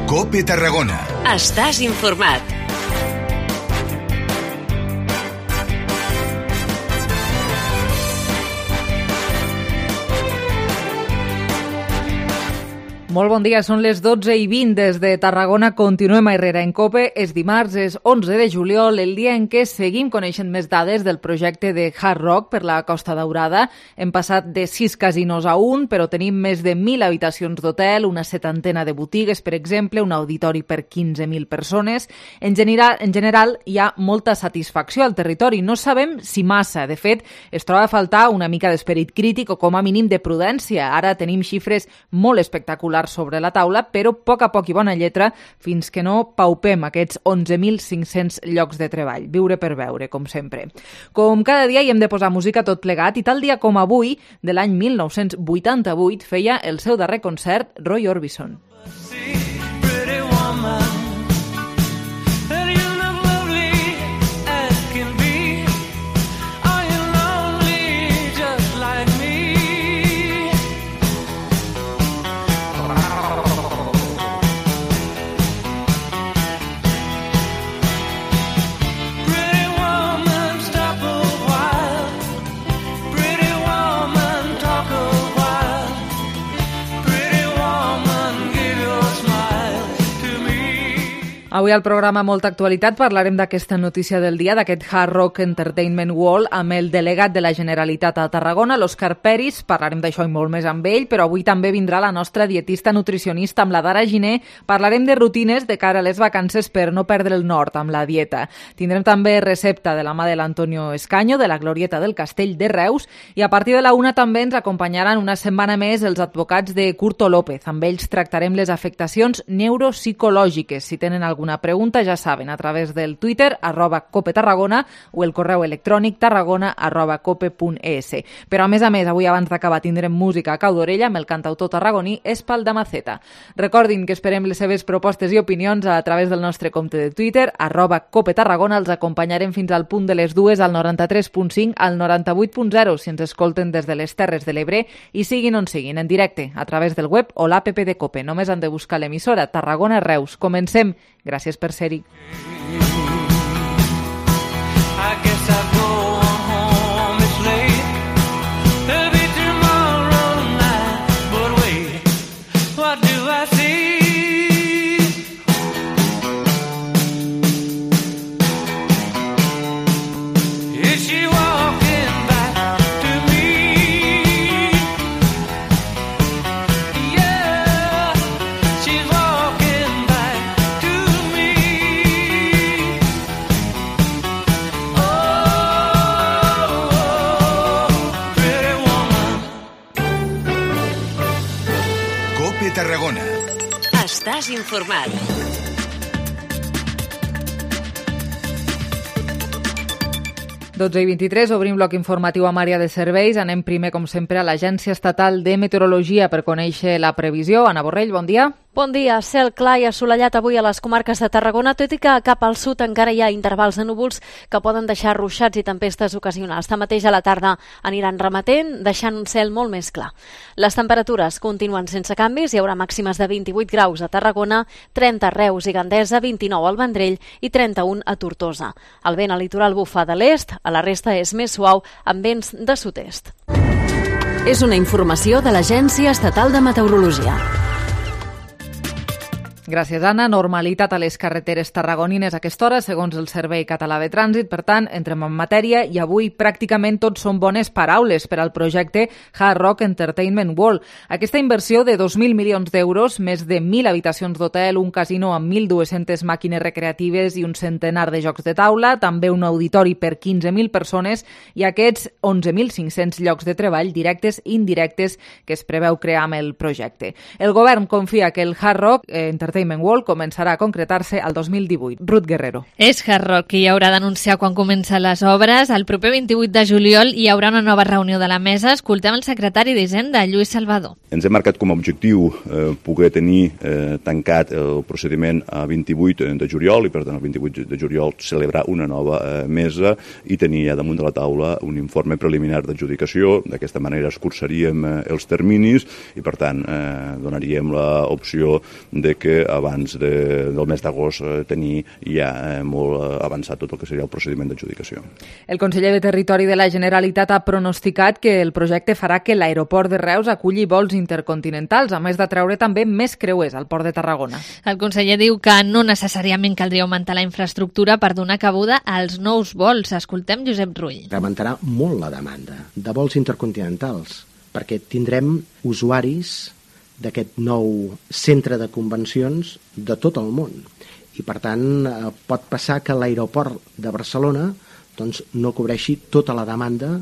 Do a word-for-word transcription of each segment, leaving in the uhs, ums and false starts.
COPE Tarragona. Estàs informat. Molt bon dia, són les dotze i vint des de Tarragona. Continuem a Herrera en COPE. És dimarts, és onze de juliol, el dia en què seguim coneixent més dades del projecte de Hard Rock per la Costa Daurada. Hem passat de sis casinos a un, però tenim més de mil habitacions d'hotel, una setantena de botigues, per exemple, un auditori per quinze mil persones. En general, en general, hi ha molta satisfacció al territori. No sabem si massa. De fet, es troba a faltar una mica d'esperit crític o com a mínim de prudència. Ara tenim xifres molt espectaculars sobre la taula, però a poc a poc i bona lletra fins que no paupem aquests onze mil cinc-cents llocs de treball. Viure per veure, com sempre. Com cada dia hi hem de posar música tot plegat i tal dia com avui, de l'any mil nou-cents vuitanta-vuit, feia el seu darrer concert Roy Orbison. Avui al programa Molta Actualitat parlarem d'aquesta notícia del dia, d'aquest Hard Rock Entertainment World, amb el delegat de la Generalitat a Tarragona, l'Òscar Peris. Parlarem d'això i molt més amb ell, però avui també vindrà la nostra dietista nutricionista amb la Dara Giner. Parlarem de rutines de cara a les vacances per no perdre el nord amb la dieta. Tindrem també recepta de la mà de l'Antonio Escaño, de la Glorieta del Castell de Reus, i a partir de la una també ens acompanyaran una setmana més els advocats de Curto López. Amb ells tractarem les afectacions neuropsicològiques. Si tenen alguna Una pregunta, ja saben, a través del Twitter, arroba Cope Tarragona, o el correu electrònic tarragona arroba cope punt es. Però a més a més, avui abans d'acabar tindrem música a cau d'orella amb el cantautor tarragoní Espal Damaceta. Recordin que esperem les seves propostes i opinions a través del nostre compte de Twitter, arroba Cope Tarragona. Els acompanyarem fins al punt de les dues al noranta-tres punt cinc, al noranta-vuit punt zero, si ens escolten des de les Terres de l'Ebre i siguin on siguin, en directe, a través del web o l'app de Cope. Només han de buscar l'emissora Tarragona Reus. Comencem. Gràcies per ser-hi. Tarragona. Estàs informat. dotze i vint-i-tres, obrim bloc informatiu amb àrea de serveis. Anem primer, com sempre, a l'Agència Estatal de Meteorologia per conèixer la previsió. Anna Borrell, bon dia. Bon dia. Cel clar i assolellat avui a les comarques de Tarragona, tot i que cap al sud encara hi ha intervals de núvols que poden deixar ruixats i tempestes ocasionals. Tanmateix a la tarda aniran remetent, deixant un cel molt més clar. Les temperatures continuen sense canvis, hi haurà màximes de vint-i-vuit graus a Tarragona, trenta a Reus i Gandesa, vint-i-nou al Vendrell i trenta-un a Tortosa. El vent al litoral bufa de l'est, a la resta és més suau, amb vents de sud-est. És una informació de l'Agència Estatal de Meteorologia. Gràcies, Anna. Normalitat a les carreteres tarragonines a aquesta hora, segons el Servei Català de Trànsit. Per tant, entrem en matèria i avui pràcticament tot són bones paraules per al projecte Hard Rock Entertainment World. Aquesta inversió de dos mil milions d'euros, més de mil habitacions d'hotel, un casino amb mil dues-centes màquines recreatives i un centenar de jocs de taula, també un auditori per quinze mil persones i aquests onze mil cinc-cents llocs de treball directes i indirectes que es preveu crear amb el projecte. El govern confia que el Hard Rock Entertainment World començarà a concretar-se al dos mil divuit. Ruth Guerrero. És Hard Rock qui haurà d'anunciar quan comencen les obres. El proper vint-i-vuit de juliol hi haurà una nova reunió de la mesa. Escoltem el secretari d'Hisenda, Lluís Salvador. Ens hem marcat com a objectiu eh, poder tenir eh, tancat el procediment a vint-i-vuit de juliol i per tant el vint-i-vuit de juliol celebrar una nova eh, mesa i tenir ja damunt de la taula un informe preliminar d'adjudicació. D'aquesta manera escurçaríem eh, els terminis i per tant eh, donaríem l'opció de que abans de, del mes d'agost eh, tenir ja eh, molt eh, avançat tot el que seria el procediment d'adjudicació. El conseller de Territori de la Generalitat ha pronosticat que el projecte farà que l'aeroport de Reus aculli vols intercontinentals, a més de treure també més creuers al port de Tarragona. El conseller diu que no necessàriament caldria augmentar la infraestructura per donar cabuda als nous vols. Escoltem Josep Rull. Augmentarà molt la demanda de vols intercontinentals, perquè tindrem usuaris d'aquest nou centre de convencions de tot el món. I, per tant, eh, pot passar que l'aeroport de Barcelona doncs, no cobreixi tota la demanda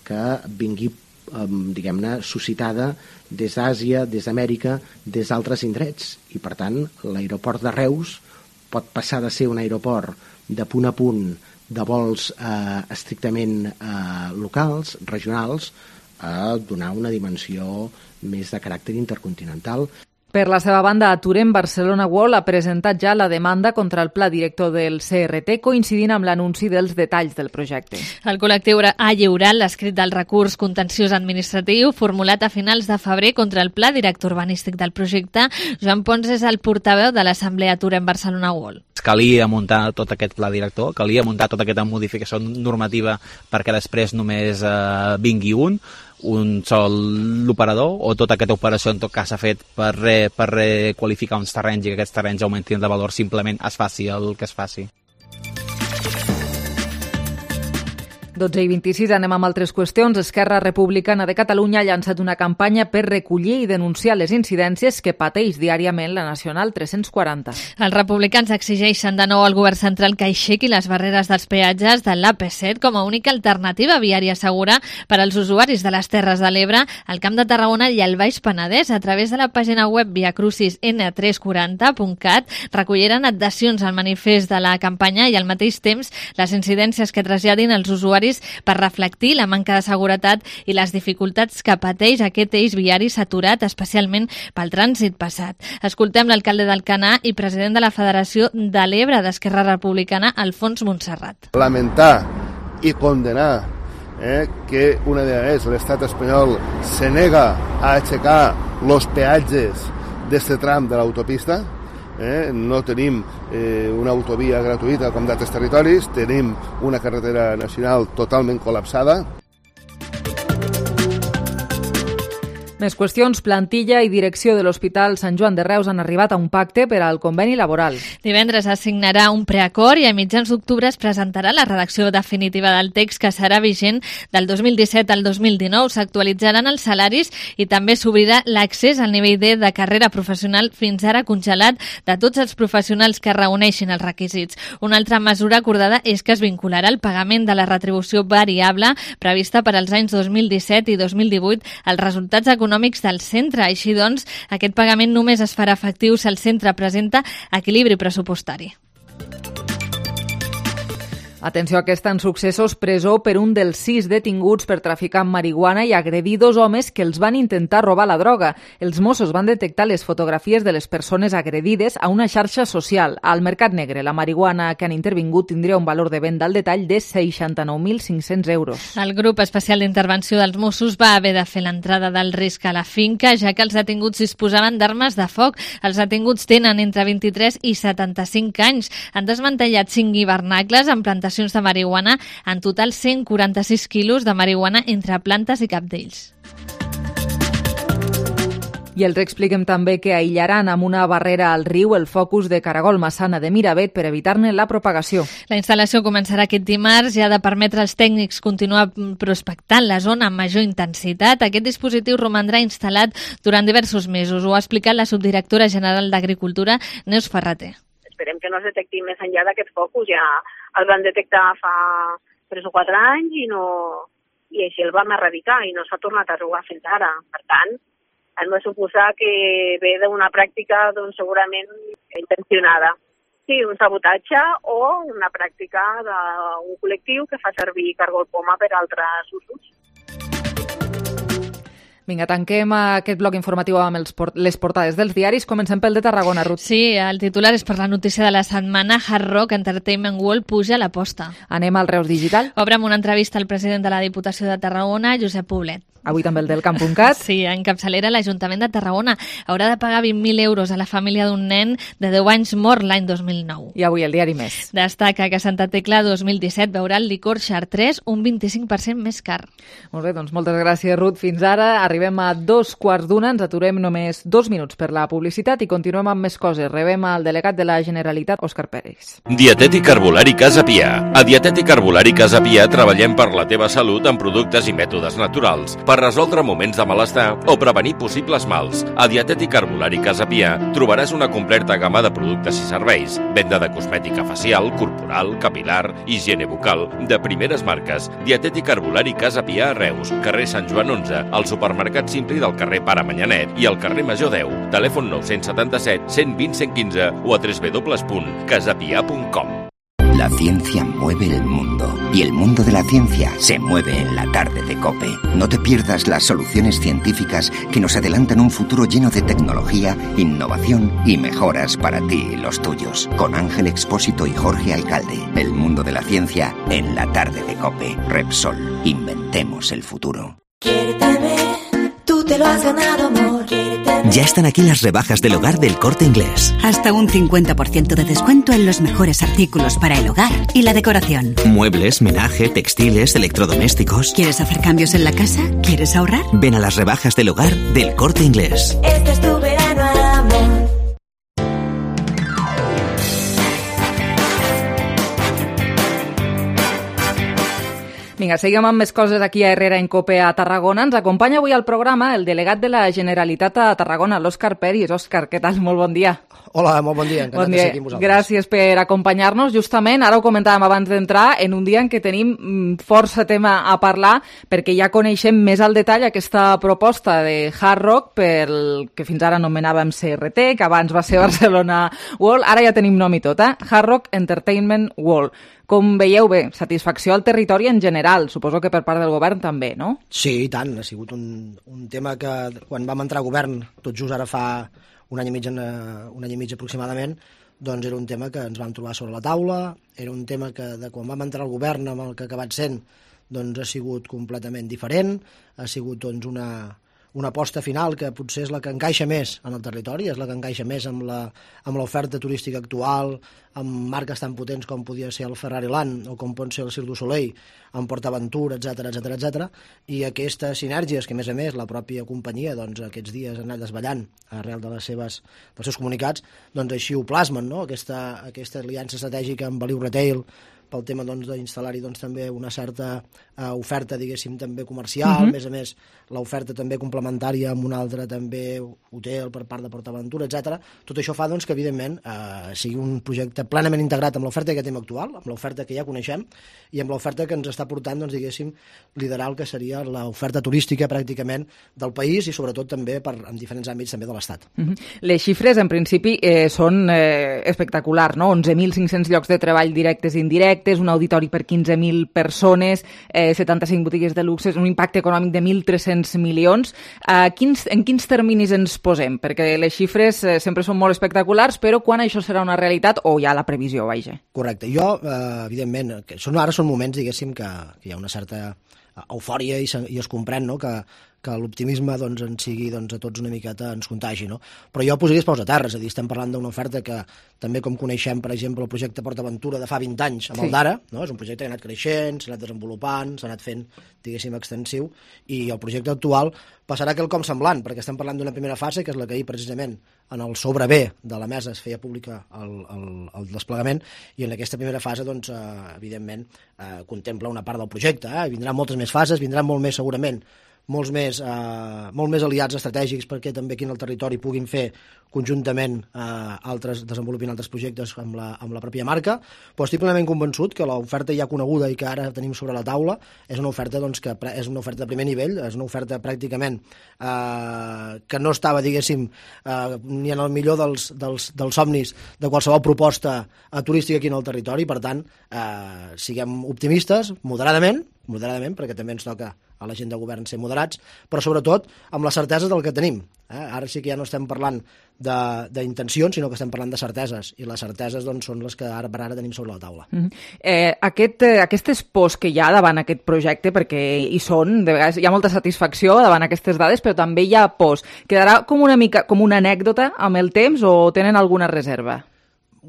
que vingui, eh, diguem-ne, suscitada des d'Àsia, des d'Amèrica, des d'altres indrets. I, per tant, l'aeroport de Reus pot passar de ser un aeroport de punt a punt de vols eh, estrictament eh, locals, regionals, a donar una dimensió més de caràcter intercontinental. Per la seva banda, Aturem Barcelona World ha presentat ja la demanda contra el pla director del C R T, coincidint amb l'anunci dels detalls del projecte. El col·lectiu ha lliurat l'escrit del recurs contenciós administratiu formulat a finals de febrer contra el pla director urbanístic del projecte. Joan Pons és el portaveu de l'Assemblea Aturem Barcelona World. Calia muntar tot aquest pla director, calia muntar tota aquesta modificació normativa perquè després només eh, vingui un, un sol operador, o tota aquesta operació en tot cas s'ha fet per, re, per requalificar uns terrenys i que aquests terrenys augmentin de valor, simplement es faci el que es faci. dotze i vint-i-sis, anem amb altres qüestions. Esquerra Republicana de Catalunya ha llançat una campanya per recollir i denunciar les incidències que pateix diàriament la Nacional tres-cents quaranta. Els republicans exigeixen de nou al govern central que aixequi les barreres dels peatges de l'A P set com a única alternativa viària segura per als usuaris de les Terres de l'Ebre, el Camp de Tarragona i el Baix Penedès. A través de la pàgina web viacrucis ene tres quaranta punt cat recolliran adhesions al manifest de la campanya i al mateix temps les incidències que traslladin els usuaris per reflectir la manca de seguretat i les dificultats que pateix aquest eix viari saturat, especialment pel trànsit passat. Escoltem l'alcalde d'Alcanar i president de la Federació de l'Ebre d'Esquerra Republicana, Alfons Montserrat. Lamentar i condenar eh, que una vegada més l'estat espanyol se nega a aixecar els peatges d'aquest tram de l'autopista. Eh, no tenim eh, una autovia gratuïta com d'altres territoris, tenim una carretera nacional totalment col·lapsada. Més qüestions. Plantilla i direcció de l'Hospital Sant Joan de Reus han arribat a un pacte per al conveni laboral. Divendres es signarà un preacord i a mitjans d'octubre es presentarà la redacció definitiva del text que serà vigent del dos mil disset al dos mil dinou. S'actualitzaran els salaris i també s'obrirà l'accés al nivell D de carrera professional fins ara congelat de tots els professionals que reuneixin els requisits. Una altra mesura acordada és que es vincularà el pagament de la retribució variable prevista per als anys dos mil disset i dos mil divuit als resultats econòmics econòmics del centre. Així doncs, aquest pagament només es farà efectiu si el centre presenta equilibri pressupostari. Atenció, que estan successos presó per un dels sis detinguts per traficar amb marihuana i agredir dos homes que els van intentar robar la droga. Els Mossos van detectar les fotografies de les persones agredides a una xarxa social. Al mercat negre, la marihuana que han intervingut tindria un valor de venda al detall de seixanta-nou mil cinc-cents euros. El grup especial d'intervenció dels Mossos va haver de fer l'entrada del risc a la finca, ja que els detinguts disposaven d'armes de foc. Els detinguts tenen entre vint-i-tres i setanta-cinc anys. Han desmantellat cinc hivernacles amb plantacions de marihuana, en total cent quaranta-sis quilos de marihuana entre plantes i cabdells. I els expliquem també que aïllaran amb una barrera al riu el focus de caragol massana de Miravet per evitar-ne la propagació. La instal·lació començarà aquest dimarts i ha de permetre als tècnics continuar prospectant la zona amb major intensitat. Aquest dispositiu romandrà instal·lat durant diversos mesos. Ho ha explicat la subdirectora general d'Agricultura, Neus Ferrater. Esperem que no es detecti més enllà d'aquest focus. Ja el van detectar fa tres o quatre anys i, no, i així el vam erradicar i no s'ha tornat a trobar fins ara. Per tant, hem de suposar que ve d'una pràctica doncs, segurament intencionada. Sí, un sabotatge o una pràctica d'un col·lectiu que fa servir cargol poma per altres usos. Vinga, tanquem aquest bloc informatiu amb els port- les portades dels diaris. Comencem pel de Tarragona, Ruth. Sí, el titular és per la notícia de la setmana. Hard Rock Entertainment World puja l'aposta. Anem al Reus Digital. Obre amb una entrevista al president de la Diputació de Tarragona, Josep Poblet. avui també el del camp punt cat. Sí, en capçalera l'Ajuntament de Tarragona haurà de pagar vint mil euros a la família d'un nen de deu anys mort l'any dos mil nou. I avui el diari Més. Destaca que Santa Tecla dos mil disset veurà el licor Chartres un vint-i-cinc per cent més car. Molt bé, doncs moltes gràcies, Ruth. Fins ara arribem a dos quarts d'una, ens aturem només dos minuts per la publicitat i continuem amb més coses. Rebem al delegat de la Generalitat, Òscar Pérez. Dietètic Herbolari Casa Pia. A Dietètic Herbolari Casa Pia treballem per la teva salut amb productes i mètodes naturals, per resoldre moments de malestar o prevenir possibles mals. A Dietètic Herbolari Casa Pia trobaràs una completa gamma de productes i serveis, venda de cosmètica facial, corporal, capilar, higiene bucal, de primeres marques. Dietètic Herbolari Casa Pia a Reus, carrer Sant Joan onze, al supermercat Simpli del carrer Pare Manyanet i al carrer Major deu. Telèfon nou set set, cent vint, cent quinze o a w w w punt casapia punt com. La ciencia mueve el mundo y el mundo de la ciencia se mueve en la tarde de COPE. No te pierdas las soluciones científicas que nos adelantan un futuro lleno de tecnología, innovación y mejoras para ti y los tuyos. Con Ángel Expósito y Jorge Alcalde. El mundo de la ciencia en la tarde de COPE. Repsol. Inventemos el futuro. Quiérteme, tú te lo has ganado, amor. Quiérteme. Ya están aquí las rebajas del hogar del Corte Inglés. Hasta un cincuenta por ciento de descuento en los mejores artículos para el hogar y la decoración. Muebles, menaje, textiles, electrodomésticos. ¿Quieres hacer cambios en la casa? ¿Quieres ahorrar? Ven a las rebajas del hogar del Corte Inglés. Este es tu verano, amor. Vinga, seguim amb més coses aquí a Herrera en Cope a Tarragona. Ens acompanya avui al programa el delegat de la Generalitat a Tarragona, l'Òscar Pérez. Òscar, què tal? Molt bon dia. Hola, molt bon dia. Encantat bon dia. de ser aquí amb vosaltres. Gràcies per acompanyar-nos. Justament, ara ho comentàvem abans d'entrar, en un dia en què tenim força tema a parlar, perquè ja coneixem més al detall aquesta proposta de Hard Rock, pel que fins ara anomenàvem C R T, que abans va ser Barcelona World, ara ja tenim nom i tot, eh? Hard Rock Entertainment World. Com veieu bé, satisfacció al territori en general, suposo que per part del govern també, no? Sí, i tant, ha sigut un, un tema que quan vam entrar a govern, tot just ara fa un any i mig, un any i mig aproximadament, doncs era un tema que ens vam trobar sobre la taula, era un tema que de quan vam entrar al govern amb el que ha acabat sent, doncs ha sigut completament diferent, ha sigut doncs una... una aposta final que potser és la que encaixa més en el territori, és la que encaixa més amb la, amb l'oferta turística actual, amb marques tan potents com podia ser el Ferrari Land o com pot ser el Cirque du Soleil, amb PortAventura, etcètera, etcètera, etcètera, i aquestes sinergies que, a més a més, la pròpia companyia doncs, aquests dies ha anat desballant arrel de les seves, dels seus comunicats, doncs així ho plasmen, no? Aquesta, aquesta aliança estratègica amb Beliu Retail, pel tema doncs, d'instal·lar-hi doncs, també una certa uh, oferta, diguéssim, també comercial, uh-huh. a més a més, l'oferta també complementària amb un altre també hotel per part de PortAventura, etcètera. Tot això fa doncs, que, evidentment, uh, sigui un projecte plenament integrat amb l'oferta que tenim actual, amb l'oferta que ja coneixem, i amb l'oferta que ens està portant, doncs, diguéssim, liderar el que seria l'oferta turística pràcticament del país i sobretot també per, en diferents àmbits també de l'Estat. Uh-huh. Les xifres, en principi, eh, són eh, espectaculars, no? onze mil cinc-cents llocs de treball directes i indirectes, un auditori per quinze mil persones, eh, setanta-cinc botigues de luxe, un impacte econòmic de mil tres-cents milions. Eh, quins, en quins terminis ens posem? Perquè les xifres eh, sempre són molt espectaculars, però quan això serà una realitat o ja la previsió, vaja? Correcte. Jo, eh, evidentment, que són, ara són moments, diguéssim, que, que hi ha una certa eufòria i, i es comprèn, no?, que, que l'optimisme doncs, en sigui doncs, a tots una miqueta ens contagi, no? Però jo posaria els peus a terra, és a dir, estem parlant d'una oferta que també com coneixem, per exemple, el projecte PortAventura de fa vint anys amb sí. el d'ara, no? És un projecte que ha anat creixent, s'ha anat desenvolupant, s'ha anat fent, diguéssim, extensiu, i el projecte actual passarà quelcom semblant, perquè estem parlant d'una primera fase, que és la que ahir precisament en el sobre B de la mesa es feia pública el, el, el desplegament, i en aquesta primera fase, doncs, eh, evidentment, eh, contempla una part del projecte, eh? Vindran moltes més fases, vindran molt més segurament molts més, eh, molt més aliats estratègics perquè també aquí en el territori puguin fer conjuntament eh, altres, desenvolupin altres projectes amb la, amb la pròpia marca, però estic plenament convençut que l'oferta ja coneguda i que ara tenim sobre la taula és una oferta, doncs, que és una oferta de primer nivell, és una oferta pràcticament eh, que no estava, diguéssim, eh, ni en el millor dels, dels, dels somnis de qualsevol proposta eh, turística aquí en el territori, per tant, eh, siguem optimistes, moderadament, moderadament, perquè també ens toca a la gent de govern ser moderats, però sobretot amb la certesa del que tenim. Eh? Ara sí que ja no estem parlant d'intencions, sinó que estem parlant de certeses, i les certeses doncs, són les que ara per ara tenim sobre la taula. Mm -hmm. eh, aquest, eh, aquestes pors que hi ha davant aquest projecte, perquè hi són, de vegades hi ha molta satisfacció davant aquestes dades, però també hi ha pors. Quedarà com una mica com una anècdota amb el temps o tenen alguna reserva?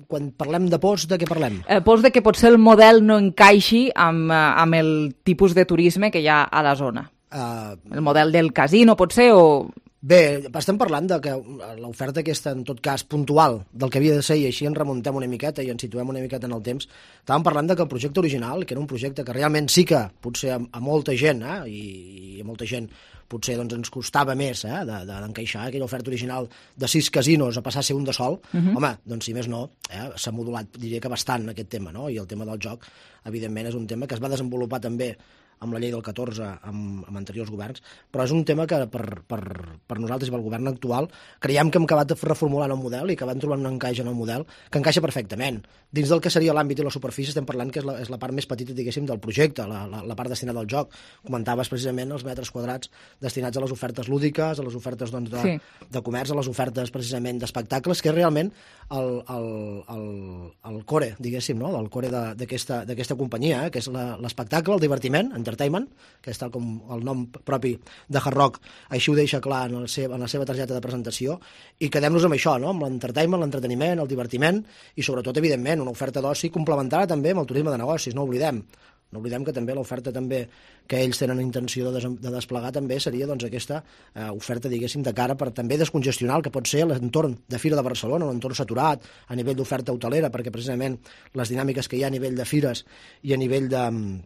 Quan parlem de pors, de què parlem? Eh, pors de que potser el model no encaixi amb, amb el tipus de turisme que hi ha a la zona. Uh, el model del casino, potser, o... Bé, estem parlant de que l'oferta aquesta, en tot cas, puntual del que havia de ser, i així ens remuntem una miqueta i ens situem una miqueta en el temps, estàvem parlant de que el projecte original, que era un projecte que realment sí que, potser a, a molta gent, eh, i, i a molta gent potser doncs, ens costava més eh, d'encaixar de, de, aquella oferta original de sis casinos a passar a ser un de sol, uh -huh. home, doncs si més no, eh, s'ha modulat, diria que bastant aquest tema, no? I el tema del joc, evidentment, és un tema que es va desenvolupar també amb la llei del catorze, amb, amb anteriors governs, però és un tema que per, per, per nosaltres i pel govern actual creiem que hem acabat reformulant el model i que van trobant un encaix en el model que encaixa perfectament. Dins del que seria l'àmbit i la superfície estem parlant que és la, és la part més petita, diguéssim, del projecte, la, la, la part destinada al joc. Comentaves precisament els metres quadrats destinats a les ofertes lúdiques, a les ofertes doncs, de, sí. de comerç, a les ofertes precisament d'espectacles, que és realment el, el, el, el core, diguéssim, no? el core d'aquesta companyia, eh? que és l'espectacle, el divertiment, Entertainment, que és tal com el nom propi de Hard Rock, així ho deixa clar en, el seu, en la seva targeta de presentació, i quedem-nos amb això, no? amb l'entertainment, l'entreteniment, el divertiment, i sobretot, evidentment, una oferta d'oci complementada també amb el turisme de negocis, no oblidem. No oblidem que també l'oferta també que ells tenen intenció de, des de desplegar també seria doncs, aquesta eh, oferta, diguéssim, de cara per també descongestionar el que pot ser l'entorn de Fira de Barcelona, un entorn saturat a nivell d'oferta hotelera, perquè precisament les dinàmiques que hi ha a nivell de fires i a nivell de...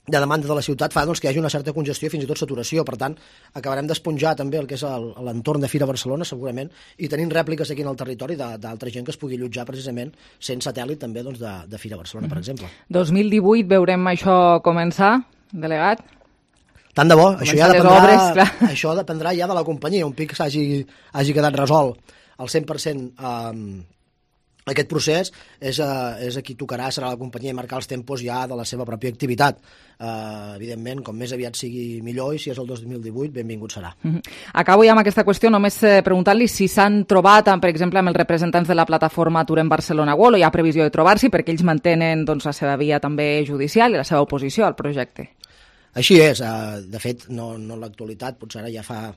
de demanda de la ciutat fa doncs, que hi hagi una certa congestió i fins i tot saturació. Per tant, acabarem d'esponjar també el que és l'entorn de Fira Barcelona, segurament, i tenim rèpliques aquí en el territori d'altra gent que es pugui allotjar precisament sent satèl·lit també doncs, de, de Fira Barcelona, per exemple. dos mil divuit veurem això començar, delegat? Tant de bo, això ja dependrà, obres, això dependrà ja de la companyia, un pic s'hagi hagi quedat resolt al cent per cent eh, aquest procés és, uh, és a qui tocarà, serà la companyia, i marcar els tempos ja de la seva pròpia activitat. Uh, evidentment, com més aviat sigui millor, i si és el dos mil divuit, benvingut serà. Uh -huh. Acabo ja amb aquesta qüestió, només eh, preguntant-li si s'han trobat, per exemple, amb els representants de la plataforma Aturem Barcelona World, o hi ha previsió de trobar-s'hi, perquè ells mantenen doncs, la seva via també judicial i la seva oposició al projecte. Així és. Uh, de fet, no, no en l'actualitat, potser ara ja fa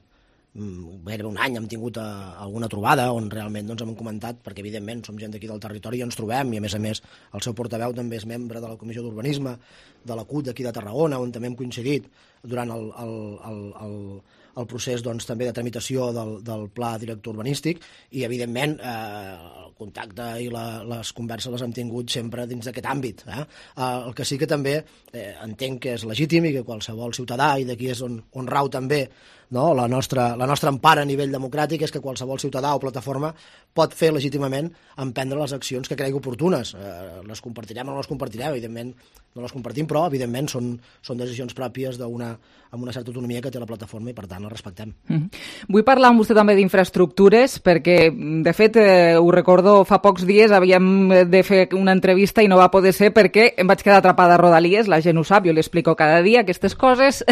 gairebé un any hem tingut uh, alguna trobada on realment doncs, hem comentat, perquè evidentment som gent d'aquí del territori i ens trobem, i a més a més el seu portaveu també és membre de la Comissió d'Urbanisme de la C U T d'aquí de Tarragona, on també hem coincidit durant el, el, el, el, el procés doncs, també de tramitació del, del pla director urbanístic, i evidentment eh, el contacte i la, les converses les hem tingut sempre dins d'aquest àmbit. Eh? Eh, el que sí que també eh, entenc que és legítim i que qualsevol ciutadà, i d'aquí és on, on rau també no? la, nostra, la nostra empara a nivell democràtic, és que qualsevol ciutadà o plataforma pot fer legítimament emprendre les accions que cregui oportunes. Eh, les compartirem o no les compartirem, evidentment no les compartim, però evidentment són, són decisions pròpies d'una, amb una certa autonomia que té la plataforma, i per tant les respectem. Mm. Vull parlar amb vostè també d'infraestructures, perquè de fet eh, ho recordo, fa pocs dies havíem de fer una entrevista i no va poder ser perquè em vaig quedar atrapada a Rodalies, la gent ho sap, jo li explico cada dia aquestes coses.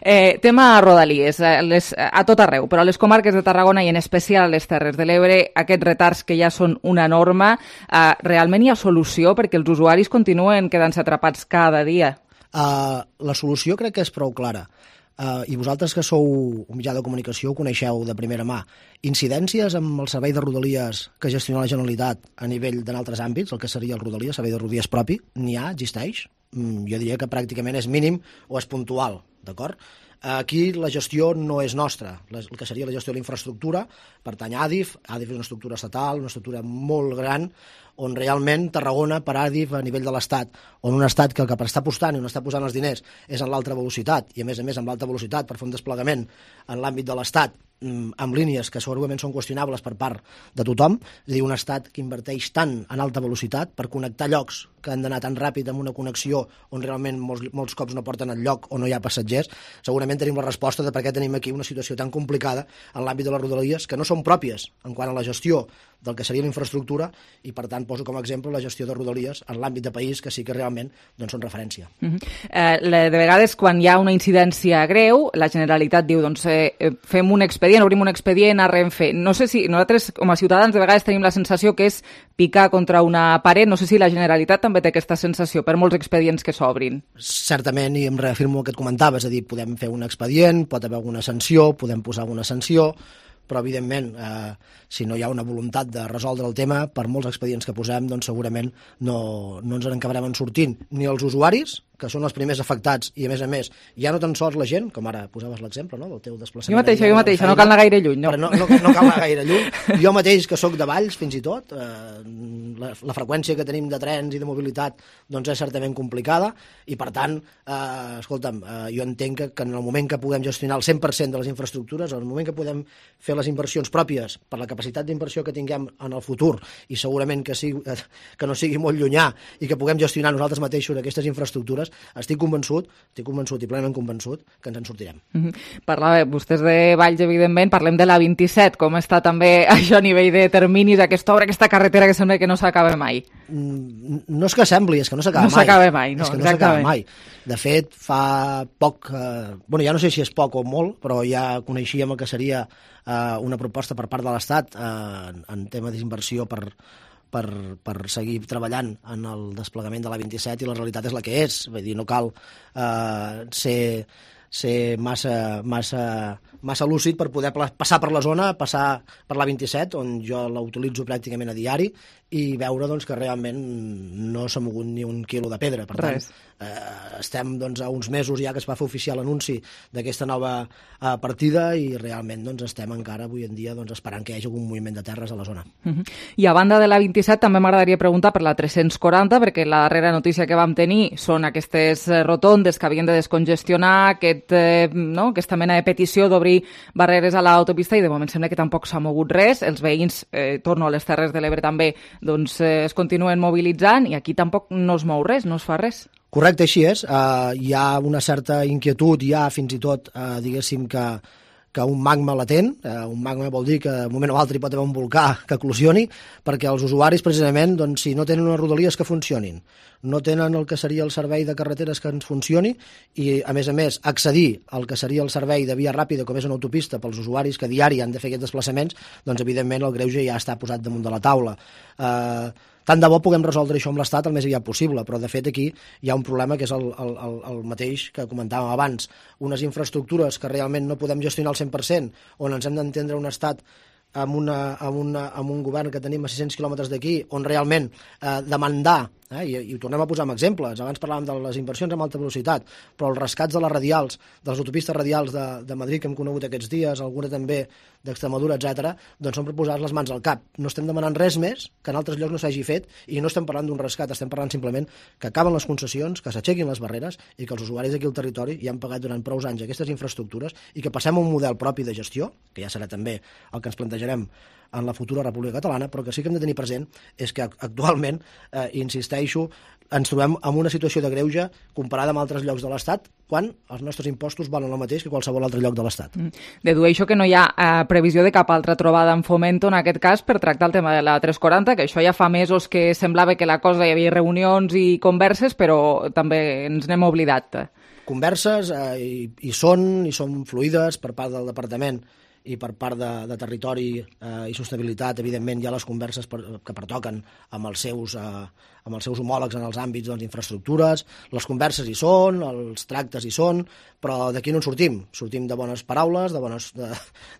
eh, tema Rodalies, les, a tot arreu, però a les comarques de Tarragona i en especial a les Terres de l'Ebre, aquests retards que ja són una norma, eh, realment hi ha solució perquè els usuaris continuen quedant-se atrapats cada dia? Uh, la solució crec que és prou clara. Uh, I vosaltres que sou un mitjà de comunicació ho coneixeu de primera mà. Incidències amb el servei de Rodalies que gestiona la Generalitat a nivell d'altres àmbits, el que seria el Rodalies, servei de Rodalies propi, n'hi ha, existeix? Mm, jo diria que pràcticament és mínim o és puntual, d'acord? Aquí la gestió no és nostra, el que seria la gestió de la infraestructura pertany a Adif. Adif és una estructura estatal, una estructura molt gran, on realment Tarragona, per Adif, a nivell de l'Estat, on un Estat que el que està apostant i on està posant els diners és en l'alta velocitat, i a més a més amb l'alta velocitat per fer un desplegament en l'àmbit de l'Estat amb línies que segurament són qüestionables per part de tothom, és a dir, un Estat que inverteix tant en alta velocitat per connectar llocs que han d'anar tan ràpid amb una connexió on realment molts, molts cops no porten enlloc o no hi ha passatgers, segurament tenim la resposta de per què tenim aquí una situació tan complicada en l'àmbit de les rodalies, que no són pròpies en quant a la gestió del que seria la infraestructura, i per tant poso com a exemple la gestió de rodalies en l'àmbit de país, que sí que realment doncs, són referència. Uh-huh. eh, de vegades, quan hi ha una incidència greu, la Generalitat diu, doncs, eh, fem un expedient, obrim un expedient a Renfe. No sé si nosaltres, com a ciutadans, de vegades tenim la sensació que és picar contra una paret. No sé si la Generalitat també té aquesta sensació per molts expedients que s'obrin. Certament, i em reafirmo el que et comentava, és a dir, podem fer un expedient, pot haver alguna sanció, podem posar alguna sanció, però evidentment, eh, si no hi ha una voluntat de resoldre el tema, per molts expedients que posem, doncs segurament no, no ens en acabarem en sortint ni els usuaris, que són els primers afectats, i a més a més, ja no tan sols la gent, com ara posaves l'exemple, no?, del teu desplaçament. Jo mateixa, jo mateixa, no cal anar gaire lluny, no? No, no, no cal anar gaire lluny. Jo mateix, que sóc de Valls, fins i tot, eh, la, la freqüència que tenim de trens i de mobilitat doncs és certament complicada, i per tant, eh, escolta'm, eh, jo entenc que, que en el moment que puguem gestionar el cent per cent de les infraestructures, en el moment que podem fer les inversions pròpies per la capacitat d'inversió que tinguem en el futur, i segurament que, sigui, que no sigui molt llunyà, i que puguem gestionar nosaltres mateixos aquestes infraestructures, estic convençut, estic convençut i plenament convençut que ens en sortirem. Mm-hmm. Parlava, vostès de Valls, evidentment, parlem de la vint-i-set, com està també això a nivell de terminis, aquesta obra, aquesta carretera que sembla que no s'acaba mai. No és que sembli, és que no s'acaba no mai. No s'acaba mai, no, és que no s'acaba mai. De fet, fa poc, eh, bueno, ja no sé si és poc o molt, però ja coneixíem el que seria eh, una proposta per part de l'Estat eh, en tema d'inversió per Per, per seguir treballant en el desplegament de la vint-i-set, i la realitat és la que és. Vull dir, no cal eh, ser, ser massa, massa, massa lúcid per poder passar per la zona, passar per la vint-i-set, on jo la utilitzo pràcticament a diari, i veure doncs, que realment no s'ha mogut ni un quilo de pedra. Per tant, eh, estem doncs, a uns mesos ja que es va fer oficial l'anunci d'aquesta nova eh, partida, i realment doncs, estem encara avui en dia doncs, esperant que hi hagi algun moviment de terres a la zona. Uh-huh. I a banda de la vint-i-set també m'agradaria preguntar per la tres-cents quaranta, perquè la darrera notícia que vam tenir són aquestes rotondes que havien de descongestionar, aquest, eh, no? aquesta mena de petició d'obrir barreres a l'autopista, i de moment sembla que tampoc s'ha mogut res. Els veïns, eh, torno a les Terres de l'Ebre també, doncs eh, es continuen mobilitzant, i aquí tampoc no es mou res, no es fa res. Correcte, així és. Uh, hi ha una certa inquietud, hi ha fins i tot, uh, diguéssim, que, que un magma latent, uh, un magma vol dir que en un moment o altre hi pot haver un volcà que eclosioni, perquè els usuaris, precisament, doncs, si no tenen unes rodalies que funcionin, no tenen el que seria el servei de carreteres que ens funcioni, i, a més a més, accedir al que seria el servei de via ràpida, com és una autopista, pels usuaris que diari han de fer aquests desplaçaments, doncs, evidentment, el greuge ja està posat damunt de la taula. Uh, Tant de bo puguem resoldre això amb l'Estat el més aviat possible, però de fet aquí hi ha un problema que és el, el, el mateix que comentàvem abans. Unes infraestructures que realment no podem gestionar al cent per cent, on ens hem d'entendre un Estat amb, una, amb, una, amb un govern que tenim a sis-cents quilòmetres d'aquí, on realment eh, demandar, eh, i, i ho tornem a posar amb exemples, abans parlàvem de les inversions amb alta velocitat, però els rescats de les radials, de les autopistes radials de, de Madrid que hem conegut aquests dies, alguna també d'Extremadura, etcètera, doncs són per posar les mans al cap. No estem demanant res més que en altres llocs no s'hagi fet, i no estem parlant d'un rescat, estem parlant simplement que acaben les concessions, que s'aixequin les barreres, i que els usuaris d'aquí al territori ja han pagat durant prou anys aquestes infraestructures, i que passem a un model propi de gestió, que ja serà també el que ens plantejarem en la futura República Catalana, però que sí que hem de tenir present és que actualment, eh, insisteixo, ens trobem en una situació de greuge comparada amb altres llocs de l'Estat, quan els nostres impostos valen el mateix que qualsevol altre lloc de l'Estat. Mm. Dedueixo que no hi ha eh, previsió de cap altra trobada en Fomento, en aquest cas, per tractar el tema de la tres quaranta, que això ja fa mesos que semblava que la cosa, hi havia reunions i converses, però també ens n'hem oblidat. Converses eh, i, i són, i són fluides per part del Departament i per part de, de Territori eh, i Sostenibilitat. Evidentment hi ha les converses per, que pertoquen amb els seus, eh, amb els seus homòlegs en els àmbits d'infraestructures. Doncs, les converses hi són, els tractes hi són, però d'aquí no en sortim. Sortim de bones paraules, de, bones, de,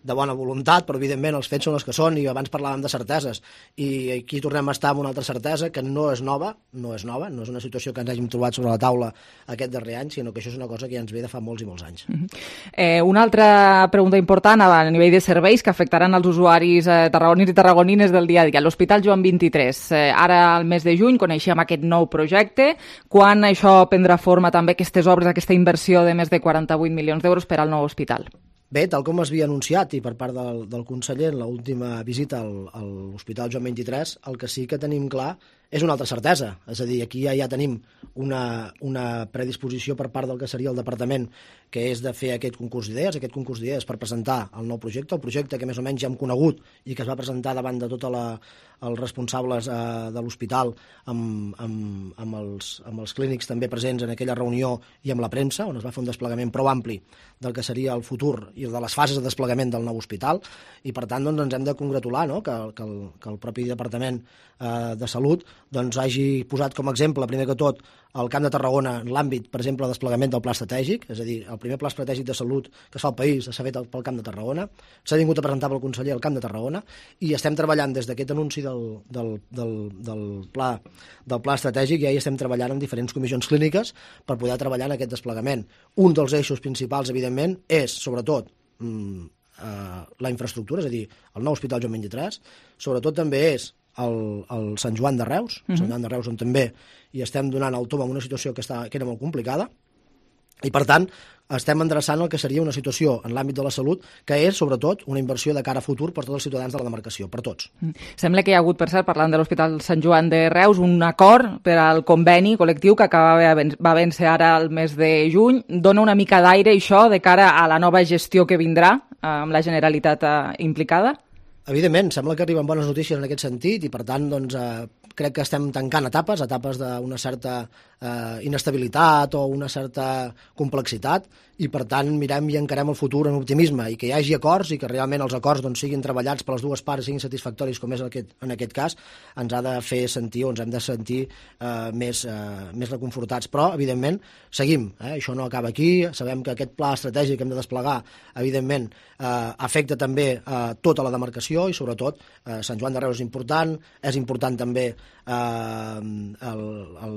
de bona voluntat, però evidentment els fets són els que són, i abans parlàvem de certeses, i aquí tornem a estar amb una altra certesa que no és nova, no és nova, no és una situació que ens hàgim trobat sobre la taula aquest darrer any, sinó que això és una cosa que ja ens ve de fa molts i molts anys. Uh-huh. eh, una altra pregunta important a nivell de serveis que afectaran els usuaris eh, tarragonins i tarragonines del dia a dia. L'Hospital Joan vint-i-tres, eh, ara al mes de juny coneixem aquest nou projecte. Quan això prendrà forma també, aquestes obres, aquesta inversió de més de quaranta-vuit milions d'euros per al nou hospital? Bé, tal com es havia anunciat i per part del, del conseller en l'última visita al, a l'Hospital Joan vint-i-tres, el que sí que tenim clar és una altra certesa. És a dir, aquí ja, ja tenim una, una predisposició per part del que seria el departament, que és de fer aquest concurs d'idees, aquest concurs d'idees per presentar el nou projecte, el projecte que més o menys ja hem conegut i que es va presentar davant de tots els responsables eh, de l'hospital amb, amb, amb, els, amb els clínics també presents en aquella reunió i amb la premsa, on es va fer un desplegament prou ampli del que seria el futur i de les fases de desplegament del nou hospital, i per tant doncs, ens hem de congratular, no? que, que, el, que el propi Departament eh, de Salut doncs, hagi posat com a exemple, primer que tot, el Camp de Tarragona en l'àmbit, per exemple, de desplegament del pla estratègic, és a dir, el primer pla estratègic de salut que es fa al país s'ha fet pel Camp de Tarragona, s'ha vingut a presentar pel conseller al Camp de Tarragona, i estem treballant des d'aquest anunci del, del, del, del, pla, del pla estratègic, ja hi estem treballant en diferents comissions clíniques per poder treballar en aquest desplegament. Un dels eixos principals, evidentment, és, sobretot, mm, eh, la infraestructura, és a dir, el nou Hospital Joan vint-i-tres, sobretot també és el, el Sant Joan de Reus, uh-huh. Sant Joan de Reus on també hi estem donant el tom en una situació que, està, que era molt complicada, i per tant estem endreçant el que seria una situació en l'àmbit de la salut que és sobretot una inversió de cara a futur per tots els ciutadans de la demarcació, per tots. Sembla que hi ha hagut, per cert, parlant de l'Hospital Sant Joan de Reus, un acord per al conveni col·lectiu que acaba va vèncer ara el mes de juny. Dona una mica d'aire això de cara a la nova gestió que vindrà amb la Generalitat implicada? Evidentment, sembla que arriben bones notícies en aquest sentit i, per tant, doncs, eh, crec que estem tancant etapes, etapes d'una certa eh, inestabilitat o una certa complexitat, i, per tant, mirem i encarem el futur en optimisme i que hi hagi acords i que realment els acords doncs, siguin treballats per les dues parts i siguin satisfactoris, com és aquest, en aquest cas, ens ha de fer sentir o ens hem de sentir eh, més, eh, més reconfortats. Però, evidentment, seguim. Eh? Això no acaba aquí. Sabem que aquest pla estratègic que hem de desplegar, evidentment, eh, afecta també eh, tota la demarcació i, sobretot, eh, Sant Joan de Reus és important, és important també eh, el, el,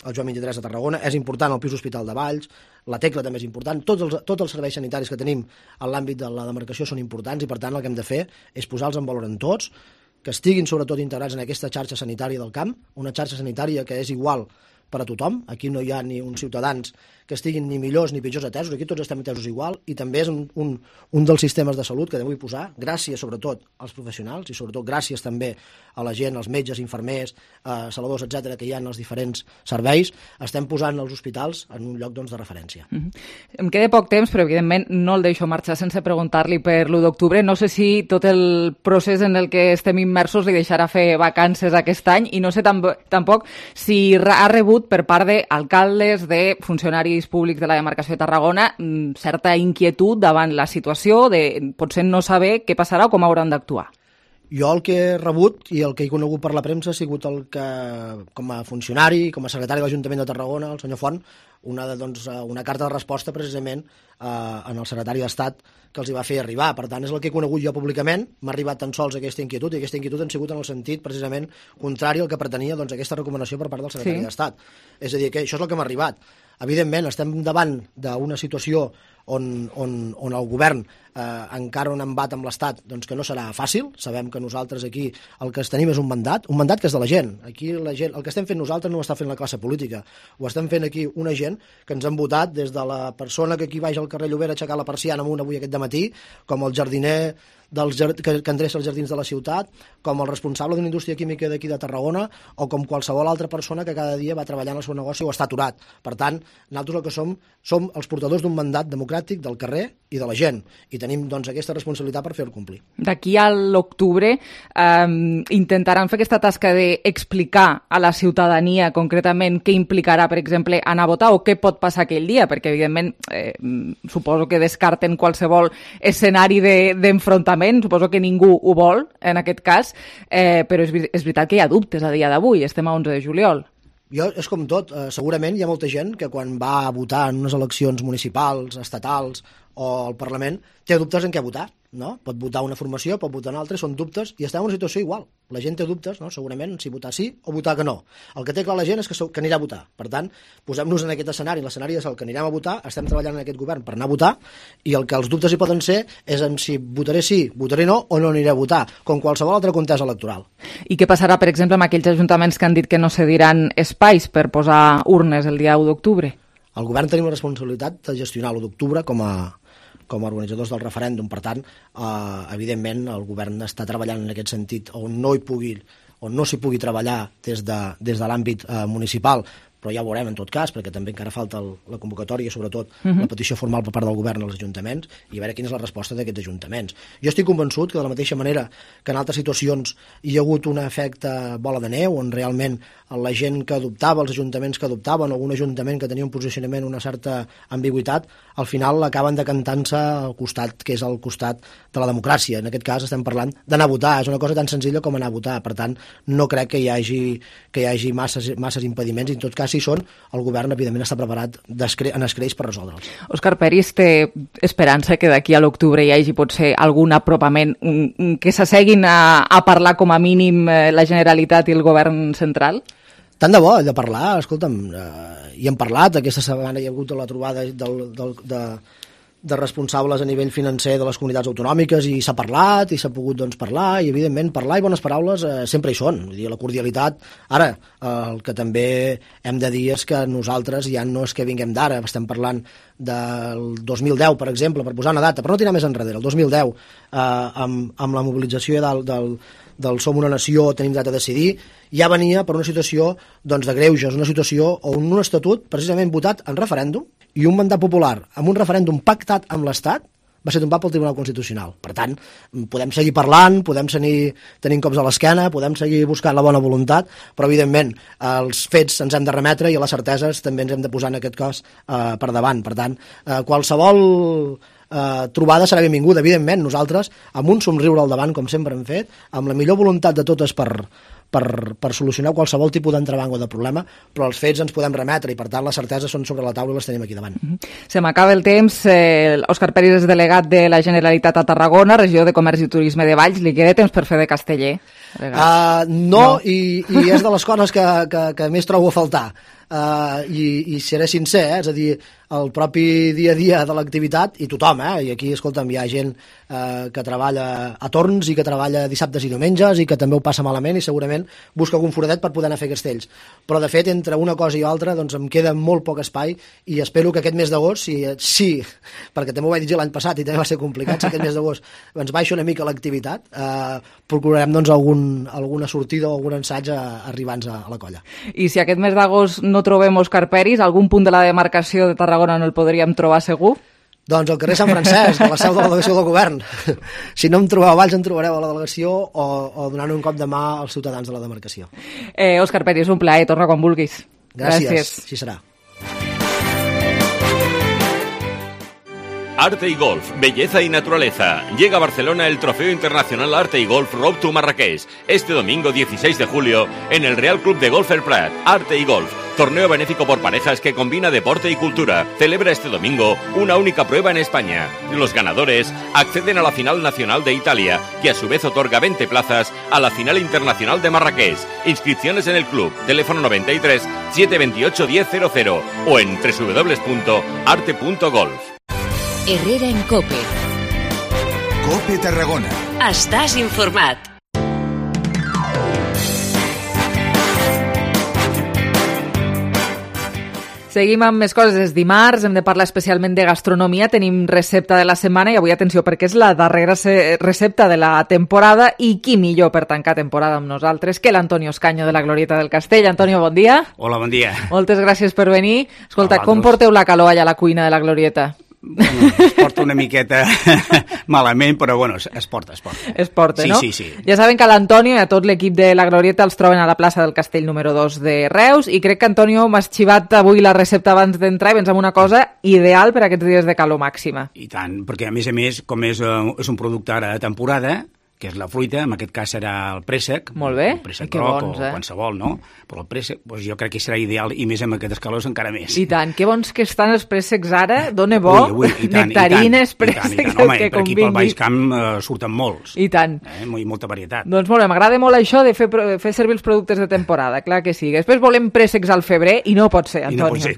el Joan vint-i-tres de Tarragona, és important el Pis Hospital de Valls, la Tecla també és important, tots els, tots els serveis sanitaris que tenim en l'àmbit de la demarcació són importants i, per tant, el que hem de fer és posar-los en valor en tots, que estiguin sobretot integrats en aquesta xarxa sanitària del camp, una xarxa sanitària que és igual per a tothom. Aquí no hi ha ni uns ciutadans que estiguin ni millors ni pitjors atesos, aquí tots estem atesos igual, i també és un, un, un dels sistemes de salut que vull posar, gràcies sobretot als professionals i sobretot gràcies també a la gent, als metges, infermers, eh, saladors, etcètera, que hi ha en els diferents serveis, estem posant els hospitals en un lloc doncs, de referència. Mm-hmm. Em queda poc temps, però evidentment no el deixo marxar sense preguntar-li per l'u d'octubre. No sé si tot el procés en el que estem immersos li deixarà fer vacances aquest any, i no sé tam- tampoc si ha rebut per part d'alcaldes, de funcionaris públics de la demarcació de Tarragona, certa inquietud davant la situació, de potser no saber què passarà o com hauran d'actuar. Jo el que he rebut i el que he conegut per la premsa ha sigut el que, com a funcionari, com a secretari de l'Ajuntament de Tarragona, el senyor Font, una, de, doncs, una carta de resposta precisament eh, en el secretari d'Estat que els hi va fer arribar. Per tant, és el que he conegut jo públicament. M'ha arribat tan sols aquesta inquietud, i aquesta inquietud ha sigut en el sentit precisament contrari al que pretenia doncs, aquesta recomanació per part del secretari sí. d'Estat. És a dir, que això és el que m'ha arribat. Evidentment, estem davant d'una situació on, on, on el govern eh, encara un embat amb l'Estat doncs que no serà fàcil. Sabem que nosaltres aquí el que tenim és un mandat, un mandat que és de la gent. Aquí la gent, el que estem fent nosaltres no ho està fent la classe política, ho estem fent aquí una gent que ens han votat des de la persona que aquí baix al carrer Llobera a aixecar la persiana amunt avui aquest dematí, com el jardiner dels, que, que endreça els jardins de la ciutat, com el responsable d'una indústria química d'aquí de Tarragona, o com qualsevol altra persona que cada dia va treballar en el seu negoci o està aturat. Per tant, nosaltres el que som, som els portadors d'un mandat democràtic del carrer i de la gent, i tenim doncs, aquesta responsabilitat per fer-ho complir. D'aquí a l'octubre eh, intentaran fer aquesta tasca d'explicar a la ciutadania concretament què implicarà, per exemple, anar a votar o què pot passar aquell dia, perquè evidentment eh, suposo que descarten qualsevol escenari d'enfrontament, de, suposo que ningú ho vol en aquest cas, eh, però és, és veritat que hi ha dubtes a dia d'avui, estem a onze de juliol. Jo, és com tot, eh, segurament hi ha molta gent que quan va a votar en unes eleccions municipals, estatals o al Parlament, té dubtes en què votar, no? Pot votar una formació, pot votar una altra, són dubtes, i està en una situació igual. La gent té dubtes, no? Segurament, si votar sí o votar que no. El que té clar la gent és que, que anirà a votar. Per tant, posem-nos en aquest escenari, l'escenari és el que anirem a votar, estem treballant en aquest govern per anar a votar, i el que els dubtes hi poden ser és en si votaré sí, votaré no o no aniré a votar, com qualsevol altra contesa electoral. I què passarà, per exemple, amb aquells ajuntaments que han dit que no cediran espais per posar urnes el dia u d'octubre? El govern tenim la responsabilitat de gestionar l'u d'octubre com a com a organitzadors del referèndum. Per tant, eh, evidentment, el govern està treballant en aquest sentit on no hi pugui on no s'hi pugui treballar des de, des de l'àmbit eh, municipal, però ja ho veurem en tot cas, perquè també encara falta el, la convocatòria, sobretot uh -huh. la petició formal per part del govern als ajuntaments, i a veure quina és la resposta d'aquests ajuntaments. Jo estic convençut que de la mateixa manera que en altres situacions hi ha hagut un efecte bola de neu, on realment la gent que adoptava, els ajuntaments que adoptaven, algun ajuntament que tenia un posicionament, una certa ambigüitat, al final acaben decantant-se al costat, que és el costat de la democràcia. En aquest cas estem parlant d'anar a votar, és una cosa tan senzilla com anar a votar, per tant, no crec que hi hagi, que hi hagi masses, masses impediments, i en tot cas, si són, el govern, evidentment, està preparat en escreix per resoldre'ls. Òscar Peris té esperança que d'aquí a l'octubre hi hagi potser algun apropament, que s'asseguin a, a parlar com a mínim la Generalitat i el govern central? Tant de bo, de parlar, escolta'm, eh, hi hem parlat, aquesta setmana hi ha hagut la trobada del, del, de, de responsables a nivell financer de les comunitats autonòmiques, i s'ha parlat, i s'ha pogut doncs, parlar, i evidentment parlar i bones paraules eh, sempre hi són, vull dir, la cordialitat. Ara, eh, el que també hem de dir és que nosaltres ja no és que vinguem d'ara, estem parlant del dos mil deu, per exemple, per posar una data, però no tirar més enrere, el dos mil deu, eh, amb, amb la mobilització del, del, del Som una nació, tenim dret a decidir, ja venia per una situació doncs, de greuges, una situació on un estatut precisament votat en referèndum i un mandat popular amb un referèndum pactat amb l'Estat va ser tombat pel Tribunal Constitucional. Per tant, podem seguir parlant, podem seguir tenint cops a l'esquena, podem seguir buscant la bona voluntat, però evidentment els fets ens hem de remetre i les certeses també ens hem de posar en aquest cas eh, per davant. Per tant, eh, qualsevol eh, trobada serà benvinguda, evidentment, nosaltres amb un somriure al davant, com sempre hem fet, amb la millor voluntat de totes per Per, per solucionar qualsevol tipus d'entrebanc o de problema, però els fets ens podem remetre i per tant les certeses són sobre la taula i les tenim aquí davant. Mm-hmm. Se m'acaba el temps. eh, Òscar Peris és delegat de la Generalitat a Tarragona, regió de Comerç i Turisme de Valls. Li queda temps per fer de casteller? Uh, no, no. I, i és de les coses que, que, que més trobo a faltar. Uh, i, i seré sincer, eh? És a dir, el propi dia a dia de l'activitat, i tothom, eh? I aquí, escolta'm, hi ha gent uh, que treballa a torns i que treballa dissabtes i diumenges i que també ho passa malament i segurament busca algun foradet per poder anar a fer castells. Però, de fet, entre una cosa i altra, doncs em queda molt poc espai i espero que aquest mes d'agost, si, sí, perquè també ho vaig dir l'any passat i també va ser complicat, si aquest mes d'agost ens baixa una mica l'activitat, uh, procurarem doncs, algun, alguna sortida o algun ensaig arribant a, a la colla. I si aquest mes d'agost no trobem Òscar Peris, algun punt de la demarcació de Tarragona no el podríem trobar segur? Doncs al carrer Sant Francesc, de la seu de la delegació del govern. Si no em trobeu a Valls, em trobareu a la delegació o, o donant un cop de mà als ciutadans de la demarcació. Eh, Òscar Peris, un plaer, torna quan vulguis. Gràcies, Gràcies. Així serà. Arte y Golf, belleza y naturaleza. Llega a Barcelona el Trofeo Internacional Arte y Golf Road to Marrakech, este domingo dieciséis de julio en el Real Club de Golf El Prat. Arte y Golf, torneo benéfico por parejas que combina deporte y cultura. Celebra este domingo una única prueba en España. Los ganadores acceden a la final nacional de Italia, que a su vez otorga veinte plazas a la final internacional de Marrakech. Inscripciones en el club, teléfono noventa y tres, setecientos veintiocho, diez cero cero o en doble u doble u doble u punto arte punto golf. Herrera en COPE. COPE Tarragona. Estàs informat. Seguim amb més coses. És dimarts, hem de parlar especialment de gastronomia. Tenim recepta de la setmana i avui, atenció, perquè és la darrera recepta de la temporada i qui millor per tancar temporada amb nosaltres que l'Antonio Escaño de la Glorieta del Castell. Antonio, bon dia. Hola, bon dia. Moltes gràcies per venir. Escolta, com porteu la calor allà a la cuina de la Glorieta? Bueno, es porta una miqueta malament, però bueno, es porta, es porta. Es porta, sí, no? Sí, sí, sí. Ja saben que l'Antonio i a tot l'equip de la Glorieta els troben a la plaça del Castell número dos de Reus i crec que, Antonio, m'has xivat avui la recepta abans d'entrar i pensem una cosa ideal per a aquests dies de calor màxima. I tant, perquè a més a més, com és, uh, és un producte ara de temporada, que és la fruita, en aquest cas serà el préssec. Molt bé. El préssec groc bons, eh? O qualsevol, no? Però el préssec, doncs jo crec que serà ideal, i més amb aquestes calors encara més. I tant, que bons que estan els préssecs ara, dona bo, ui, ui, i tant, nectarines, i tant, préssecs, i tant, i tant. Home, que per aquí pel convingui. Baix Camp uh, surten molts. I tant. Eh? I molta varietat. Doncs molt bé, m'agrada molt això de fer, fer servir els productes de temporada, clar que sí. Després volem préssecs al febrer i no pot ser, Antonio. I no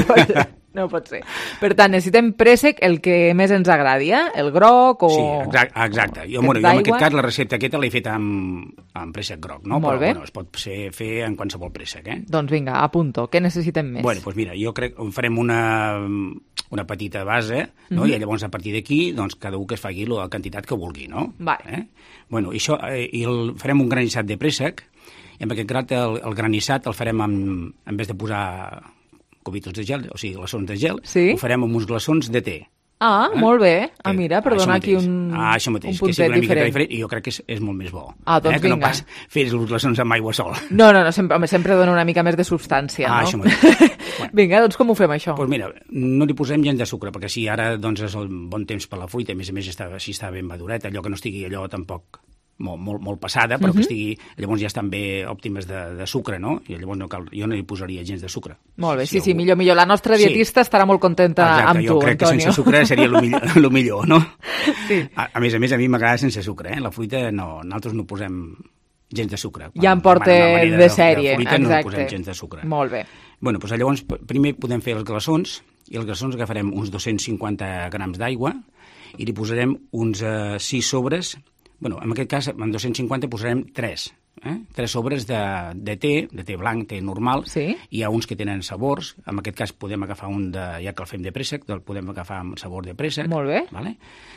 pot ser, clar. No pot ser. Per tant, necessitem préssec el que més ens agradi, eh? El groc o... Sí, exacte. exacte. Jo, bueno, jo en aquest cas la recepta aquesta l'he fet amb, amb préssec groc, no? Molt Però bé. bueno, es pot ser, fer en qualsevol préssec, eh? Doncs vinga, apunto. Què necessitem més? Bueno, doncs mira, jo crec que farem una, una petita base, no? Mm-hmm. I llavors a partir d'aquí, doncs cada un que es faci la quantitat que vulgui, no? Va. Eh? Bueno, i això, eh, i el, farem un granissat de préssec, I amb aquest grat, el, el granissat el farem amb, en vez de posar cubitos de gel, o sigui, glaçons de gel, sí? ho farem amb uns glaçons de té. Ah, eh? Molt bé. Ah, mira, per donar aquí un, ah, això mateix, un puntet que diferent. diferent. I jo crec que és, és molt més bo. Ah, doncs eh? Que vinga. no pas fer els glaçons amb aigua sola. No, no, no sempre, home, sempre dona una mica més de substància, ah, no? Això mateix. Bueno. Vinga, doncs com ho fem, això? Doncs pues mira, no li posem gens de sucre, perquè si ara doncs, és el bon temps per la fruita, a més a més està, si està ben madureta, allò que no estigui allò tampoc molt, molt, molt passada, però uh-huh. que estigui, llavors ja estan bé òptimes de, de sucre, no? I llavors no cal, jo no li posaria gens de sucre. Molt bé, si sí, algú... sí, millor, millor. La nostra dietista sí. estarà molt contenta Exacte, amb tu, jo crec Antonio. Que sense sucre seria el millor, lo millor, no? Sí. A, a més a més, a mi m'agrada sense sucre, eh? La fruita, no, nosaltres no posem gens de sucre. Ja em porta de, de sèrie, de fruita, exacte. No posem gens de sucre. Molt bé. Bueno, doncs llavors, primer podem fer els glaçons, i els glaçons agafarem uns dos-cents cinquanta grams d'aigua i li posarem uns uh, sis sobres. Bueno, en aquest cas, en dos-cents cinquanta posarem tres. Eh? Tres sobres de, de té, de té blanc, té normal. Sí. Hi ha uns que tenen sabors. En aquest cas podem agafar un, de, ja que el fem de préssec, el podem agafar amb sabor de préssec. Molt bé. Vale?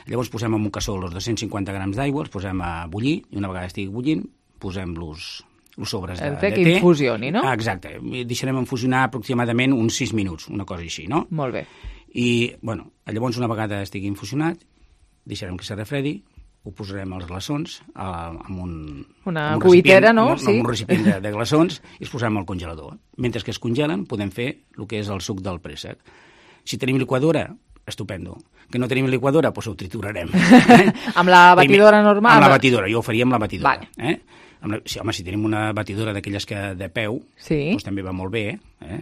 Llavors posem en un cassó els dos-cents cinquanta grams d'aigua, els posem a bullir, i una vegada estigui bullint, posem-los els sobres de, el té. de Que té. infusioni, no? Ah, exacte. Deixarem infusionar aproximadament uns sis minuts, una cosa així, no? Molt bé. I, bueno, llavors una vegada estigui infusionat, deixarem que se refredi, ho posarem als glaçons amb un... Una amb un cuitera, no? Amb, sí. amb un recipient de, de glaçons i els posarem al congelador. Mentre que es congelen podem fer el que és el suc del préssec. Si tenim liquadora, estupendo. Que no tenim liquadora, doncs ho triturarem. Eh? Amb la batidora Primer, normal? Amb la batidora, jo ho faria amb la batidora. Vale. Eh? Amb la, si, home, si tenim una batidora d'aquelles que de peu, sí. doncs també va molt bé. Eh?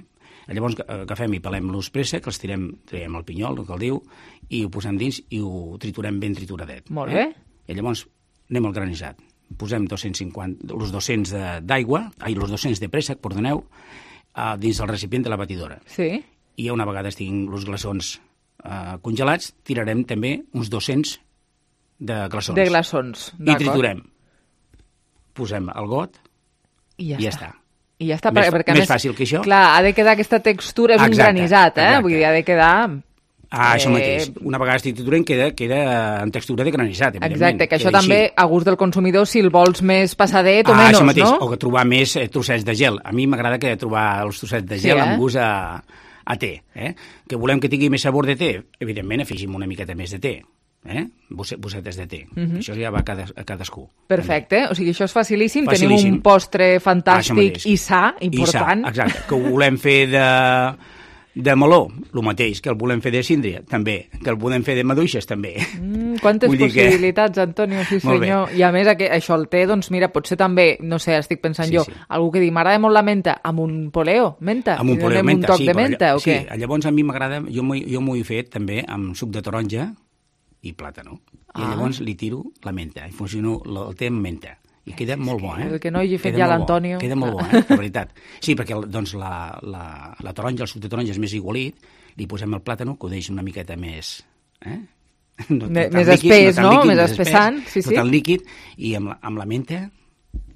Llavors agafem i pelem l'us préssec, els tirem, traiem el pinyol, el que el diu, i ho posem dins i ho triturem ben trituradet. Molt bé. Eh? I llavors anem al granissat. Posem dos-cents cinquanta, els dos-cents d'aigua, ai, els dos-cents de préssec, perdoneu, uh, dins del recipient de la batidora. Sí. I una vegada estiguin els glaçons uh, congelats, tirarem també uns dos-cents de glaçons. De glaçons, I triturem. Posem el got i ja, i ja està. està. I ja està, més, perquè més més, fàcil que això. Clar, ha de quedar aquesta textura, és exacte, un granissat, eh? Exacte. Vull dir, ha de quedar... Ah, això mateix. Una vegada estic triturant queda, queda en textura de granissat, evidentment. Exacte, que això queda també així. a gust del consumidor, si el vols més passadet o ah, menys, això mateix. no? O que trobar més eh, trossets de gel. A mi m'agrada que trobar els trossets de gel sí, eh? amb gust a, a té. Eh? Que volem que tingui més sabor de té? Evidentment, afegim una miqueta més de té. Eh? Bossetes de té. Uh-huh. Això ja va a, cada, a cadascú. Perfecte, també. O sigui, això és facilíssim. facilíssim. Tenim un postre fantàstic ah, i sa, important. I sa, exacte. Que ho volem fer de... de meló, el mateix, que el volem fer de síndria, també, que el volem fer de maduixes, també. Mm, quantes possibilitats, que... Antonio, sí senyor. I a més, això el té, doncs mira, potser també, no sé, estic pensant sí, jo, sí. algú que digui, m'agrada molt la menta, amb un poleo, menta? Amb un poleo, menta, un toc sí. de menta, allà, o què? Sí, llavors a mi m'agrada, jo m'ho he fet també amb suc de taronja i plàtano. I ah. llavors li tiro la menta, i funciono el té amb menta. I queda molt bo, eh? El que no hagi fet ja l'Antonio. Queda molt bo, eh? De veritat. Sí, perquè doncs, la, la, la taronja, el suc de taronja és més igualit, li posem el plàtano, que ho deixa una miqueta més... Eh? No, més no espès, no? Líquid, més espessant, sí, sí. No tan líquid, i amb la, amb la menta...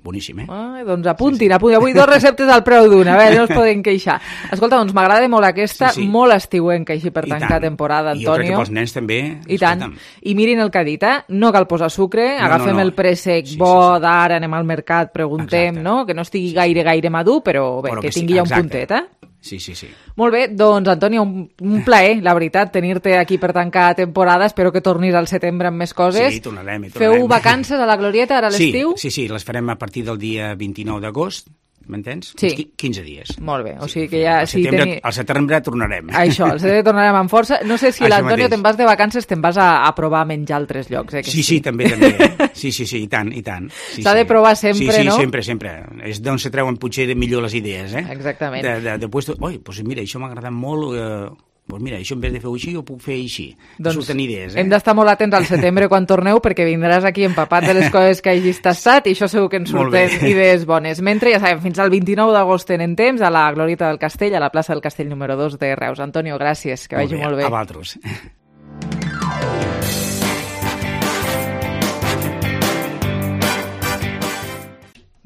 Boníssim, eh? Ah, doncs apuntin, apuntin. Avui dos receptes al preu d'una, a veure, no es poden queixar. Escolta, doncs m'agrada molt aquesta, sí, sí. molt estiuenca així per I tancar tant. temporada, Antonio. I jo crec que pels nens també. I tant. I mirin el que ha dit, eh? No cal posar sucre, no, agafem no, no. el préssec sí, bo sí, sí. d'ara, anem al mercat, preguntem, exacte. no? Que no estigui gaire, gaire madur, però bé, però que, que tingui sí, ja un puntet, eh? Sí, sí, sí. Molt bé, doncs, Antonio, un, un plaer, la veritat, tenir-te aquí per tancar temporada. Espero que tornis al setembre amb més coses. Sí, tornarem, i tornarem. Feu vacances a la Glorieta ara a l'estiu? Sí, sí, sí, les farem a partir del dia vint-i-nou d'agost, m'entens? Sí. quinze dies. Molt bé, o sigui que ja... Al setembre, sí, teni... al setembre tornarem. Això, al setembre tornarem amb força. No sé si l'Antonio te'n vas de vacances, te'n vas a, a provar a menjar altres llocs, eh? Que sí, sí, sí, també, també. Sí, sí, sí, i tant, i tant. Sí, S'ha sí. de provar sempre, sí, sí, no? Sí, sempre, sempre. És d'on se treuen potser millor les idees, eh? Exactament. De, de, de puesto... Oi, doncs mira, això m'ha agradat molt... Eh... Doncs mira, això en vez de fer-ho així, ho puc fer així. Doncs surten idees, eh? Hem d'estar molt atents al setembre quan torneu, perquè vindràs aquí empapat de les coses que hagis tastat, i això segur que ens surten idees bones. Mentre, ja sabem, fins al vint-i-nou d'agost tenen temps a la Glorieta del Castell, a la plaça del Castell número dos de Reus. Antonio, gràcies, que molt vagi bé, molt bé. A vosaltres.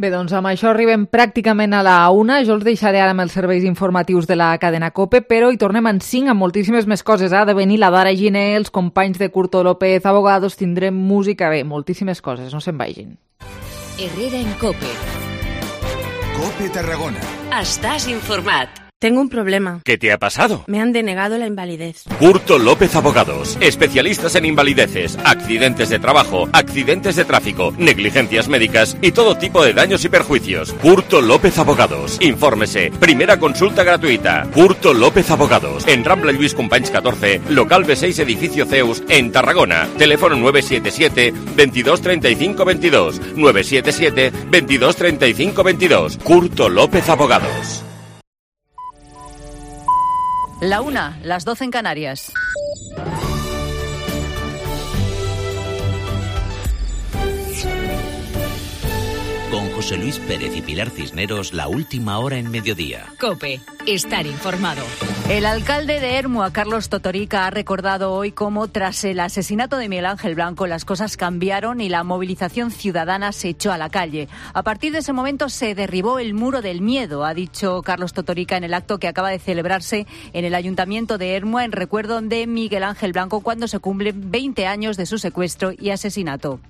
Bé, doncs amb això arribem pràcticament a la una. Jo els deixaré ara amb els serveis informatius de la cadena COPE, però hi tornem en cinc amb moltíssimes més coses. Ha de venir la Dara Giner, els companys de Curto López, abogados, tindrem música, bé, moltíssimes coses, no se'n vagin. Herrera en COPE. COPE Tarragona. Estàs informat. Tengo un problema. ¿Qué te ha pasado? Me han denegado la invalidez. Curto López Abogados, especialistas en invalideces, accidentes de trabajo, accidentes de tráfico, negligencias médicas y todo tipo de daños y perjuicios. Curto López Abogados. Infórmese. Primera consulta gratuita. Curto López Abogados. En Rambla Lluís Companys catorce, local B seis, edificio Zeus, en Tarragona. Teléfono nueve siete siete, veintidós treinta y cinco veintidós. nueve siete siete, veintidós treinta y cinco veintidós. Curto López Abogados. La una, las doce en Canarias. Con José Luis Pérez y Pilar Cisneros, la última hora en mediodía. COPE, estar informado. El alcalde de Ermua, Carlos Totorica, ha recordado hoy cómo tras el asesinato de Miguel Ángel Blanco las cosas cambiaron y la movilización ciudadana se echó a la calle. A partir de ese momento se derribó el muro del miedo, ha dicho Carlos Totorica en el acto que acaba de celebrarse en el Ayuntamiento de Ermua en recuerdo de Miguel Ángel Blanco cuando se cumplen veinte años de su secuestro y asesinato.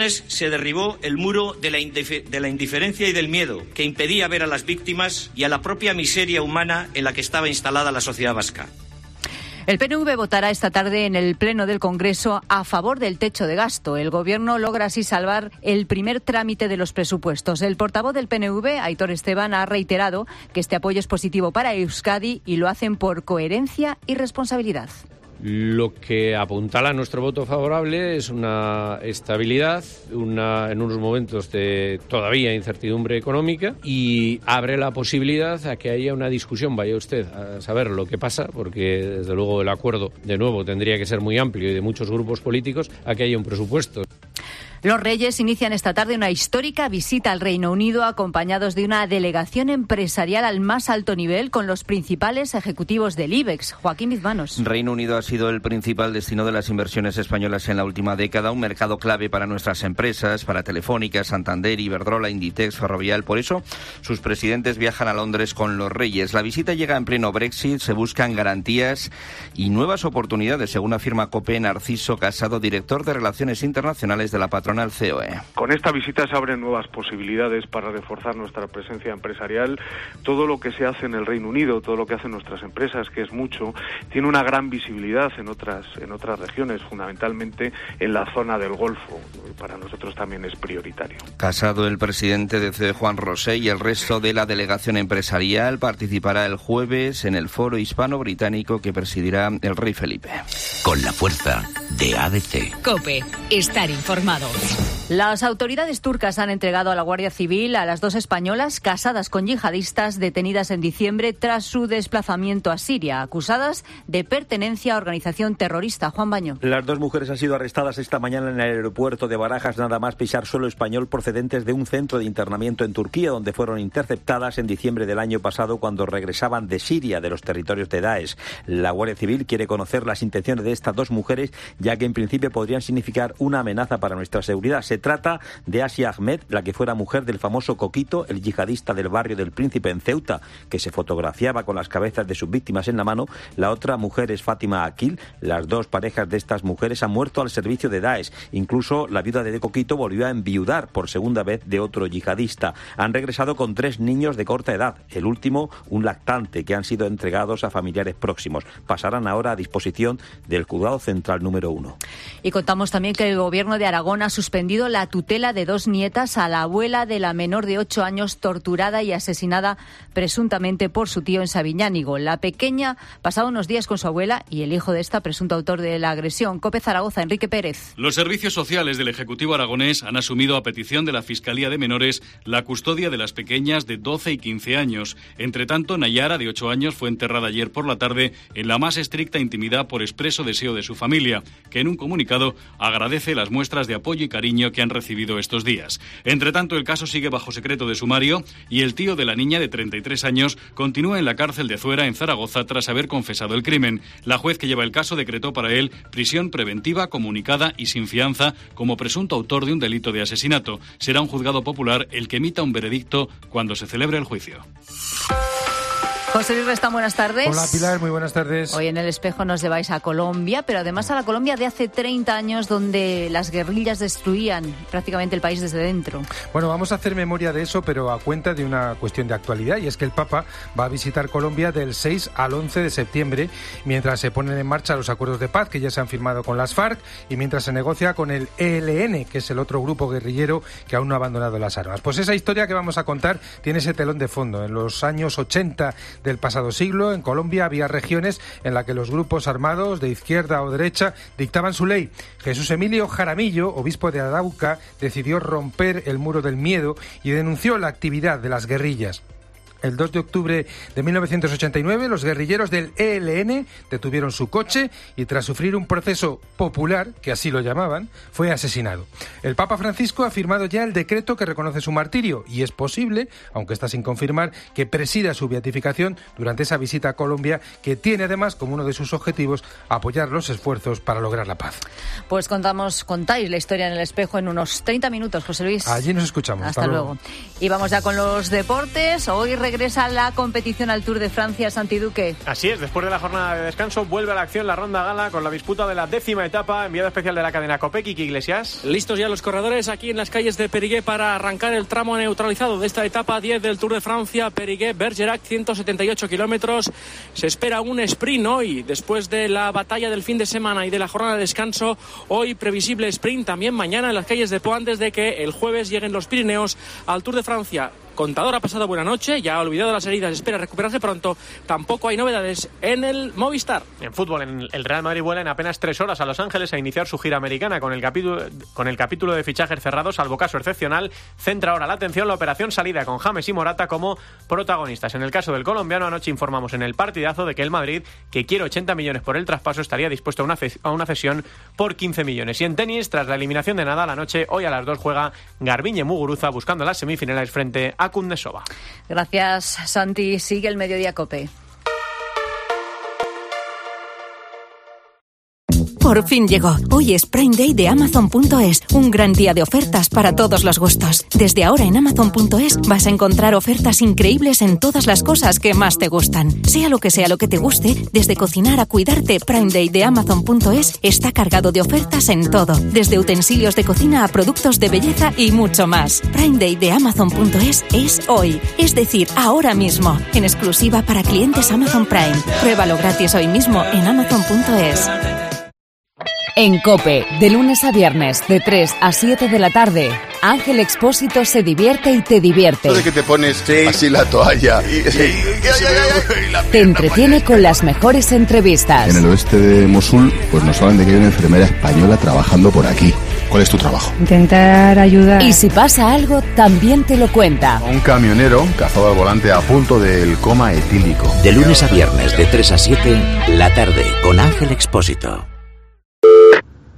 Se derribó el muro de la, de la indiferencia y del miedo que impedía ver a las víctimas y a la propia miseria humana en la que estaba instalada la sociedad vasca. El P N V votará esta tarde en el Pleno del Congreso a favor del techo de gasto. El Gobierno logra así salvar el primer trámite de los presupuestos. El portavoz del P N V, Aitor Esteban, ha reiterado que este apoyo es positivo para Euskadi y lo hacen por coherencia y responsabilidad. Lo que apuntala nuestro voto favorable es una estabilidad, una, en unos momentos de todavía incertidumbre económica, y abre la posibilidad a que haya una discusión, vaya usted a saber lo que pasa, porque desde luego el acuerdo de nuevo tendría que ser muy amplio y de muchos grupos políticos, a que haya un presupuesto. Los Reyes inician esta tarde una histórica visita al Reino Unido acompañados de una delegación empresarial al más alto nivel con los principales ejecutivos del IBEX. Joaquín Bizmanos. Reino Unido ha sido el principal destino de las inversiones españolas en la última década, un mercado clave para nuestras empresas, para Telefónica, Santander, Iberdrola, Inditex, Ferrovial. Por eso, sus presidentes viajan a Londres con los Reyes. La visita llega en pleno Brexit, se buscan garantías y nuevas oportunidades, según afirma COPE Narciso Casado, director de Relaciones Internacionales de la patronal C O E. Con esta visita se abren nuevas posibilidades para reforzar nuestra presencia empresarial. Todo lo que se hace en el Reino Unido, todo lo que hacen nuestras empresas, que es mucho, tiene una gran visibilidad en otras en otras regiones, fundamentalmente en la zona del Golfo. Para nosotros también es prioritario. Casado, el presidente de C E, Juan Rosé, y el resto de la delegación empresarial participará el jueves en el foro hispano-británico que presidirá el rey Felipe. Con la fuerza de A D C. COPE, estar informado. Las autoridades turcas han entregado a la Guardia Civil a las dos españolas casadas con yihadistas detenidas en diciembre tras su desplazamiento a Siria, acusadas de pertenencia a organización terrorista. Juan Baño. Las dos mujeres han sido arrestadas esta mañana en el aeropuerto de Barajas, nada más pisar suelo español, procedentes de un centro de internamiento en Turquía, donde fueron interceptadas en diciembre del año pasado cuando regresaban de Siria, de los territorios de Daesh. La Guardia Civil quiere conocer las intenciones de estas dos mujeres, ya que en principio podrían significar una amenaza para nuestra seguridad. Se trata de Asia Ahmed, la que fuera mujer del famoso Coquito, el yihadista del barrio del Príncipe en Ceuta, que se fotografiaba con las cabezas de sus víctimas en la mano. La otra mujer es Fátima Akil. Las dos parejas de estas mujeres han muerto al servicio de Daesh. Incluso la viuda de Coquito volvió a enviudar por segunda vez de otro yihadista. Han regresado con tres niños de corta edad, el último un lactante, que han sido entregados a familiares próximos. Pasarán ahora a disposición del Juzgado Central número uno. Y contamos también que el Gobierno de Aragón ha suspendido la tutela de dos nietas a la abuela de la menor de ocho años torturada y asesinada presuntamente por su tío en Sabiñánigo. La pequeña pasaba unos días con su abuela y el hijo de esta, presunto autor de la agresión. COPE Zaragoza, Enrique Pérez. Los servicios sociales del Ejecutivo aragonés han asumido a petición de la Fiscalía de Menores la custodia de las pequeñas de doce y quince años. Entre tanto, Nayara, de ocho años, fue enterrada ayer por la tarde en la más estricta intimidad por expreso deseo de su familia, que en un comunicado agradece las muestras de apoyo y cariño que han recibido estos días. Entre tanto, el caso sigue bajo secreto de sumario y el tío de la niña de treinta y tres años continúa en la cárcel de Zuera, en Zaragoza, tras haber confesado el crimen. La juez que lleva el caso decretó para él prisión preventiva comunicada y sin fianza como presunto autor de un delito de asesinato. Será un juzgado popular el que emita un veredicto cuando se celebre el juicio. José Luis Restán, buenas tardes. Hola Pilar, muy buenas tardes. Hoy en El Espejo nos lleváis a Colombia, pero además a la Colombia de hace treinta años, donde las guerrillas destruían prácticamente el país desde dentro. Bueno, vamos a hacer memoria de eso, pero a cuenta de una cuestión de actualidad, y es que el Papa va a visitar Colombia del seis al once de septiembre, mientras se ponen en marcha los acuerdos de paz que ya se han firmado con las FARC y mientras se negocia con el E L N, que es el otro grupo guerrillero que aún no ha abandonado las armas. Pues esa historia que vamos a contar tiene ese telón de fondo. En los años ochenta del pasado siglo, en Colombia había regiones en las que los grupos armados de izquierda o derecha dictaban su ley. Jesús Emilio Jaramillo, obispo de Arauca, decidió romper el muro del miedo y denunció la actividad de las guerrillas. El dos de octubre de mil novecientos ochenta y nueve, los guerrilleros del E L N detuvieron su coche y tras sufrir un proceso popular, que así lo llamaban, fue asesinado. El Papa Francisco ha firmado ya el decreto que reconoce su martirio y es posible, aunque está sin confirmar, que presida su beatificación durante esa visita a Colombia, que tiene además como uno de sus objetivos apoyar los esfuerzos para lograr la paz. Pues contamos, contáis la historia en El Espejo en unos treinta minutos, José Luis. Allí nos escuchamos. Hasta, Hasta luego. luego. Y vamos ya con los deportes. Hoy regresa la competición al Tour de Francia, Santi Duque. Así es, después de la jornada de descanso vuelve a la acción la ronda gala con la disputa de la décima etapa. Enviado especial de la cadena COPE, Kiki Iglesias. Listos ya los corredores aquí en las calles de Périgueux para arrancar el tramo neutralizado de esta etapa diez del Tour de Francia. Périgueux-Bergerac, ciento setenta y ocho kilómetros. Se espera un sprint hoy, después de la batalla del fin de semana y de la jornada de descanso. Hoy previsible sprint también mañana en las calles de Po, antes de que el jueves lleguen los Pirineos al Tour de Francia. Contador ha pasado buena noche, ya ha olvidado las heridas, espera recuperarse pronto. Tampoco hay novedades en el Movistar. En fútbol, en el Real Madrid vuela en apenas tres horas a Los Ángeles a iniciar su gira americana con el capítulo, con el capítulo de fichajes cerrados, salvo caso excepcional. Centra ahora la atención la operación salida con James y Morata como protagonistas. En el caso del colombiano, anoche informamos en el partidazo de que el Madrid, que quiere ochenta millones por el traspaso, estaría dispuesto a una, ce- a una cesión por quince millones. Y en tenis, tras la eliminación de Nadal anoche, hoy a las dos juega Garbiñe Muguruza buscando las semifinales frente a Kundesova. Gracias, Santi. Sigue el Mediodía COPE. Por fin llegó. Hoy es Prime Day de Amazon punto es, un gran día de ofertas para todos los gustos. Desde ahora en Amazon punto es vas a encontrar ofertas increíbles en todas las cosas que más te gustan. Sea lo que sea lo que te guste, desde cocinar a cuidarte, Prime Day de Amazon punto es está cargado de ofertas en todo. Desde utensilios de cocina a productos de belleza y mucho más. Prime Day de Amazon punto es es hoy, es decir, ahora mismo, en exclusiva para clientes Amazon Prime. Pruébalo gratis hoy mismo en Amazon punto es. En COPE, de lunes a viernes, de tres a siete de la tarde, Ángel Expósito se divierte y te divierte. De que te pones sí. así la toalla. Y, y, y, y, y te entretiene con las mejores entrevistas. En el oeste de Mosul, pues nos hablan de que hay una enfermera española trabajando por aquí. ¿Cuál es tu trabajo? Intentar ayudar. Y si pasa algo, también te lo cuenta. Un camionero cazado al volante a punto del coma etílico. De lunes a viernes, de tres a siete, la tarde, con Ángel Expósito.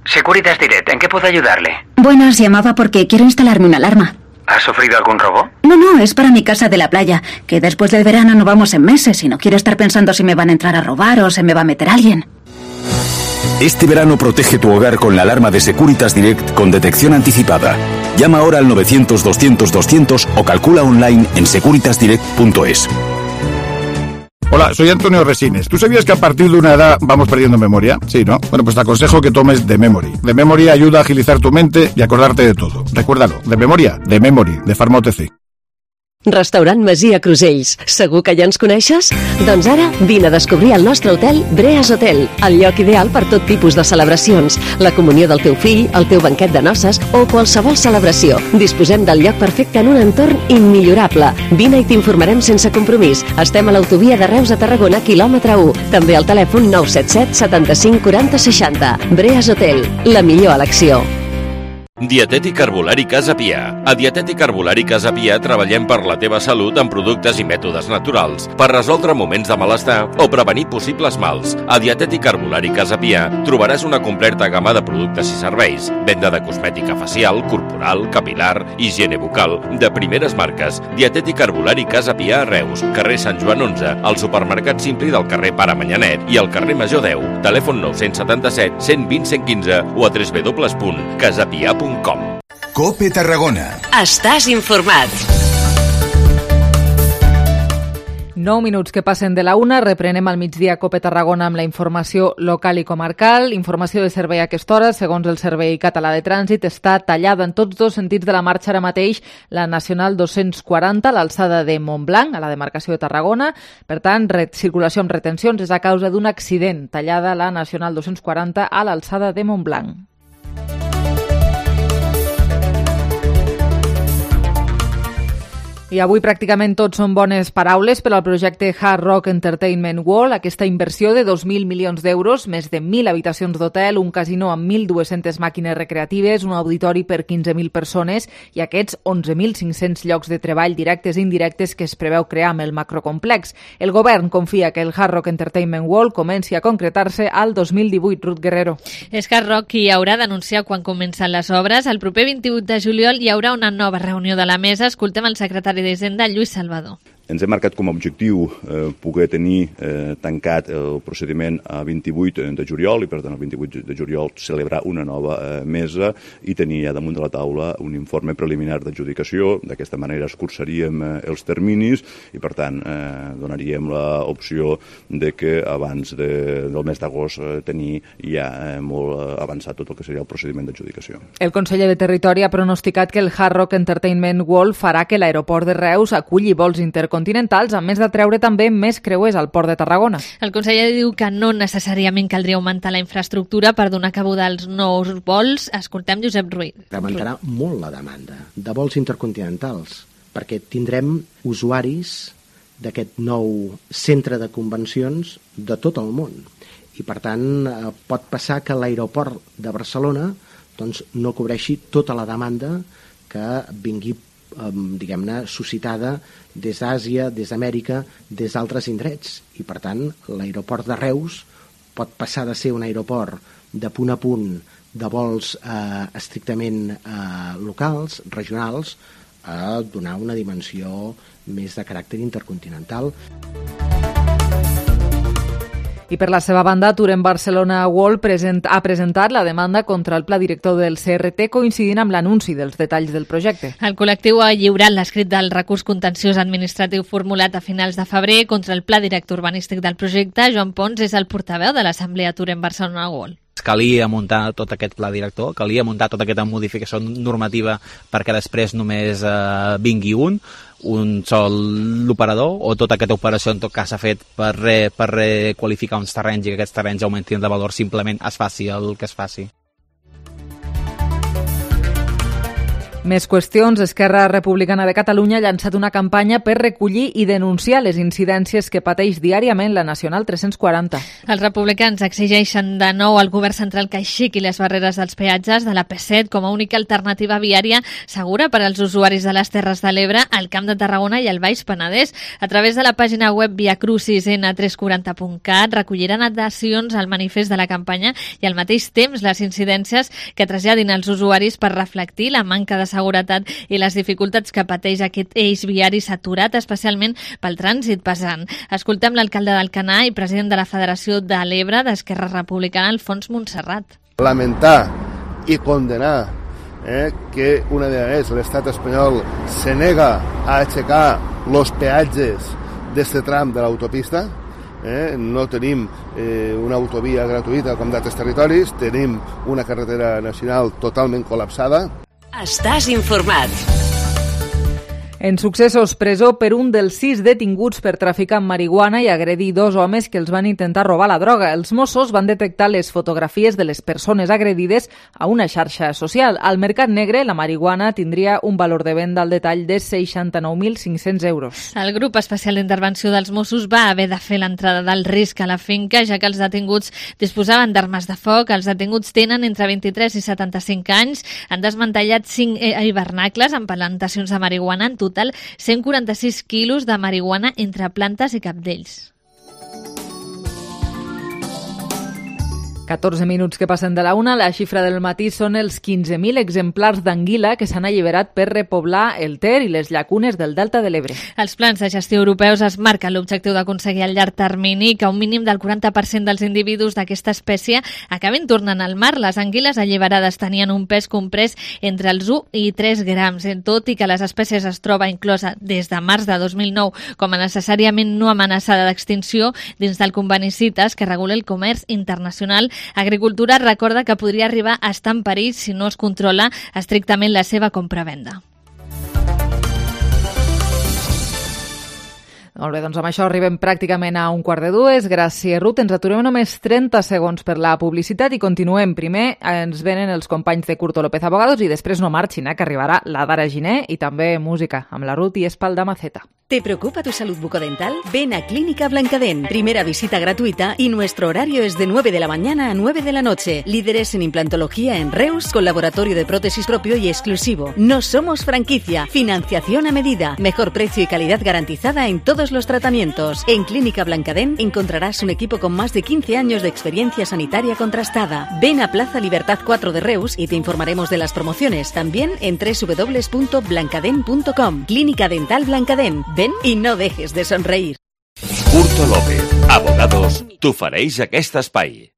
Securitas Direct, ¿en qué puedo ayudarle? Buenas, llamaba porque quiero instalarme una alarma. ¿Ha sufrido algún robo? No, no, es para mi casa de la playa, que después del verano no vamos en meses y no quiero estar pensando si me van a entrar a robar o se me va a meter alguien. Este verano protege tu hogar con la alarma de Securitas Direct con detección anticipada. Llama ahora al novecientos doscientos doscientos o calcula online en securitas direct punto es. Hola, soy Antonio Resines. ¿Tú sabías que a partir de una edad vamos perdiendo memoria? Sí, ¿no? Bueno, pues te aconsejo que tomes The Memory. The Memory ayuda a agilizar tu mente y acordarte de todo. Recuérdalo, de memoria, The Memory, de Pharma O T C. Restaurant Masia Crusells. Segur que ja ens coneixes? Doncs ara vine a descobrir el nostre hotel Breas Hotel, el lloc ideal per tot tipus de celebracions, la comunió del teu fill, el teu banquet de noces o qualsevol celebració. Disposem del lloc perfecte en un entorn immillorable. Vine i t'informarem sense compromís. Estem a l'autovia de Reus a Tarragona, quilòmetre u. També al telèfon nou set set setanta-cinc quaranta seixanta. Breas Hotel, la millor elecció. Dietètic Herbolari Casa Pia. A Dietètic Herbolari Casa Pia treballem per la teva salut amb productes i mètodes naturals, per resoldre moments de malestar o prevenir possibles mals. A Dietètic Herbolari Casa Pia trobaràs una completa gamma de productes i serveis, venda de cosmètica facial, corporal, capilar, higiene bucal, de primeres marques. Dietètic Herbolari Casa Pia a Reus, carrer Sant Joan onze, al supermercat Simpli del carrer Pare Manyanet i al carrer Major deu. Telèfon nou setanta set, cent vint, cent quinze o a w w w punt casapia punt com. COPE Tarragona. Estàs informat. Nou minuts que passen de la una, reprenem al migdia Cope Tarragona amb la informació local i comarcal. Informació de servei a aquesta hora, segons el Servei Català de Trànsit, està tallada en tots dos sentits de la marxa ara mateix la Nacional dos-cents quaranta a l'alçada de Montblanc, a la demarcació de Tarragona. Per tant, circulació amb retencions és a causa d'un accident. Tallada la Nacional dos-cents quaranta a l'alçada de Montblanc. I avui pràcticament tot són bones paraules per al projecte Hard Rock Entertainment World, aquesta inversió de dos mil milions d'euros, més de mil habitacions d'hotel, un casino amb mil dues-centes màquines recreatives, un auditori per quinze mil persones i aquests onze mil cinc-cents llocs de treball directes i indirectes que es preveu crear amb el macrocomplex. El govern confia que el Hard Rock Entertainment World comenci a concretar-se al dos mil divuit. Ruth Guerrero. És Hard Rock qui haurà d'anunciar quan comencen les obres. El proper vint-i-vuit de juliol hi haurà una nova reunió de la mesa. Escoltem el secretari d'Hisenda, Lluís Salvador. Ens hem marcat com a objectiu eh, poder tenir eh, tancat el procediment a vint-i-vuit de juliol i, per tant, el vint-i-vuit de juliol celebrar una nova eh, mesa i tenir ja damunt de la taula un informe preliminar d'adjudicació. D'aquesta manera escurçaríem eh, els terminis i, per tant, eh, donaríem l'opció de que abans de, del mes d'agost eh, tenir ja eh, molt avançat tot el que seria el procediment d'adjudicació. El conseller de Territori ha pronosticat que el Hard Rock Entertainment World farà que l'aeroport de Reus aculli vols intercontinentals, a més de treure també més creuers al Port de Tarragona. El conseller diu que no necessàriament caldria augmentar la infraestructura per donar cabuda als nous vols. Escoltem Josep Ruiz. Augmentarà molt la demanda de vols intercontinentals, perquè tindrem usuaris d'aquest nou centre de convencions de tot el món. I, per tant, pot passar que l'aeroport de Barcelona doncs, no cobreixi tota la demanda que vingui diguem-ne, suscitada des d'Àsia, des d'Amèrica, des d'altres indrets. I, per tant, l'aeroport de Reus pot passar de ser un aeroport de punt a punt de vols eh, estrictament eh, locals, regionals, a donar una dimensió més de caràcter intercontinental. I per la seva banda, Touren Barcelona World present, ha presentat la demanda contra el pla director del C R T coincidint amb l'anunci dels detalls del projecte. El col·lectiu ha lliurat l'escrit del recurs contenciós administratiu formulat a finals de febrer contra el pla director urbanístic del projecte. Joan Pons és el portaveu de l'Assemblea Touren Barcelona World. Calia muntar tot aquest pla director, calia muntar tota aquesta modificació normativa perquè després només eh, vingui un, un sol l'operador, o tota aquesta operació en tot cas s'ha fet per, re, per requalificar uns terrenys i que aquests terrenys augmentin de valor, simplement es faci el que es faci. Més qüestions. Esquerra Republicana de Catalunya ha llançat una campanya per recollir i denunciar les incidències que pateix diàriament la Nacional tres-cents quaranta. Els republicans exigeixen de nou al govern central que aixequi les barreres dels peatges de la P set com a única alternativa viària segura per als usuaris de les Terres de l'Ebre, al Camp de Tarragona i al Baix Penedès. A través de la pàgina web via crucis ena tres cents quaranta punt cat recolliran adhesions al manifest de la campanya i al mateix temps les incidències que traslladin als usuaris per reflectir la manca de seguretat i les dificultats que pateix aquest eix viari saturat, especialment pel trànsit pesant. Escoltem l'alcalde d'Alcanar i president de la Federació de l'Ebre d'Esquerra Republicana, Alfons Montserrat. Lamentar i condenar eh, que una vegada més l'estat espanyol se nega a aixecar els peatges d'este tram de l'autopista. Eh, no tenim eh, una autovia gratuïta com d'altres territoris, tenim una carretera nacional totalment col·lapsada. Estàs informat. En successos, presó per un dels sis detinguts per traficar amb marihuana i agredir dos homes que els van intentar robar la droga. Els Mossos van detectar les fotografies de les persones agredides a una xarxa social. Al mercat negre, la marihuana tindria un valor de venda al detall de seixanta-nou mil cinc-cents euros. El grup especial d'intervenció dels Mossos va haver de fer l'entrada del risc a la finca, ja que els detinguts disposaven d'armes de foc. Els detinguts tenen entre vint-i-tres i setanta-cinc anys. Han desmantellat cinc hivernacles amb plantacions de marihuana, en total cent quaranta-sis quilos de marihuana entre plantes i cabdells. catorze minuts que passen de la una, la xifra del matí són els quinze mil exemplars d'anguila que s'han alliberat per repoblar el Ter i les llacunes del Delta de l'Ebre. Els plans de gestió europeus es marquen l'objectiu d'aconseguir al llarg termini que un mínim del quaranta per cent dels individus d'aquesta espècie acabin tornant al mar. Les anguiles alliberades tenien un pes comprès entre els u i tres grams. Tot i que les espècies es troba inclosa des de març de dos mil nou com a necessàriament no amenaçada d'extinció dins del conveni CITES que regula el comerç internacional, Agricultura recorda que podria arribar a estar en perill si no es controla estrictament la seva compra-venda. Molt bé, doncs amb això arribem pràcticament a un quart de dues. Gràcies, Ruth. Ens aturem només trenta segons per la publicitat i continuem. Primer ens venen els companys de Curto López Abogados i després no marxin, eh, que arribarà la Dara Giner i també música amb la Ruth i Espalda Maceta. ¿Te preocupa tu salud bucodental? Ven a Clínica Blancadén. Primera visita gratuita y nuestro horario es de nueve de la mañana a nueve de la noche. Líderes en implantología en Reus, con laboratorio de prótesis propio y exclusivo. No somos franquicia. Financiación a medida. Mejor precio y calidad garantizada en todos los tratamientos. En Clínica Blancadén encontrarás un equipo con más de quince años de experiencia sanitaria contrastada. Ven a Plaza Libertad cuatro de Reus y te informaremos de las promociones. También en doble u doble u doble u punto blancadén punto com. Clínica Dental Blancadén. Ven y no dejes de sonreír. Curto López, Abogados, t'ofereix aquest espai.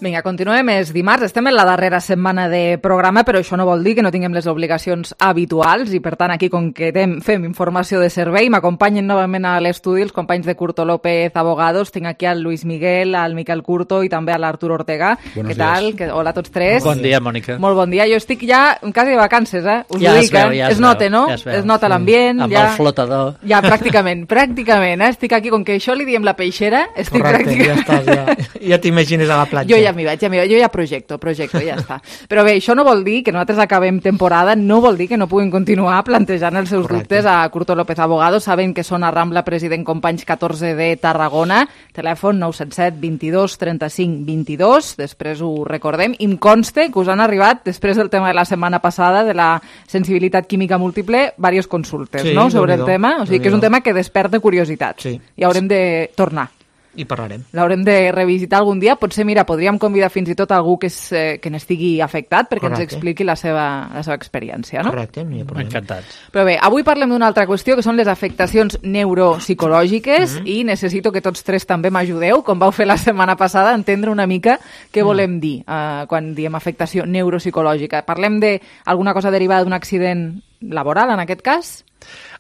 Vinga, continuem. És dimarts, estem en la darrera setmana de programa, però això no vol dir que no tinguem les obligacions habituals i, per tant, aquí, com que fem informació de servei, m'acompanyen novament a l'estudi els companys de Curto López Abogados. Tinc aquí al Luis Miguel, al Miquel Curto i també a l'Artur Ortega. Què tal? Que, hola a tots tres. Bon dia, Mònica. Molt bon dia. Jo estic ja quasi de vacances, eh? Us ja ho dic, dic, eh? Ja es, es nota, no? Ja es, es nota l'ambient. Amb ja... el flotador. Ja, pràcticament, pràcticament, eh? Estic aquí, com que això li diem la peixera, estic Correcte, pràcticament... ja estàs, ja, ja t'imagines a la platja. Jo ja m'hi vaig, ja m'hi vaig. Jo ja projecto, projecto, ja està. Però bé, això no vol dir que nosaltres acabem temporada, no vol dir que no puguin continuar plantejant els seus Correcte. Dubtes a Curto López Abogados. Saben que són a Rambla President Companys catorze de Tarragona, telèfon nou set set vint-i-dos trenta-cinc vint-i-dos, després ho recordem. I em conste que us han arribat, després del tema de la setmana passada, de la sensibilitat química múltiple, diverses consultes, sí, no?, sobre el do, tema. O sigui que és un tema que desperta curiositat. Sí. I haurem de tornar. I parlarem. L'haurem de revisitar algun dia. Potser, mira, podríem convidar fins i tot algú que, és, eh, que n'estigui afectat perquè Correcte. Ens expliqui la seva, la seva experiència, no? Correcte, no hi ha problema. Encantats. Però bé, avui parlem d'una altra qüestió, que són les afectacions neuropsicològiques, mm-hmm. i necessito que tots tres també m'ajudeu, com vau fer la setmana passada, a entendre una mica què mm. volem dir eh, quan diem afectació neuropsicològica. Parlem d'alguna cosa derivada d'un accident laboral, en aquest cas?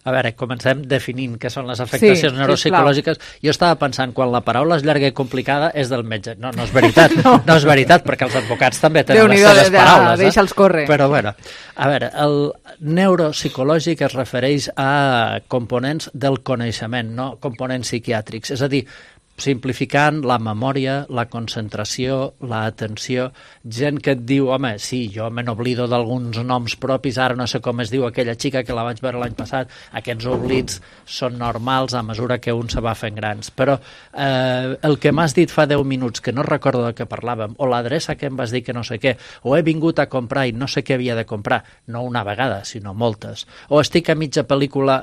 A veure, comencem definint què són les afectacions sí, neuropsicològiques. Jo estava pensant, quan la paraula és llarga i complicada, és del metge. No, no és veritat, no, no és veritat, perquè els advocats també tenen les seves de, paraules. De, deixa'ls córrer. Però, bueno, a veure, el neuropsicològic es refereix a components del coneixement, no components psiquiàtrics. És a dir, simplificant, la memòria, la concentració, l'atenció, gent que et diu, home, sí, jo me n'oblido d'alguns noms propis, ara no sé com es diu aquella xica que la vaig veure l'any passat, aquests oblits són normals a mesura que un se va fent grans, però eh, el que m'has dit fa deu minuts, que no recordo de què parlàvem, o l'adreça que em vas dir que no sé què, o he vingut a comprar i no sé què havia de comprar, no una vegada, sinó moltes, o estic a mitja pel·lícula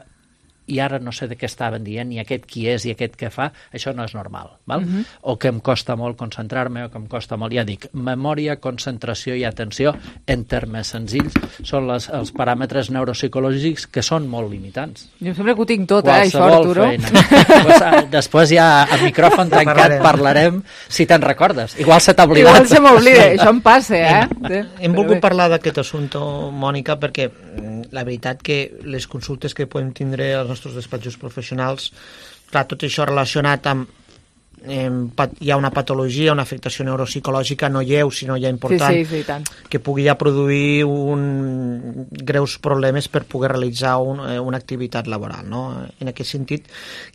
i ara no sé de què estaven dient, i aquest qui és i aquest què fa, això no és normal, val? Uh-huh. O que em costa molt concentrar-me, o que em costa molt, ja dic, memòria, concentració i atenció, en termes senzills, són les, els paràmetres neuropsicològics que són molt limitants. Jo sempre que ho tinc tot, eh, això, Arturo. Pues, després ja a micròfon tancat parlarem, si te'n recordes. Igual se t'ha oblidat. Igual se m'oblida, això em passa, eh? Hem, hem volgut parlar d'aquest assumpte, Mònica, perquè la veritat que les consultes que podem tindre als nostres despatxos professionals, clar, tot això relacionat amb eh, hi ha una patologia, una afectació neuropsicològica no lleu, sinó ja important, sí, sí, sí, tant. Que pugui ja produir un, greus problemes per poder realitzar un, eh, una activitat laboral, no? En aquest sentit,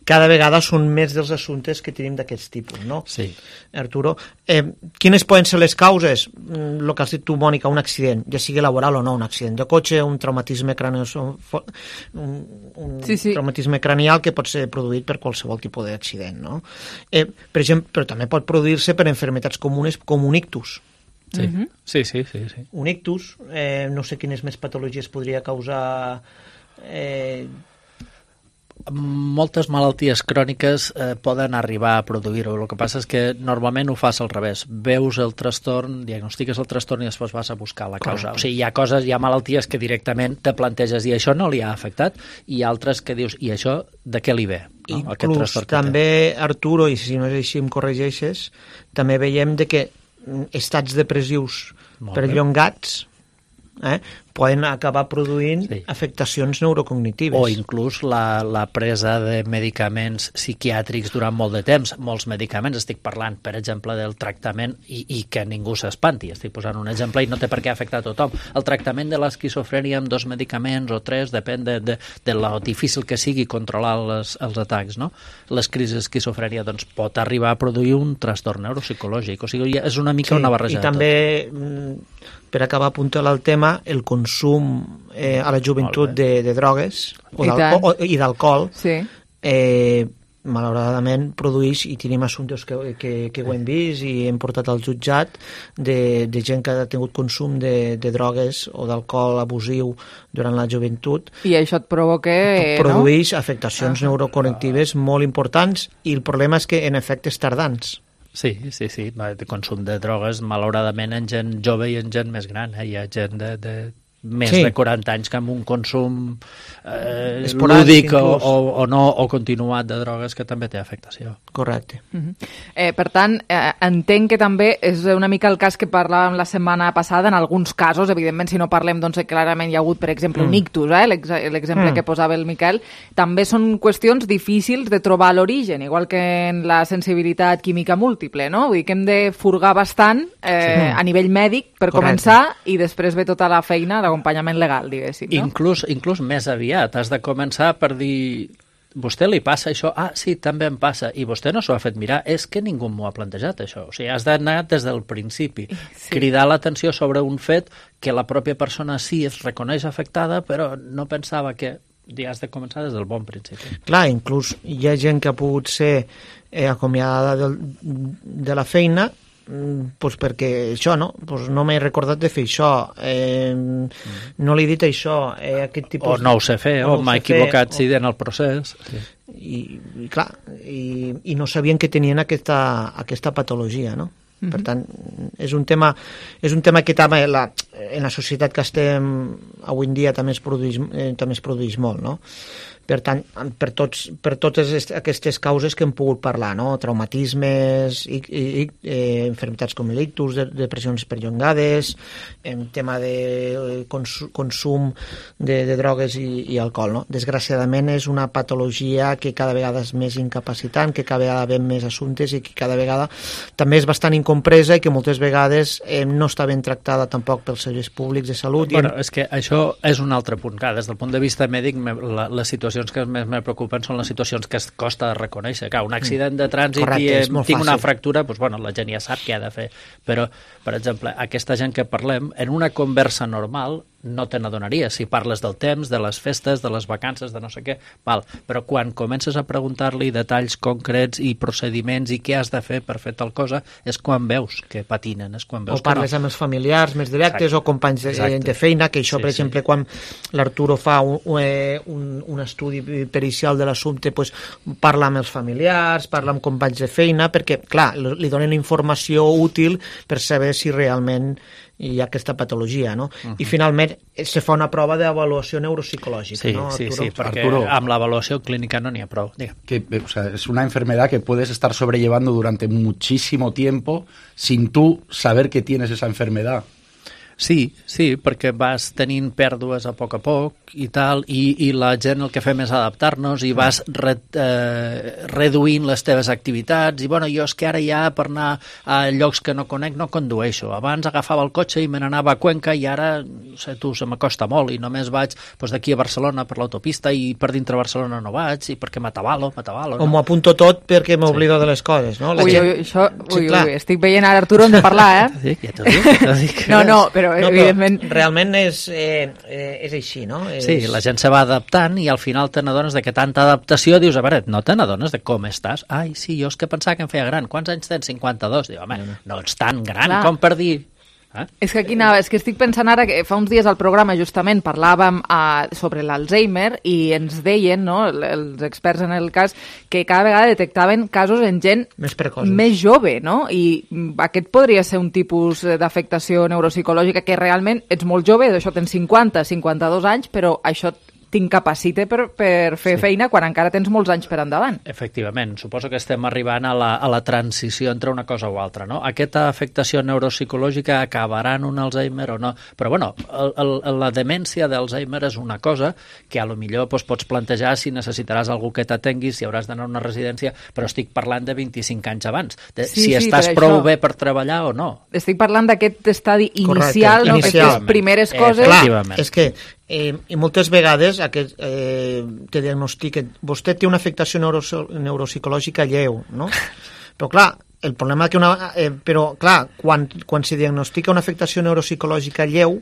cada vegada són més dels assumptes que tenim d'aquests tipus, no? Sí. Arturo, eh, quines poden ser les causes? El que has dit tu, Mònica, un accident, ja sigui laboral o no, un accident de cotxe, un traumatisme cranial, un, un sí, sí. traumatisme cranial que pot ser produït per qualsevol tipus d'accident, no? Eh, per exemple, però també pot produir-se per enfermetats comunes com un ictus. Sí, uh-huh. sí, sí, sí, sí. Un ictus, eh, no sé quines més patologies podria causar... Eh, moltes malalties cròniques eh, poden arribar a produir-ho. El que passa és que normalment ho fas al revés. Veus el trastorn, diagnostiques el trastorn i després vas a buscar la causa. Correcte. O sigui, hi ha coses, hi ha malalties que directament te planteges i això no li ha afectat, i altres que dius, i això de què li ve? No? Inclús també, Arturo, i si no és així em corregeixes, també veiem de que estats depressius perllongats eh, poden acabar produint sí. afectacions neurocognitives. O inclús la, la presa de medicaments psiquiàtrics durant molt de temps. Molts medicaments, estic parlant, per exemple, del tractament, i, i que ningú s'espanti, estic posant un exemple i no té per què afectar a tothom. El tractament de l'esquizofrènia amb dos medicaments o tres, depèn de, de, de lo difícil que sigui controlar les, els atacs, no? Les crisis d'esquizofrènia doncs, pot arribar a produir un trastorn neuropsicològic. O sigui, és una mica sí, una barreja i també, per acabar apuntant al tema, el consum eh, a la joventut de, de drogues o I, o, i d'alcohol sí. eh, malauradament produeix, i tenim assumptes que, que, que ho hem vist i hem portat al jutjat de, de gent que ha tingut consum de, de drogues o d'alcohol abusiu durant la joventut. I això et provoca... Produeix no? afectacions ah. neurocognitives molt importants, i el problema és que en efectes tardans. Sí, sí, sí. El consum de drogues, malauradament, en gent jove i en gent més gran. Eh? Hi ha gent de, de més sí. de quaranta anys que amb un consum eh, lúdic o, o, o no o continuat de drogues que també té afectació. Correcte. Uh-huh. eh, per tant, eh, entenc que també és una mica el cas que parlàvem la setmana passada, en alguns casos, evidentment, si no parlem, doncs clarament hi ha hagut, per exemple, mm. un ictus, eh, l'exemple mm. que posava el Miquel, també són qüestions difícils de trobar l'origen, igual que en la sensibilitat química múltiple, no? Vull dir que hem de furgar bastant eh, sí. a nivell mèdic per Correcte. Començar, i després ve tota la feina d'acompanyament legal, diguéssim. No? Inclús, inclús més aviat, has de començar per dir... Vostè li passa això? Ah, sí, també em passa. I vostè no s'ho ha fet mirar. És que ningú m'ho ha plantejat, això. O sigui, has d'anar des del principi. Sí. Cridar l'atenció sobre un fet que la pròpia persona sí es reconeix afectada, però no pensava que... Ja has de començar des del bon principi. Clar, inclús hi ha gent que ha pogut ser eh, acomiadada de, de la feina pues perquè això, no? Pues no m'he recordat de fer això, eh, mm. no li he dit això, eh, aquest tipus... O no ho sé fer, o, o m'ha equivocat o... sí, en el procés. Sí. I, i clar, i, i no sabien que tenien aquesta, aquesta patologia, no? Mm-hmm. Per tant, és un tema, és un tema que també la, en la societat que estem avui en dia també es produeix, eh, també es produeix molt, no? Per tant, per, tots, per totes aquestes causes que hem pogut parlar, no? Traumatismes, i, i, eh, enfermitats com l'ictus, de, depressions perllongades, en tema de cons, consum de, de drogues i, i alcohol, no? Desgraciadament és una patologia que cada vegada és més incapacitant, que cada vegada ve més assumptes i que cada vegada també és bastant incompresa i que moltes vegades eh, no està ben tractada tampoc pels serveis públics de salut. Bueno, i... és que això és un altre punt. Clar, des del punt de vista mèdic, la, la situació que més me preocupen són les situacions que es costa de reconèixer. Clar, un accident de trànsit Correcte, i eh, tinc una fractura, doncs, bueno, la gent ja sap què ha de fer. Però, per exemple, aquesta gent que parlem, en una conversa normal, no te n'adonaries. Si parles del temps, de les festes, de les vacances, de no sé què, val. Però quan comences a preguntar-li detalls concrets i procediments i què has de fer per fer tal cosa, és quan veus que patinen, és quan veus o parles no. amb els familiars més directes Exacte. O companys de, de feina, que això, sí, per sí. exemple, quan l'Arturo fa un, un, un estudi pericial de l'assumpte, pues, parla amb els familiars, parla amb companys de feina, perquè, clar, li donen informació útil per saber si realment hi ha aquesta patologia, no? Uh-huh. I finalment se fa una prova d'avaluació neuropsicològica, sí, ¿no, sí, Arturo? sí, perquè Arturo, amb l'avaluació clínica no n'hi ha prou. Que, o sea, es una enfermedad que puedes estar sobrellevando durante muchísimo tiempo sin tú saber que tienes esa enfermedad. Sí, sí, perquè vas tenint pèrdues a poc a poc i tal, i, i la gent el que fem és adaptar-nos i vas re, eh, reduint les teves activitats i bueno, jo és que ara ja per anar a llocs que no conec no condueixo. Abans agafava el cotxe i me n'anava a Cuenca i ara, no sé tu, se m'acosta molt i només vaig doncs, d'aquí a Barcelona per l'autopista i per dintre Barcelona no vaig i perquè m'atabalo, m'atabalo. O no? m'ho apunto tot perquè m'oblido sí. de les coses, no? La ui, gent... ui, això, sí, ui, ui, estic veient ara Arturo hem de parlar, eh? Sí, ja t'ho dic, ja t'ho dic. No, no, però no, evidentment... Però realment és, eh, eh, és així, no? És... Sí, la gent se va adaptant i al final te n'adones de que tanta adaptació dius, a veure, no te n'adones de com estàs? Ai, sí, jo és que pensava que em feia gran. Quants anys tens? cinquanta-dos. Diu, home, no, no ets tan gran Clar. Com per dir... Eh? És que aquí anava, és que estic pensant ara que fa uns dies al programa justament parlàvem uh, sobre l'Alzheimer i ens deien, no, els experts en el cas, que cada vegada detectaven casos en gent més precoços, més jove, no? I aquest podria ser un tipus d'afectació neuropsicològica que realment ets molt jove, d'això tens cinquanta, cinquanta-dos anys, però això t'incapacita per, per fer sí. feina quan encara tens molts anys per endavant. Efectivament, suposo que estem arribant a la, a la transició entre una cosa o altra, no? Aquesta afectació neuropsicològica acabarà en un Alzheimer o no? Però, bueno, el, el, la demència d'Alzheimer és una cosa que a lo millor doncs, pots plantejar si necessitaràs algú que t'atengui, si hauràs d'anar a una residència, però estic parlant de vint-i-cinc anys abans, de, sí, si sí, estàs prou això... bé per treballar o no. Estic parlant d'aquest estadi inicial, Correcte, no? Aquestes primeres coses... Eh, clar, és que Eh, i moltes vegades aquest, eh, te diagnostiquen, vostè té una afectació neuro, neuropsicològica lleu, no? Però clar, el problema que una... Eh, però clar, quan, quan se diagnostica una afectació neuropsicològica lleu,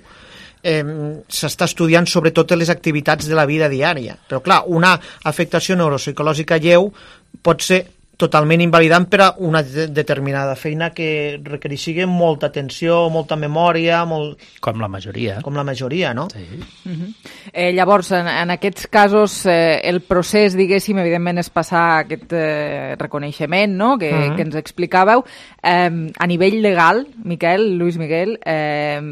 eh, s'està estudiant sobretot les activitats de la vida diària. Però clar, una afectació neuropsicològica lleu pot ser totalment invalidant per a una de determinada feina que requereixi molta atenció, molta memòria... Molt... Com la majoria. Com la majoria, no? Sí. Uh-huh. eh, llavors, en, en aquests casos, eh, el procés, diguéssim, evidentment és passar aquest eh, reconeixement, no?, que, uh-huh. que ens explicàveu. Eh, a nivell legal, Miquel, Lluís Miguel, eh,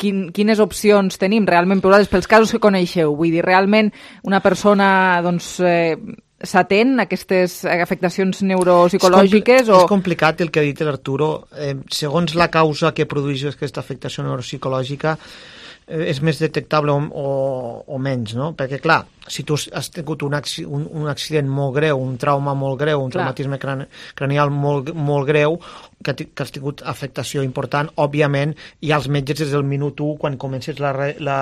quin, quines opcions tenim realment per pels casos que coneixeu? Vull dir, realment una persona, doncs... Eh, s'atén a aquestes afectacions neuropsicològiques? És, compl o... és complicat el que ha dit l'Arturo. Eh, segons la causa que produeix aquesta afectació neuropsicològica, eh, és més detectable o, o, o menys, no? Perquè, clar, si tu has tingut un, acc un, un accident molt greu, un trauma molt greu, un clar. traumatisme crani cranial molt, molt greu, que, que has tingut afectació important, òbviament, i als metges des del minut u, quan comences la, re, la,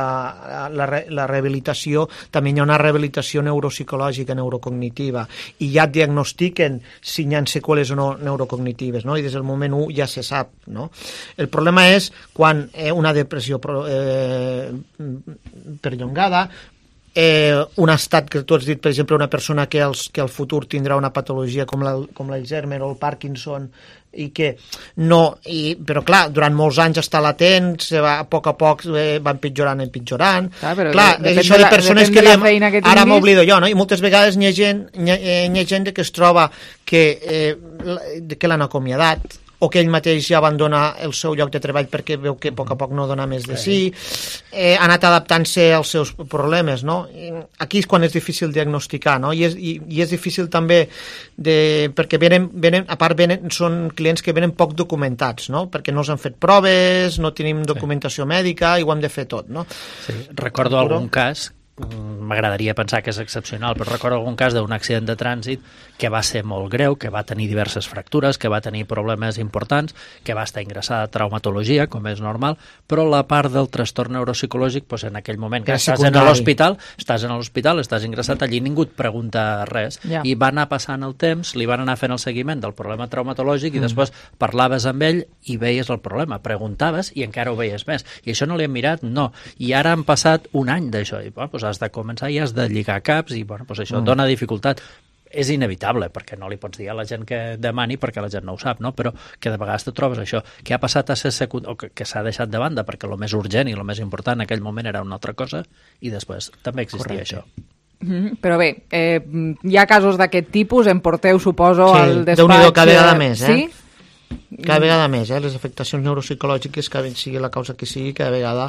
la, la, la rehabilitació, també hi ha una rehabilitació neuropsicològica, neurocognitiva, i ja et diagnostiquen si hi ha seqüeles o no neurocognitives, no? I des del moment u ja se sap, no? El problema és quan eh, una depressió eh, perllongada, Eh, un estat que tu has dit, per exemple, una persona que, els, que al futur tindrà una patologia com l'Alzheimer o el Parkinson i que no, i, però clar, durant molts anys està latent, se va, a poc a poc eh, va empitjorant, empitjorant. Clar, però clar, de, és això de persones que, li, que ara m'oblido jo, no? I moltes vegades hi ha gent, hi ha, hi ha gent que es troba que, eh, que l'han acomiadat, o que ell mateix ja abandona el seu lloc de treball perquè veu que a poc a poc no dona més de sí, eh, ha anat adaptant-se als seus problemes, no? Aquí és quan és difícil diagnosticar, no? I és, i, i és difícil també de, perquè venen, venen, a part venen, són clients que venen poc documentats, no? Perquè no s'han fet proves, no tenim documentació sí. mèdica i ho hem de fer tot, no? Sí. Recordo algun cas, m'agradaria pensar que és excepcional, però recordo algun cas d'un accident de trànsit que va ser molt greu, que va tenir diverses fractures, que va tenir problemes importants, que va estar ingressada a traumatologia, com és normal, però la part del trastorn neuropsicològic, doncs en aquell moment que estàs en l'hospital, estàs en l'hospital, estàs ingressat allí, ningú et pregunta res. Ja. I va anar passant el temps, li van anar fent el seguiment del problema traumatològic i mm. després parlaves amb ell i veies el problema, preguntaves i encara ho veies més. I això no li hem mirat? No. I ara han passat un any d'això. I bueno, doncs has de començar i has de lligar caps i bueno, doncs això mm. dona dificultat. És inevitable, perquè no li pots dir a la gent que demani perquè la gent no ho sap, no? Però que de vegades te trobes això, que ha passat a ser secundari, o que, que s'ha deixat de banda perquè el més urgent i el més important en aquell moment era una altra cosa i després també existia Correcte. Això. Mm-hmm. Però bé, eh, hi ha casos d'aquest tipus, em porteu, suposo, sí, al despatx... Déu-n'hi-do, cada vegada més, eh? Sí? Cada vegada més, eh? Les afectacions neuropsicològiques, que sigui la causa que sigui, cada vegada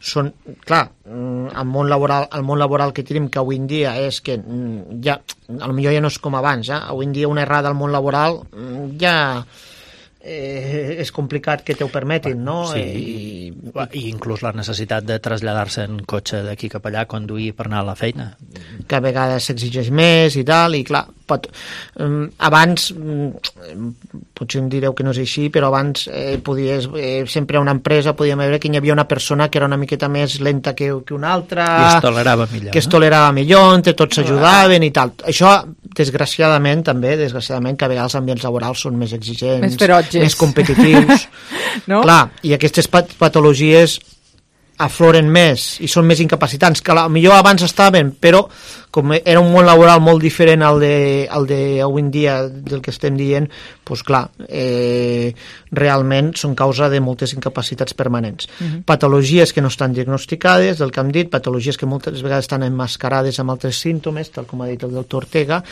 són... Clar, el món laboral, el món laboral que tenim, que avui en dia és que ja, potser ja no és com abans, eh? Avui en dia una errada al món laboral ja... Eh, és complicat que te ho permetin, no? Sí, i, i inclús la necessitat de traslladar-se en cotxe d'aquí cap allà, conduir per anar a la feina. Que a vegades s'exigeix més i tal, i clar, pot, um, abans, um, potser em direu que no és així, però abans eh, podies, eh, sempre a una empresa podíem veure que hi havia una persona que era una miqueta més lenta que, que una altra, i es tolerava millor, que es tolerava no? millor, entre tots s'ajudaven i tal. Això, desgraciadament, també, desgraciadament, que a vegades els ambients laborals són més exigents, més ferotges, més competitius. No? Clar, i aquestes pat patologies afloren més i són més incapacitants, que potser abans estaven, però com era un món laboral molt diferent al de, al de avui en dia del que estem dient, doncs clar, eh, realment són causa de moltes incapacitats permanents. Uh-huh. Patologies que no estan diagnosticades, del que hem dit, patologies que moltes vegades estan emmascarades amb altres símptomes, tal com ha dit el doctor Ortega,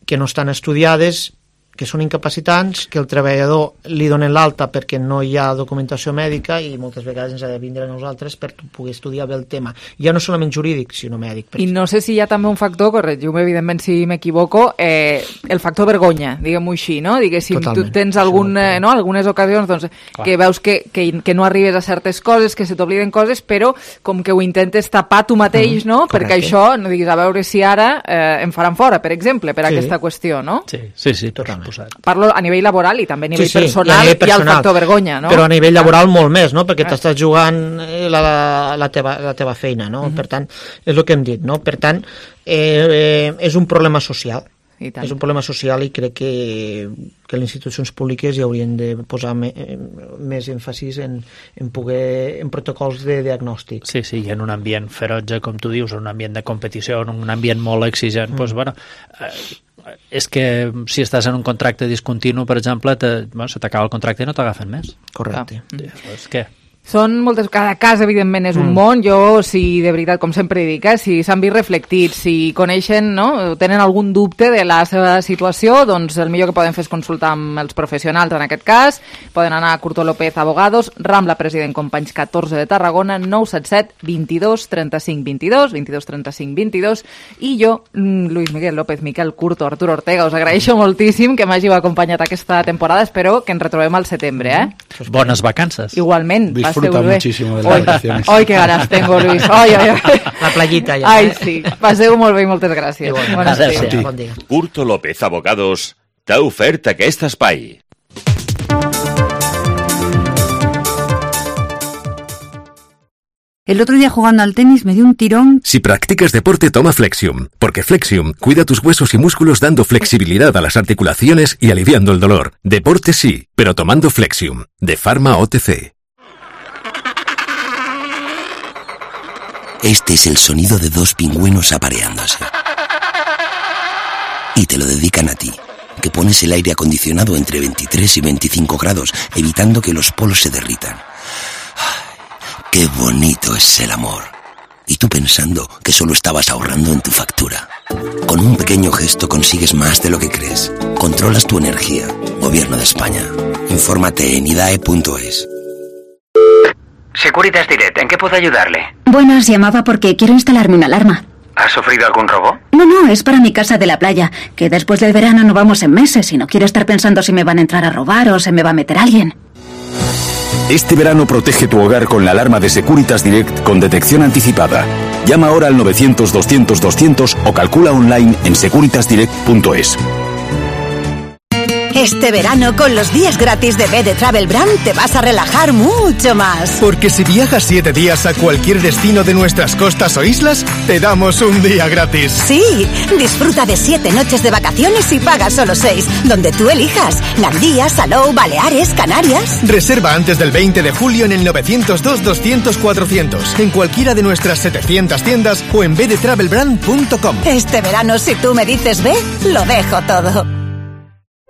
que no estan estudiades, que són incapacitants, que el treballador li donen l'alta perquè no hi ha documentació mèdica i moltes vegades ens ha de vindre a nosaltres per poder estudiar bé el tema. Ja no solament jurídic, sinó mèdic. I no sé si hi ha també un factor, corregiu-me evidentment si m'equivoco, eh, el factor vergonya, diguem-ho així, no? Diguéssim, Totalment. Tu tens algun, eh, no? algunes ocasions doncs, que veus que, que, que no arribes a certes coses, que se t'obliden coses, però com que ho intentes tapar tu mateix, no? Mm, perquè això, no diguis, a veure si ara eh, em faran fora, per exemple, per sí. aquesta qüestió, no? Sí, sí, sí totalment. Parlo a nivell laboral i també a nivell sí, sí, personal, i hi ha el factor vergonya, no? Però a nivell laboral molt més, no? Perquè t'estàs jugant la, la, teva, la teva feina, no? Uh-huh. Per tant, és el que hem dit, no? Per tant, eh, eh, és un problema social. És un problema social i crec que, que les institucions públiques hi haurien de posar me, més èmfasis en, en, poder, en protocols de diagnòstic. Sí, sí, i en un ambient ferotge, com tu dius, un ambient de competició, en un ambient molt exigent, mm. doncs, bueno, eh, és que si estàs en un contracte discontinu, per exemple, te, bueno, se t'acaba el contracte i no t'agafen més. Correcte. Ah. Doncs què? Són moltes... Cada cas, evidentment, és un mm. món. Jo, si de veritat, com sempre dic, eh, si s'han vist reflectits, si coneixen, no, tenen algun dubte de la seva situació, doncs el millor que poden fer és consultar amb els professionals, en aquest cas. Poden anar a Curto López Abogados, Rambla President Companys catorze de Tarragona, nou set set, vint-i-dos, trenta-cinc, vint-i-dos, vint-i-dos, trenta-cinc, vint-i-dos, i jo, Luis Miguel López, Miquel Curto, Arturo Ortega, us agraeixo moltíssim que m'hàgiu acompanyat aquesta temporada. Espero que ens retrobem al setembre, eh? Bones vacances. Igualment. Disfruta muchísimo de las hoy, vacaciones. Hoy qué ganas tengo, Luis. Hoy, hoy, hoy. La playita ja. Ai, sí. Passeu molt bé i moltes gràcies. Bon dia. Bon dia. Curto López Abogados t'ha ofert aquest espai. El otro día jugando al tenis me dio un tirón. Si practicas deporte, toma Flexium, porque Flexium cuida tus huesos y músculos dando flexibilidad a las articulaciones y aliviando el dolor. Deporte sí, pero tomando Flexium, de Pharma O T C. Este es el sonido de dos pingüinos apareándose. Y te lo dedican a ti, que pones el aire acondicionado entre veintitrés y veinticinco grados, evitando que los polos se derritan. ¡Qué bonito es el amor! Y tú pensando que solo estabas ahorrando en tu factura. Con un pequeño gesto consigues más de lo que crees. Controlas tu energía. Gobierno de España. Infórmate en idae punto es. Securitas Direct, ¿en qué puedo ayudarle? Buenas, llamaba porque quiero instalarme una alarma. ¿Ha sufrido algún robo? No, no, es para mi casa de la playa, que después del verano no vamos en meses y no quiero estar pensando si me van a entrar a robar o se me va a meter alguien. Este verano protege tu hogar con la alarma de Securitas Direct con detección anticipada. Llama ahora al novecientos, doscientos, doscientos o calcula online en securitas direct punto es. Este verano, con los días gratis de B D Travel Brand, te vas a relajar mucho más. Porque si viajas siete días a cualquier destino de nuestras costas o islas, te damos un día gratis. Sí, disfruta de siete noches de vacaciones y paga solo seis, donde tú elijas. Gandía, Salou, Baleares, Canarias. Reserva antes del veinte de julio en el novecientos dos, doscientos, cuatrocientos, en cualquiera de nuestras setecientas tiendas o en b d travel brand punto com. Este verano, si tú me dices ve, lo dejo todo.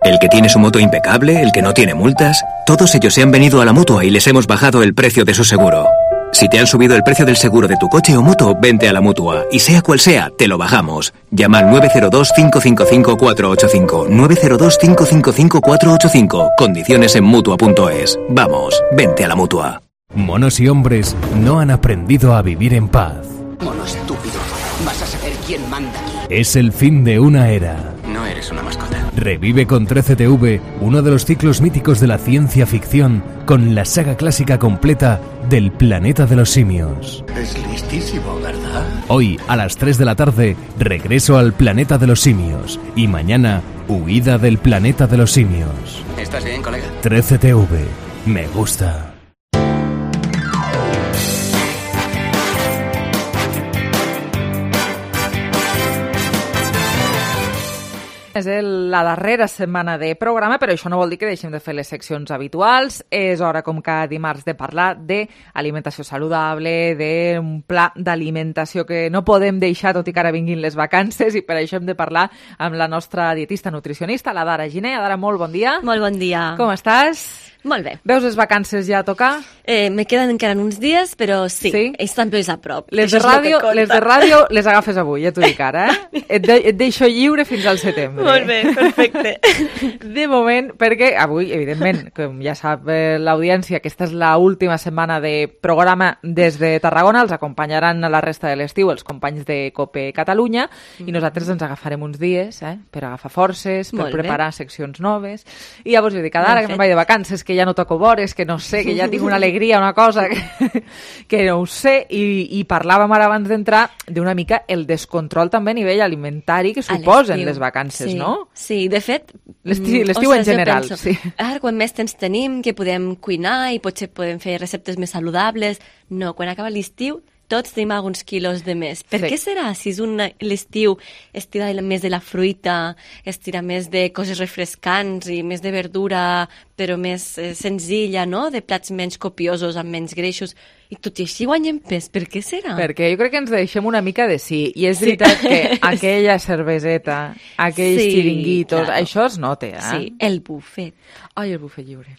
El que tiene su moto impecable, el que no tiene multas, todos ellos se han venido a la Mutua y les hemos bajado el precio de su seguro. Si te han subido el precio del seguro de tu coche o moto, vente a la Mutua. Y sea cual sea, te lo bajamos. Llama al nueve cero dos, cinco cinco cinco, cuatro ocho cinco. nueve cero dos, cinco cinco cinco, cuatro ocho cinco. Condiciones en Mutua punto es. Vamos, vente a la Mutua. Monos y hombres no han aprendido a vivir en paz. Mono estúpido, vas a saber quién manda aquí. Es el fin de una era. No eres una mascota. Revive con trece T V uno de los ciclos míticos de la ciencia ficción con la saga clásica completa del Planeta de los Simios. Es listísimo, ¿verdad? Hoy, a las tres de la tarde, regreso al Planeta de los Simios. Y mañana, huida del Planeta de los Simios. ¿Estás bien, colega? trece T V. Me gusta. És el, la darrera setmana de programa, però això no vol dir que deixem de fer les seccions habituals. És hora, com cada dimarts, de parlar d'alimentació saludable, d'un pla d'alimentació que no podem deixar, tot i que ara vinguin les vacances, i per això hem de parlar amb la nostra dietista nutricionista, la Dara Giner. Dara, molt bon dia. Molt bon dia. Com estàs? Molt bé. Veus les vacances ja a tocar? Eh, me queden encara uns dies, però sí, sí? ells també és a prop. Les de, ràdio, les de ràdio les agafes avui, ja t'ho dic ara, eh? Et, de, et deixo lliure fins al setembre. Molt bé, perfecte. De moment, perquè avui, evidentment, com ja sap eh, l'audiència, aquesta és l'última setmana de programa des de Tarragona, els acompanyaran a la resta de l'estiu els companys de COPE Catalunya, mm-hmm. i nosaltres ens agafarem uns dies eh, per agafar forces, per Molt preparar bé. seccions noves, i llavors jo dic, ara que me'n vaig de vacances, que ja no toco vores, que no sé, que ja tinc una alegria, una cosa que, que no ho sé, i, i parlàvem ara abans d'entrar d'una mica el descontrol també a nivell alimentari que suposen les vacances, sí, no? Sí, de fet... L'estiu en general, penso, sí. Ara, quan més temps tenim, que podem cuinar i potser podem fer receptes més saludables, no, quan acaba l'estiu tots tenim alguns quilos de més. Per sí. què serà? Si és un l'estiu es tira més de la fruita, es tira més de coses refrescants i més de verdura, però més eh, senzilla, no? De plats menys copiosos, amb menys greixos, i tot i així guanyem pes. Per què serà? Perquè jo crec que ens deixem una mica de sí. I és sí. veritat que aquella cerveseta, aquells sí, xiringuitos, claro. això es nota, eh? Sí, el bufet. Ai, el bufet lliure.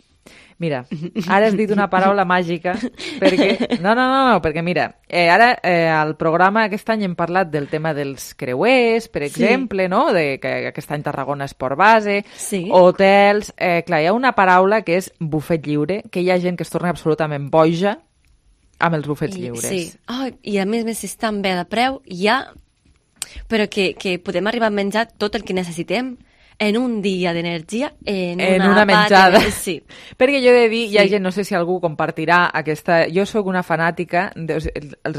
Mira, ara has dit una paraula màgica, perquè... No, no, no, no perquè mira, eh, ara eh, al programa aquest any hem parlat del tema dels creuers, per exemple, sí. no? De, que aquest any Tarragona Esport Base, sí. hotels... Eh, clar, hi ha una paraula que és bufet lliure, que hi ha gent que es torna absolutament boja amb els bufets I, lliures. Sí, oh, i a més, més si estan bé de preu, ja... Però que, que podem arribar a menjar tot el que necessitem en un dia d'energia, en, en una, una menjada. De... Sí. Perquè jo he de dir, sí. hi ha gent, no sé si algú compartirà aquesta... Jo sóc una fanàtica dels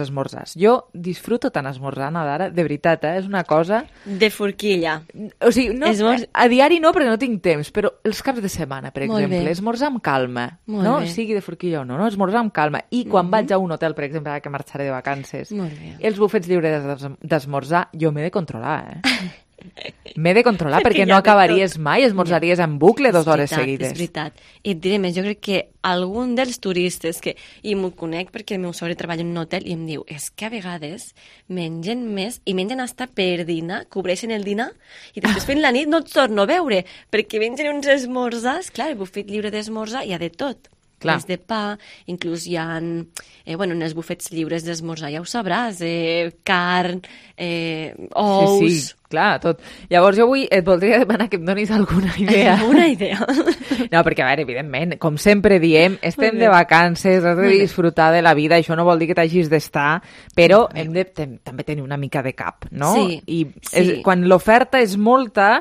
esmorzars. Jo disfruto tant esmorzant, Dara, de veritat, eh? És una cosa... De forquilla. O sigui, no, Esmorz... a diari no, perquè no tinc temps, però els caps de setmana, per Molt exemple, bé. esmorzar amb calma, Molt no? bé. Sigui de forquilla o no, no? Esmorzar amb calma. I quan Mm-hmm. vaig a un hotel, per exemple, ara que marxaré de vacances, Molt bé. els bufets lliures d'esmorzar, jo m'he de controlar, eh? M'he de controlar perquè, perquè no acabaries mai, esmorzaries en bucle dues hores seguides. És veritat, i et diré més, jo crec que algun dels turistes, que, i m'ho conec perquè el meu sogre treballa en un hotel i em diu, és que a vegades mengen més i mengen hasta per dinar, cobreixen el dinar i després fent la nit no et torno a veure perquè mengen uns esmorzars, clar, el bufet lliure d'esmorzar hi ha de tot. Clar. Més de pa, inclús hi ha, eh, bueno, en els bufets lliures d'esmorzar, ja ho sabràs, eh, carn, eh, ous... Sí, sí, clar, tot. Llavors jo avui et voldria demanar que em donis alguna idea. Una idea. No, perquè, a veure, evidentment, com sempre diem, estem de vacances, has de disfrutar de la vida, això no vol dir que t'hagis d'estar, però hem de tem també tenir una mica de cap, no? Sí, I sí. és, quan l'oferta és molta,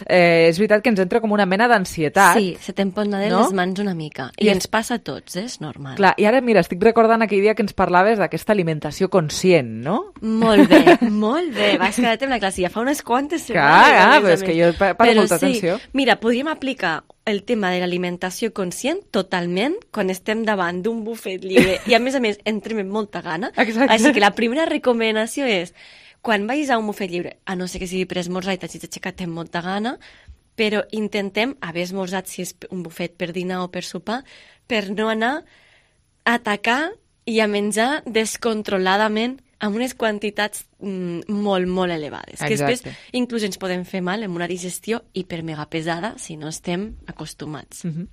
eh, és veritat que ens entra com una mena d'ansietat. Sí, se t'emponen no? les mans una mica. I, I ens passa a tots, eh? És normal. Clar, i ara, mira, estic recordant aquell dia que ens parlaves d'aquesta alimentació conscient, no? Molt bé, molt bé. Vas quedar-te amb la classe, ja fa unes quantes setmanes. Clar, ah, però és que jo paro molta sí, atenció. Mira, podríem aplicar el tema de l'alimentació conscient totalment quan estem davant d'un bufet lliure i, a més a més, entrem amb molta gana. Exacte. Així que la primera recomanació és quan vagis a un bufet lliure, a no ser que sigui per esmorzar i t'hagis aixecat amb molta gana, però intentem haver esmorzat, si és un bufet per dinar o per sopar, per no anar a atacar i a menjar descontroladament amb unes quantitats mm, molt, molt elevades. Exacte. Que després inclús ens podem fer mal amb una digestió hipermega pesada si no estem acostumats. Mm-hmm.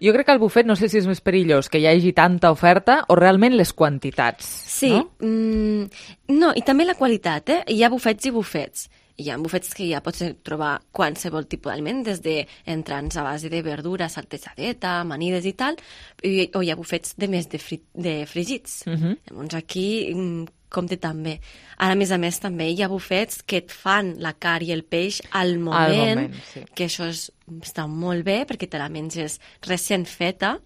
Jo crec que al bufet no sé si és més perillós que hi hagi tanta oferta o realment les quantitats. Sí, no? Mm, no, i també la qualitat, eh? Hi ha bufets i bufets. Hi ha bufets que ja pots trobar qualsevol tipus d'aliment, des d'entrants a base de verdura, saltejadeta, amanides i tal, i, o hi ha bufets de més de, fri, de fregits. Mm-hmm. Llavors aquí compte també. Ara, a més a més, també hi ha bufets que et fan la carn i el peix al moment, al moment sí. que això és, està molt bé perquè te la menges recent feta.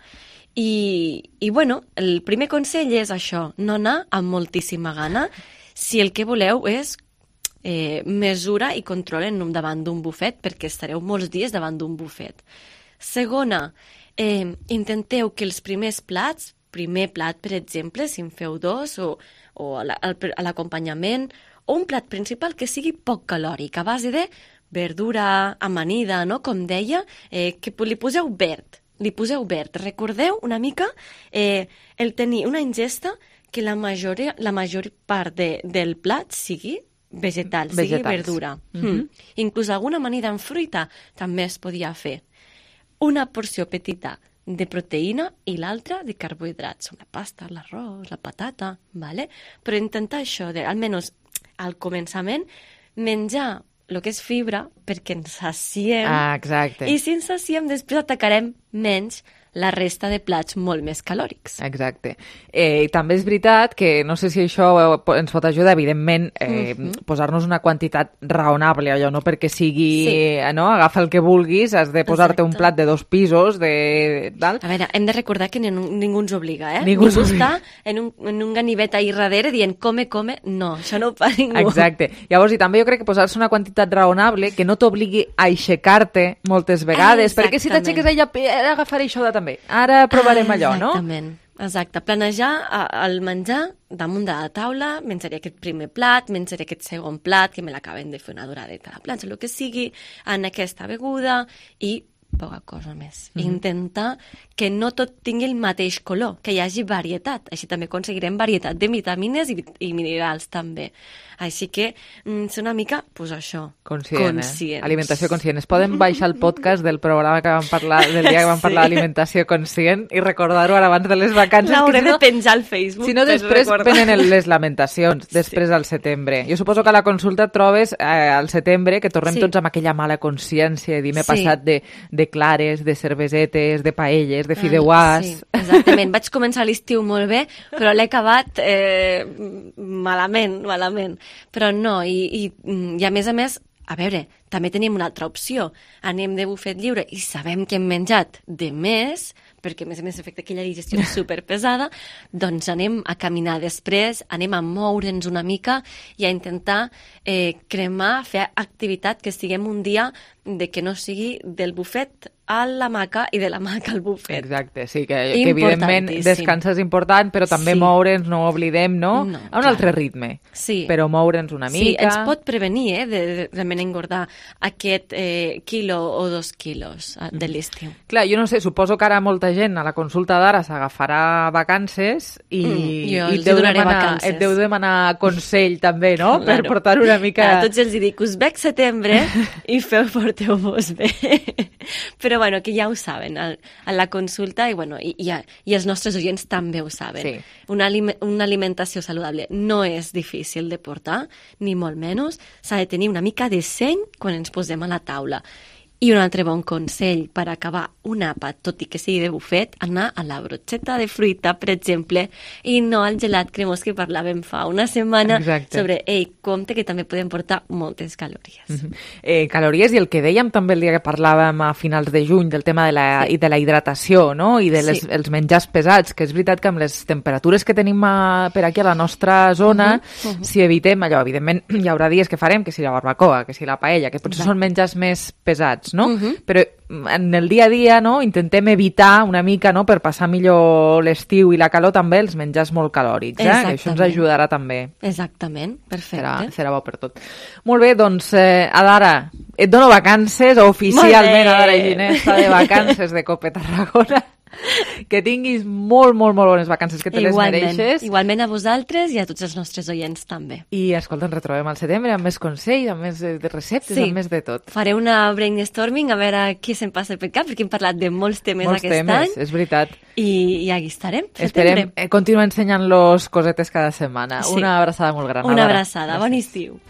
I, i bueno, el primer consell és això, no anar amb moltíssima gana si el que voleu és eh, mesura i control en davant d'un bufet, perquè estareu molts dies davant d'un bufet. Segona, eh, intenteu que els primers plats, primer plat, per exemple, si en feu dos, o, o a l'acompanyament, o un plat principal que sigui poc calòric, a base de verdura amanida, no? Com deia, eh, que li poseu verd, li poseu verd. Recordeu una mica eh, el tenir una ingesta que la major, la major part de, del plat sigui vegetal, sigui Vegetals. verdura. Mm-hmm. Mm. Inclús alguna amanida en fruita també es podia fer. Una porció petita de proteïna i l'altra de carbohidrats, la pasta, l'arròs, la patata, vale? Però intentar això, de, almenys al començament, menjar el que és fibra perquè ens saciem. Ah, exacte. I si ens saciem, després atacarem menys la resta de plats molt més calòrics. Exacte. Eh, I també és veritat que, no sé si això ens pot ajudar, evidentment, eh, mm-hmm. posar-nos una quantitat raonable, allò, no perquè sigui, sí. eh, no? Agafa el que vulguis, has de posar-te un plat de dos pisos, de... Tal. A veure, hem de recordar que ningú, ningú ens obliga, eh? Ningú, ningú està en un, en un ganivet ahí darrere dient come, come, no, això no ho fa ningú. Exacte. Llavors, i també jo crec que posar-se una quantitat raonable que no t'obligui a aixecar-te moltes vegades, ah, perquè si t'aixeques ella, agafaré això de també. Ara provarem ah, allò, no? Exactament. Exacte. Planejar el menjar damunt de la taula, menjaré aquest primer plat, menjaré aquest segon plat, que me l'acaben de fer una doradeta a la planxa, el que sigui, en aquesta beguda, i poca cosa més. Mm-hmm. Intentar que no tot tingui el mateix color, que hi hagi varietat. Així també aconseguirem varietat de vitamines i, i minerals també. Així que mm, ser una mica, pues això, conscient, eh? Alimentació conscient. Es poden baixar el podcast del programa que vam parlar, del dia que vam parlar sí. d'alimentació conscient i recordar-ho ara abans de les vacances. L'hauré si no, de penjar al Facebook. Si no, després venen les lamentacions, després sí. al setembre. Jo suposo que a la consulta et trobes eh, al setembre que tornem sí. tots amb aquella mala consciència i m'he sí. passat de, de clares, de cervesetes, de paelles, de fideuàs... Sí, exactament. Vaig començar l'estiu molt bé, però l'he acabat eh, malament, malament. Però no, i, i, i a més a més, a veure, també tenim una altra opció. Anem de bufet lliure i sabem que hem menjat de més, perquè a més a més efecte aquella digestió superpesada, doncs anem a caminar després, anem a moure'ns una mica i a intentar eh, cremar, fer activitat que estiguem un dia de que no sigui del bufet a l'hamaca i de l'hamaca al bufet. Exacte, sí, que, que evidentment descansar és important, però també sí. moure'ns, no ho oblidem, no? no a un clar. altre ritme, sí. però moure'ns una mica... Sí, ens pot prevenir eh, de, de realment engordar aquest eh, quilo o dos quilos de l'estiu. Clar, jo no sé, suposo que ara molta gent a la consulta d'ara s'agafarà vacances i, mm, jo i et, deu demanar, et deu demanar consell també, no? Claro. Per portar una mica... A tots els dic, us veig setembre i feu, porteu-vos bé. Però bueno, que ja ho saben a, a la consulta i, bueno, i, i, i els nostres oients també ho saben. Sí. Una, una alimentació saludable no és difícil de portar, ni molt menys. S'ha de tenir una mica de seny quan ens posem a la taula. I un altre bon consell per acabar un àpat, tot i que sigui de bufet, anar a la brocheta de fruita, per exemple, i no al gelat cremós que parlàvem fa una setmana. Exacte. Sobre, ei, compte que també podem portar moltes calories. Mm-hmm. eh, calories i el que dèiem també el dia que parlàvem a finals de juny del tema de la, sí. i de la hidratació, no? I de les, sí. els menjars pesats, que és veritat que amb les temperatures que tenim a, per aquí a la nostra zona, uh-huh. Uh-huh. si evitem allò, evidentment hi haurà dies que farem, que si la barbacoa, que si la paella, que potser Exacte. són menjars més pesats, no? Uh-huh. Però en el dia a dia, no, intentem evitar una mica, no, per passar millor l'estiu i la calor també els menjars molt calòrics, eh? Que això ens ajudarà també. Exactament, perfecte. Serà, serà bo per tot. Molt bé, doncs, eh, Adara, et dono vacances, oficialment Adara Ginés està de vacances de Cope Tarragona. Que tinguis molt, molt, molt bones vacances, que te igualment, les mereixes. Igualment a vosaltres i a tots els nostres oients també. I, escolta, ens retrobem al setembre amb més consells, amb més de receptes, sí. amb més de tot. Faré una brainstorming a veure què se'm passa per cap, perquè hem parlat de molts temes molts aquest temes, any. És veritat. I, i aquí estarem, setembre. Esperem eh, continuar ensenyant-los cosetes cada setmana. Sí. Una abraçada molt gran. Una abraçada, bon estiu.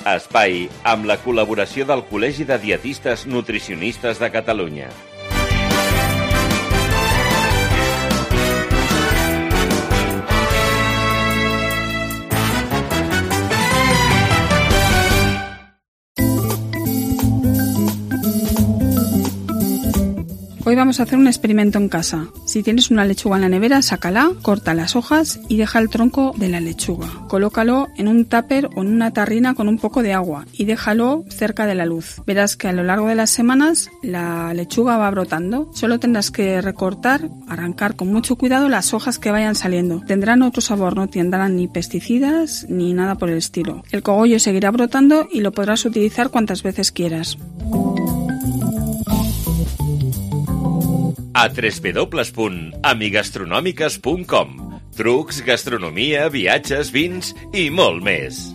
Espai, amb la col·laboració del Col·legi de Dietistes Nutricionistes de Catalunya. Hoy vamos a hacer un experimento en casa. Si tienes una lechuga en la nevera, sácala, corta las hojas y deja el tronco de la lechuga. Colócalo en un tupper o en una tarrina con un poco de agua y déjalo cerca de la luz. Verás que a lo largo de las semanas la lechuga va brotando. Solo tendrás que recortar, arrancar con mucho cuidado las hojas que vayan saliendo. Tendrán otro sabor, no tendrán ni pesticidas ni nada por el estilo. El cogollo seguirá brotando y lo podrás utilizar cuantas veces quieras. A w w w punt amigastronòmiques punt com. Trucs, gastronomia, viatges, vins i molt més.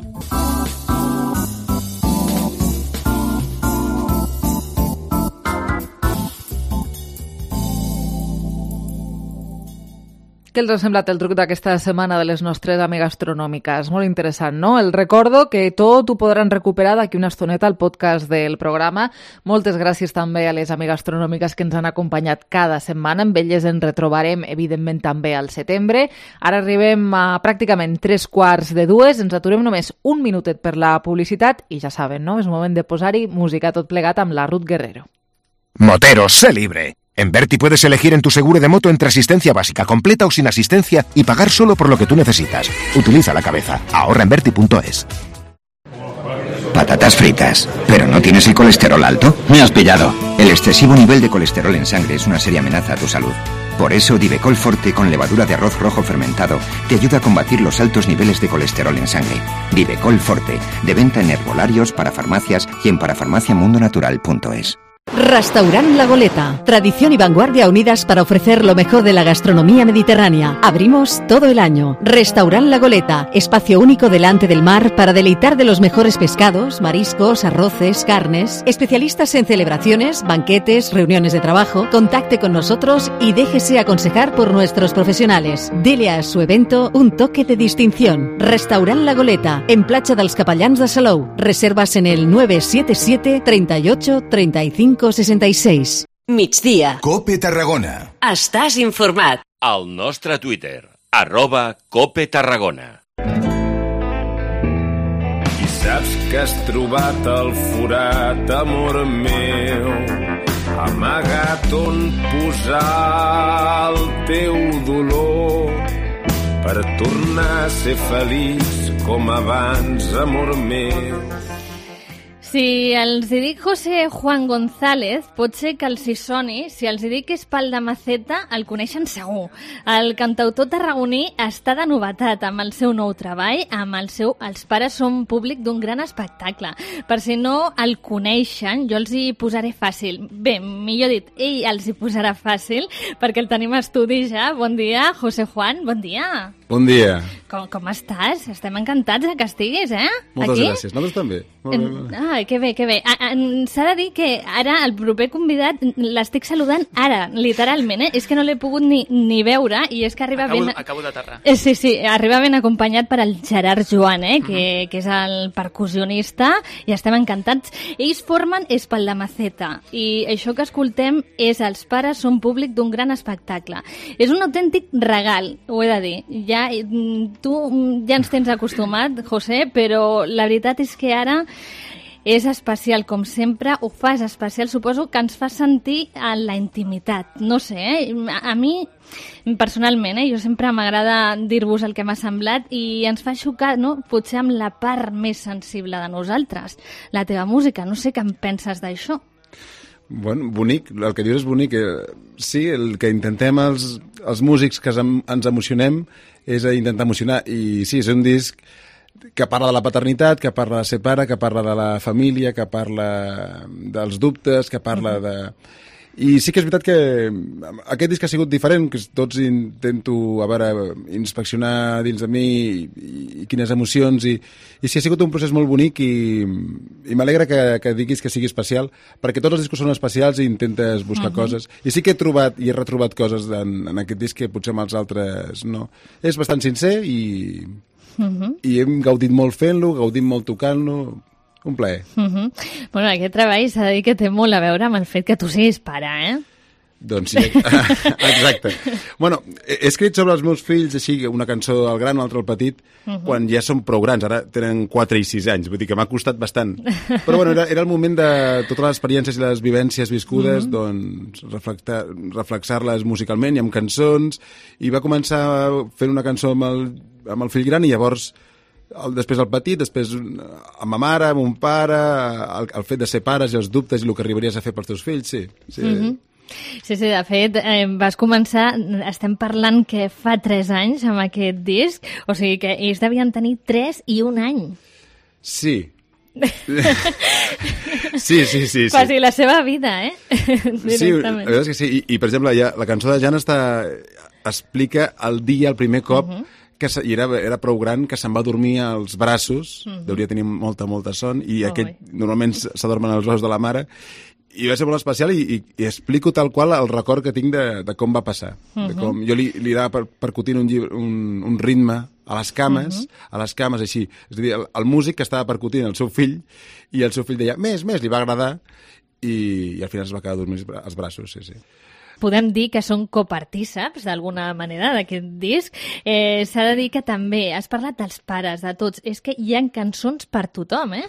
Què els ha semblat el truc d'aquesta setmana de les nostres amigastronòmiques? Molt interessant, no? El recordo que tot ho podran recuperar d'aquí una estoneta al podcast del programa. Moltes gràcies també a les amigastronòmiques que ens han acompanyat cada setmana. Amb elles ens retrobarem, evidentment, també al setembre. Ara arribem a pràcticament tres quarts de dues. Ens aturem només un minutet per la publicitat i ja saben, no? És moment de posar-hi música tot plegat amb la Ruth Guerrero. Moteros, sé libre. En Berti puedes elegir en tu seguro de moto entre asistencia básica, completa o sin asistencia y pagar solo por lo que tú necesitas. Utiliza la cabeza. Ahorra en Berti punto es. Patatas fritas. ¿Pero no tienes el colesterol alto? Me has pillado. El excesivo nivel de colesterol en sangre es una seria amenaza a tu salud. Por eso Divecol Forte con levadura de arroz rojo fermentado te ayuda a combatir los altos niveles de colesterol en sangre. Divecol Forte, de venta en herbolarios, parafarmacias y en parafarmaciamundonatural punto es. Restaurant La Goleta. Tradición y vanguardia unidas para ofrecer lo mejor de la gastronomía mediterránea. Abrimos todo el año. Restaurant La Goleta. Espacio único delante del mar para deleitar de los mejores pescados, mariscos, arroces, carnes. Especialistas en celebraciones, banquetes, reuniones de trabajo. Contacte con nosotros y déjese aconsejar por nuestros profesionales. Dele a su evento un toque de distinción. Restaurant La Goleta. En Platja dels Capellans de Salou. Reservas en el nueve siete siete, treinta y ocho, treinta y cinco, sesenta y seis. Migdia. Cope Tarragona. Estàs informat. Al nostre Twitter, arroba Cope Tarragona. I saps que has trobat el forat, amor meu, amagat on posar el teu dolor per tornar a ser feliç com abans, amor meu. Si els hi dic José Juan González, pot ser que els hi soni. Si els hi dic Espal de Maceta, el coneixen segur. El cantautor tarragoní està de novetat amb el seu nou treball, amb el seu Els pares són públic d'un gran espectacle. Per si no el coneixen, jo els hi posaré fàcil. Bé, millor dit, ell els hi posarà fàcil, perquè el tenim a estudi ja. Bon dia, José Juan, bon dia. Bon dia. Com, com estàs? Estem encantats que estiguis, eh? Moltes Aquí? gràcies. Nosaltres també. En... Ai, que bé, que bé. S'ha de dir que ara el proper convidat l'estic saludant ara, literalment, eh? És que no l'he pogut ni, ni veure i és que arriba acabo, ben... Acabo d'aterrar. Eh, sí, sí, arriba ben acompanyat per el Gerard Joan, eh? Que, uh-huh. que és el percussionista i estem encantats. Ells formen Espal de Maceta i això que escoltem és Els pares són públic d'un gran espectacle. És un autèntic regal, ho he de dir. Ja, tu ja ens tens acostumat, José, però la veritat és que ara és especial, com sempre, ho fas especial, suposo que ens fa sentir en la intimitat. No sé, eh? a, a mi, personalment, eh? jo sempre m'agrada dir-vos el que m'ha semblat i ens fa xocar, no? Potser amb la part més sensible de nosaltres, la teva música. No sé què en penses d'això. Bueno, bonic, el que dius és bonic. Sí, el que intentem els, els músics que ens emocionem és intentar emocionar, i sí, és un disc que parla de la paternitat, que parla de ser pare, que parla de la família, que parla dels dubtes, que parla de... I sí que és veritat que aquest disc ha sigut diferent, que tots intento, a veure, inspeccionar dins de mi i, i quines emocions, i, i sí, ha sigut un procés molt bonic i, i m'alegra que, que diguis que sigui especial, perquè tots els discos són especials i intentes buscar uh-huh. coses. I sí que he trobat i he retrobat coses en, en aquest disc que potser amb els altres no. És bastant sincer i, uh-huh. i hem gaudit molt fent-lo, gaudit molt tocant-lo. Un plaer. Uh-huh. Bueno, aquest treball s'ha de dir que té molt a veure amb el fet que tu siguis pare, eh? Doncs sí, exacte. Bueno, he escrit sobre els meus fills, així, una cançó al gran, una altra al petit, uh-huh. quan ja són prou grans, ara tenen quatre i sis anys, vull dir que m'ha costat bastant. Però bueno, era, era el moment de totes les experiències i les vivències viscudes, uh-huh. doncs reflexar-les musicalment i amb cançons, i va començar fent una cançó amb el, amb el fill gran i llavors el, després el petit, després amb ma mare, amb un pare, el, el fet de ser pares i els dubtes i el que arribaries a fer pels teus fills, sí. sí. Uh-huh. Sí, sí, de fet, eh, vas començar, estem parlant que fa tres anys amb aquest disc, o sigui que ells devien tenir tres i un any. Sí. sí, sí, sí, sí. Quasi la seva vida, eh? Sí, la veritat és que sí. I, i per exemple, ja, la cançó de Jan està, explica el dia, el primer cop, uh-huh. que se, i era, era prou gran, que se'n va dormir als braços, uh-huh. deuria tenir molta, molta son, i oh, aquell oi. Normalment s'adormen als braços de la mare, i va ser molt especial i, i, i explico tal qual el record que tinc de, de com va passar. Uh-huh. De com jo li, li anava per, percutint un, llibre, un, un ritme a les cames, uh-huh. a les cames així. És a dir, el, el músic que estava percutint el seu fill i el seu fill deia, més, més, li va agradar i, i al final es va quedar dormint als braços, sí, sí. Podem dir que són copartíceps, d'alguna manera, d'aquest disc. Eh, S'ha de dir que també has parlat dels pares, de tots. És que hi ha cançons per tothom, eh?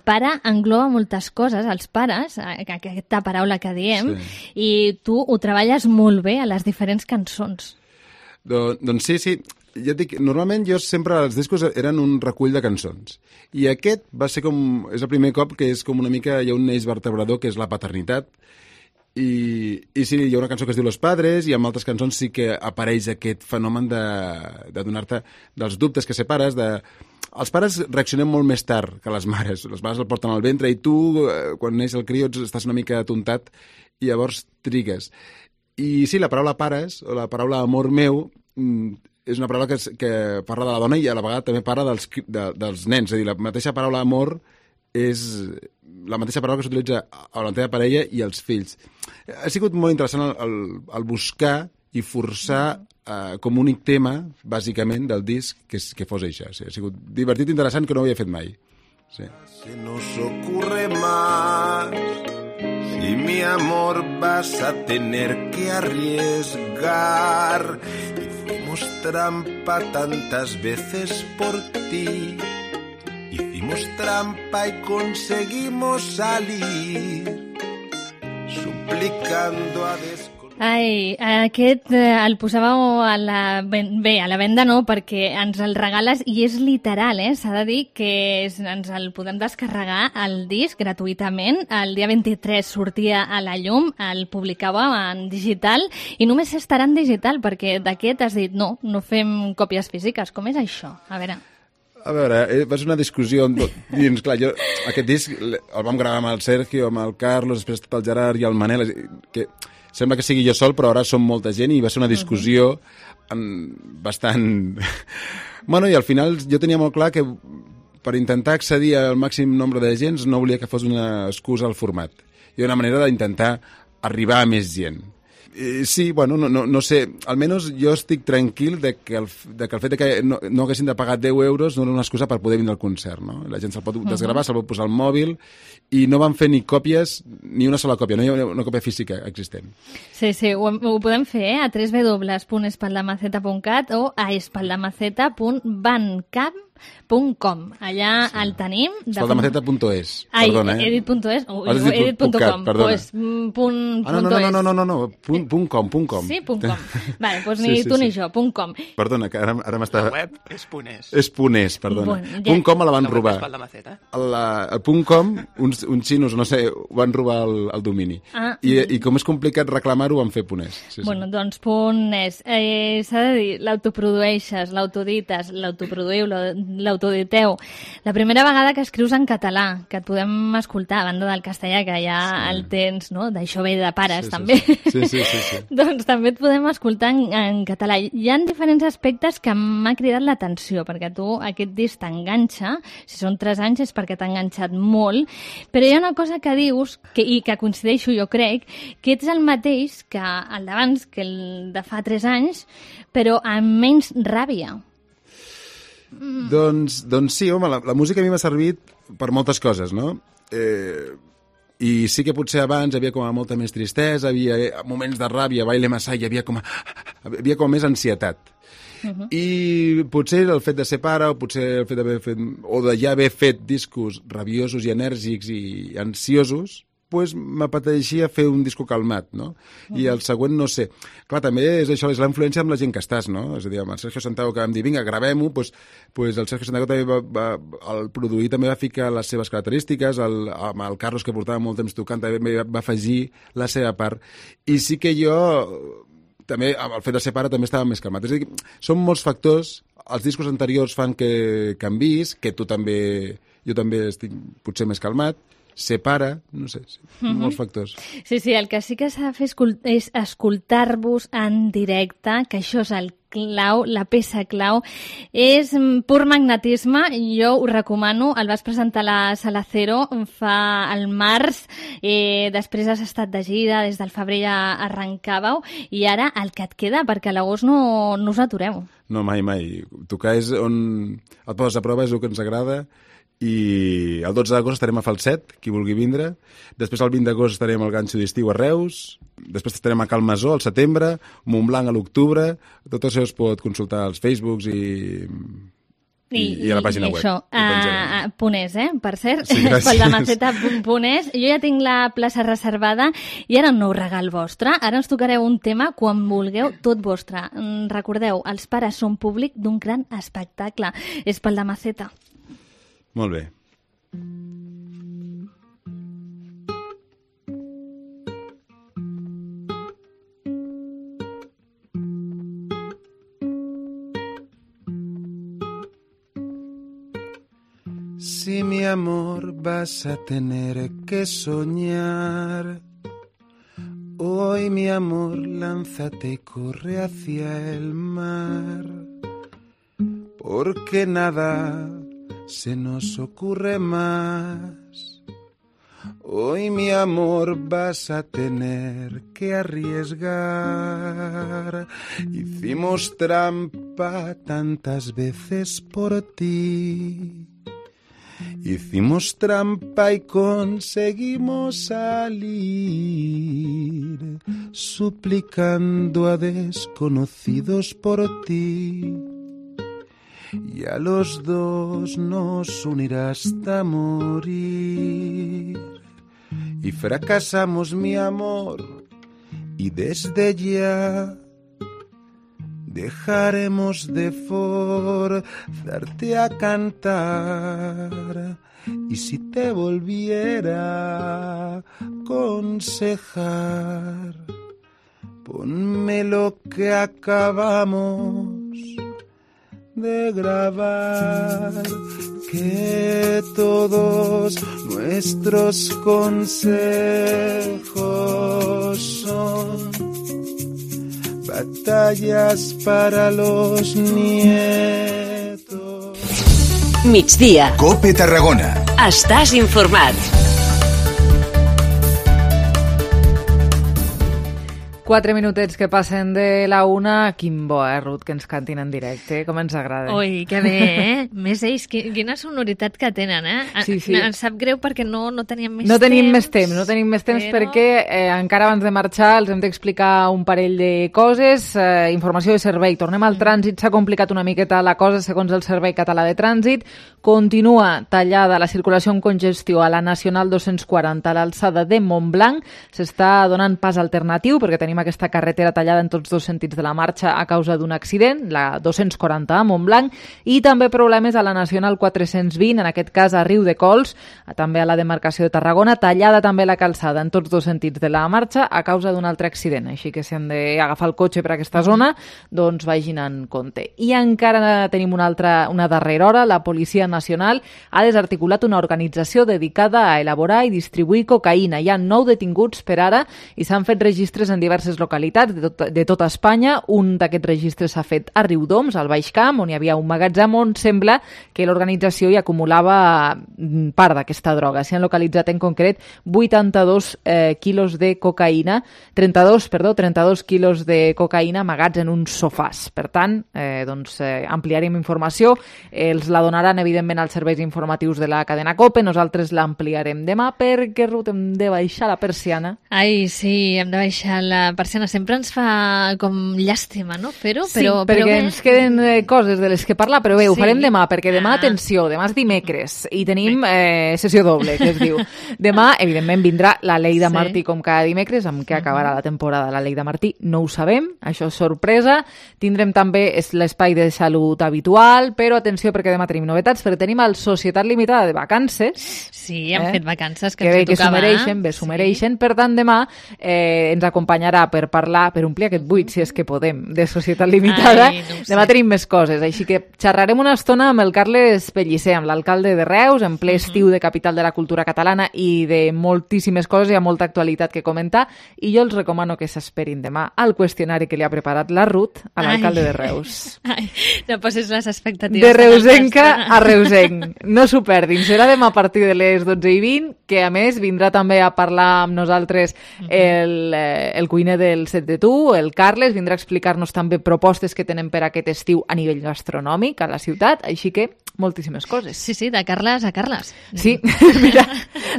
Pare engloba moltes coses, els pares, aquesta paraula que diem, sí. I tu ho treballes molt bé a les diferents cançons. Don, doncs sí, sí. Ja et dic, normalment jo sempre, els discos eren un recull de cançons. I aquest va ser com, és el primer cop que és com una mica, hi ha un eix vertebrador que és la paternitat. I, i sí, hi ha una cançó que es diu Los Padres i amb altres cançons sí que apareix aquest fenomen de, de donar-te dels dubtes que ser pares, de... Els pares reaccionem molt més tard que les mares. Les mares el porten al ventre i tu, quan neix el crió, estàs una mica atontat i llavors trigues. I sí, la paraula pares, o la paraula amor meu, és una paraula que, que parla de la dona i a la vegada també parla dels, de, dels nens. És a dir, la mateixa paraula amor és la mateixa paraula que s'utilitza a la teva parella i als fills. Ha sigut molt interessant el, el, el buscar i forçar eh, com únic tema, bàsicament, del disc que, que fos això. Sí, ha sigut divertit i interessant que no ho havia fet mai. Sí. Se nos ocurre más, si mi amor vas a tener que arriesgar. Hicimos trampa tantas veces por ti. Hicimos trampa y conseguimos salir, suplicando a desconocidos. Ai, aquest eh, el posàveu a la... Bé, a la venda no, perquè ens el regales i és literal, eh? S'ha de dir que és, ens el podem descarregar al disc gratuïtament. El dia vint-i-tres sortia a la llum, el publicàveu en digital i només estarà en digital perquè d'aquest has dit no, no fem còpies físiques. Com és això? A veure... A veure, va ser una discussió dins, clar, jo, aquest disc el vam gravar amb el Sergio, amb el Carlos, després tot el Gerard i el Manel, que sembla que sigui jo sol, però ara som molta gent i va ser una discussió bastant... Bueno, i al final jo tenia molt clar que per intentar accedir al màxim nombre de gent no volia que fos una excusa al format. I una manera d'intentar arribar a més gent. Eh, sí, bueno, no, no, no sé, almenys jo estic tranquil de que el, de que el fet de que no, no haguessin de pagar deu euros no era una excusa per poder vindre al concert, no? La gent se'l pot desgravar, uh-huh. se'l pot posar al mòbil i no van fer ni còpies, ni una sola còpia, no hi ha una còpia física existent. Sí, sí, ho, ho podem fer eh? A w w w punt espaldamaceta punt cat o a espaldamaceta punt bandcamp punt com. Allà sí. El tenim. espaldamaceta punt es. Ai, perdona, eh? he dit punt es, o he dit punt com. Pues, punt, ah, no, no, no, no, no, no, no, punt, punt com, punt com. Sí, punt com. Vale, pues ni sí, sí, tu ni sí. jo, punt com. Perdona, que ara, ara m'està... La web és punt es. És punt es, perdona. Bon, ja. Punt com la van la robar. La, el punt com, uns, uns xinos, no sé, van robar el, el domini. Ah, I, I com és complicat reclamar-ho, van fer punt es. Sí, bueno, sí. doncs punt es. Eh, S'ha de dir, l'autoprodueixes, l'autodites, l'autoproduïu, l'autoditeu. La primera vegada que escrius en català, que et podem escoltar, a banda del castellà, que ja sí. El tens, no? D'això ve de pares, sí, també. Sí, sí, sí. sí, sí. Doncs també et podem escoltar en, en català. Hi ha diferents aspectes que m'ha cridat l'atenció, perquè tu aquest disc t'enganxa, si són tres anys és perquè t'ha enganxat molt, però hi ha una cosa que dius, que, i que coincideixo jo crec, que ets el mateix que el d'abans, que el de fa tres anys, però amb menys ràbia. Mm. Doncs, doncs sí, home, la, la música a mi m'ha servit per moltes coses, no? Eh, I sí que potser abans hi havia com a molta més tristesa, havia moments de ràbia, baile massa, hi havia com, a, havia com més ansietat. Uh-huh. I potser el fet de ser pare, o potser el fet d'haver fet, o de ja haver fet discos rabiosos i enèrgics i ansiosos, pues m'apeteixia fer un disco calmat, no? Uh-huh. I el següent, no sé. Clar, també és això, és la influència amb la gent que estàs, no? És a dir, amb el Sergio Santiago que vam dir, vinga, gravem-ho, pues, pues el Sergio Santiago també va, va, el produir també va ficar les seves característiques, el, amb el Carlos, que portava molt temps tocant, també va afegir la seva part. I sí que jo, també, amb el fet de ser pare, també estava més calmat. És a dir, són molts factors, els discos anteriors fan que canvis, que tu també, jo també estic potser més calmat, ser pare, no sé, sí, uh-huh. molts factors. Sí, sí, el que sí que s'ha de fer és escoltar-vos en directe, que això és el clau, la peça clau, és pur magnetisme, jo ho recomano, el vas presentar a la Sala Cero fa el març, eh, després has estat de gira, des del febrer ja arrencàveu, i ara el que et queda, perquè a l'agost no, no us atureu. No, mai, mai. Tocar és on et poses a prova, és el que ens agrada, i el dotze d'agost estarem a Falset, qui vulgui vindre. Després el vint d'agost estarem al Ganxo d'Estiu a Reus. Després estarem a Cal Masó al setembre, Montblanc a l'octubre. Tot això es pot consultar als Facebooks i, i, i a la pàgina i web. Això, a, a Ponés, eh? Per cert, sí, espaldamaceta punt ponés. Jo ja tinc la plaça reservada i ara un nou regal vostre. Ara ens tocareu un tema quan vulgueu, tot vostre. Recordeu, els pares són públic d'un gran espectacle. Espaldamaceta. Molt bé. Si mi amor vas a tener que soñar, hoy mi amor lánzate y corre hacia el mar, porque nada se nos ocurre más. Hoy mi amor vas a tener que arriesgar. Hicimos trampa tantas veces por ti. Hicimos trampa y conseguimos salir, suplicando a desconocidos por ti. Y a los dos nos unirá hasta morir. Y fracasamos, mi amor, y desde ya dejaremos de forzarte a cantar. Y si te volviera a aconsejar, ponme lo que acabamos de grabar, que todos nuestros consejos son batallas para los nietos. Migdia. Cope Tarragona. Estàs informat. Quatre minutets que passen de la una. Quin bo, eh, Ruth, que ens cantin en directe. Com ens agrada. Ui, que bé, eh? Més ells, quina sonoritat que tenen, eh? Sí, sí. Em sap greu perquè no, no teníem més no temps. Tenim més temps. No tenim més temps però... perquè eh, encara abans de marxar els hem d'explicar un parell de coses. Eh, informació de servei. Tornem al trànsit. S'ha complicat una miqueta la cosa segons el Servei Català de Trànsit. Continua tallada la circulació amb congestió a la Nacional dos-cents quaranta a l'alçada de Montblanc. S'està donant pas alternatiu perquè tenim aquesta carretera tallada en tots dos sentits de la marxa a causa d'un accident, la dos-cents quaranta a Montblanc, i també problemes a la Nacional quatre-cents vint, en aquest cas a Riudecols, també a la demarcació de Tarragona, tallada també la calçada en tots dos sentits de la marxa a causa d'un altre accident, així que si han d'agafar el cotxe per aquesta zona, doncs vagin en compte. I encara tenim una altra, una darrera hora, la Policia Nacional ha desarticulat una organització dedicada a elaborar i distribuir cocaïna. Hi ha nou detinguts per ara i s'han fet registres en diverses diverses localitats de, tot, de tota Espanya. Un d'aquests registres s'ha fet a Riudoms, al Baix Camp, on hi havia un magatzem on sembla que l'organització hi acumulava part d'aquesta droga. S'hi han localitzat en concret vuitanta-dos eh, quilos de cocaïna, trenta-dos, perdó, trenta-dos quilos de cocaïna amagats en uns sofàs. Per tant, eh, doncs, eh, ampliarem informació, els la donaran evidentment als serveis informatius de la cadena COPE, nosaltres l'ampliarem demà perquè, Ruth, hem de baixar la persiana. Ai, sí, hem de baixar la persiana. Sempre ens fa com llàstima, no? Però, Sí, però, perquè però ens queden eh, coses de les que parlar, però bé, ho Sí. farem demà, perquè demà, Ah. atenció, demà és dimecres i tenim eh, sessió doble, que es diu. Demà, evidentment, vindrà la Leida Sí. Martí com cada dimecres, amb què acabarà la temporada la Leida Martí, no ho sabem, això és sorpresa. Tindrem també es- l'espai de salut habitual, però atenció perquè demà tenim novetats, perquè tenim el Societat Limitada de Vacances. Sí, hem fet vacances, que que ens bé, que s'ho tocava. mereixen, bé, s'ho mereixen. Per tant, demà eh, ens acompanyarà per parlar, per omplir aquest buit, si és que podem, de Societat Limitada. Ai, no ho sé. Demà tenim més coses, així que xerrarem una estona amb el Carles Pellicer, amb l'alcalde de Reus, en ple estiu de Capital de la Cultura Catalana i de moltíssimes coses, hi ha molta actualitat que comentar, i jo els recomano que s'esperin demà al qüestionari que li ha preparat la Ruth a l'alcalde Ai. de Reus. Ai, no posis les expectatives. De tan reusenca altes. a reusenc. No s'ho perdin. Serà demà a partir de les dotze i vint, que a més vindrà també a parlar amb nosaltres el, eh, el cuiner del Set de Tu, el Carles, vindrà a explicar-nos també propostes que tenen per aquest estiu a nivell gastronòmic a la ciutat, així que moltíssimes coses. Sí, sí, de Carles a Carles. Sí, mira,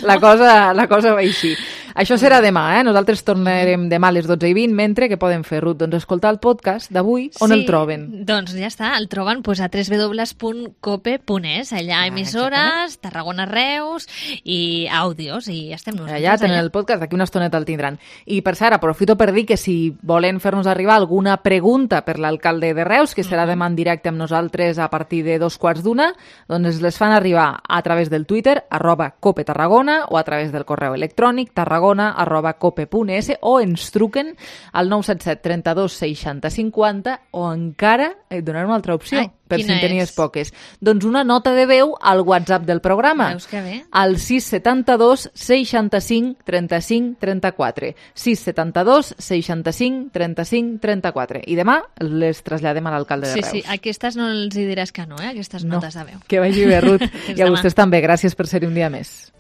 la cosa, la cosa va així. Això serà demà, eh? Nosaltres tornarem demà a les dotze i vint, mentre que poden fer, Ruth, doncs escoltar el podcast d'avui, on Sí, el troben? Doncs ja està, el troben pues, a w w w punt cope punt es, allà emissores, Tarragona, Reus i àudios, i estem nosaltres Allà tenen el podcast, d'aquí una estoneta el tindran. I per cert, aprofito per dir que si volen fer-nos arribar alguna pregunta per l'alcalde de Reus, que serà demà en directe amb nosaltres a partir de dos quarts d'una, doncs les fan arribar a través del Twitter, arroba Cope Tarragona, o a través del correu electrònic tarragona arroba cope punt es, o ens truquen al nou set set trenta-dos seixanta cinquanta, o encara et donaré una altra opció. Ai, per si quina en tenies és? poques. Doncs una nota de veu al WhatsApp del programa. Veus que bé? Al sis setanta-dos seixanta-cinc trenta-cinc trenta-quatre. sis setanta-dos seixanta-cinc trenta-cinc trenta-quatre. I demà les traslladem a l'alcalde de Sí, Reus. sí, aquestes no els hi diràs que no, eh? Aquestes No, notes de veu. que vagi bé, Ruth. Fins I a demà. vostès també. Gràcies per ser-hi un dia més.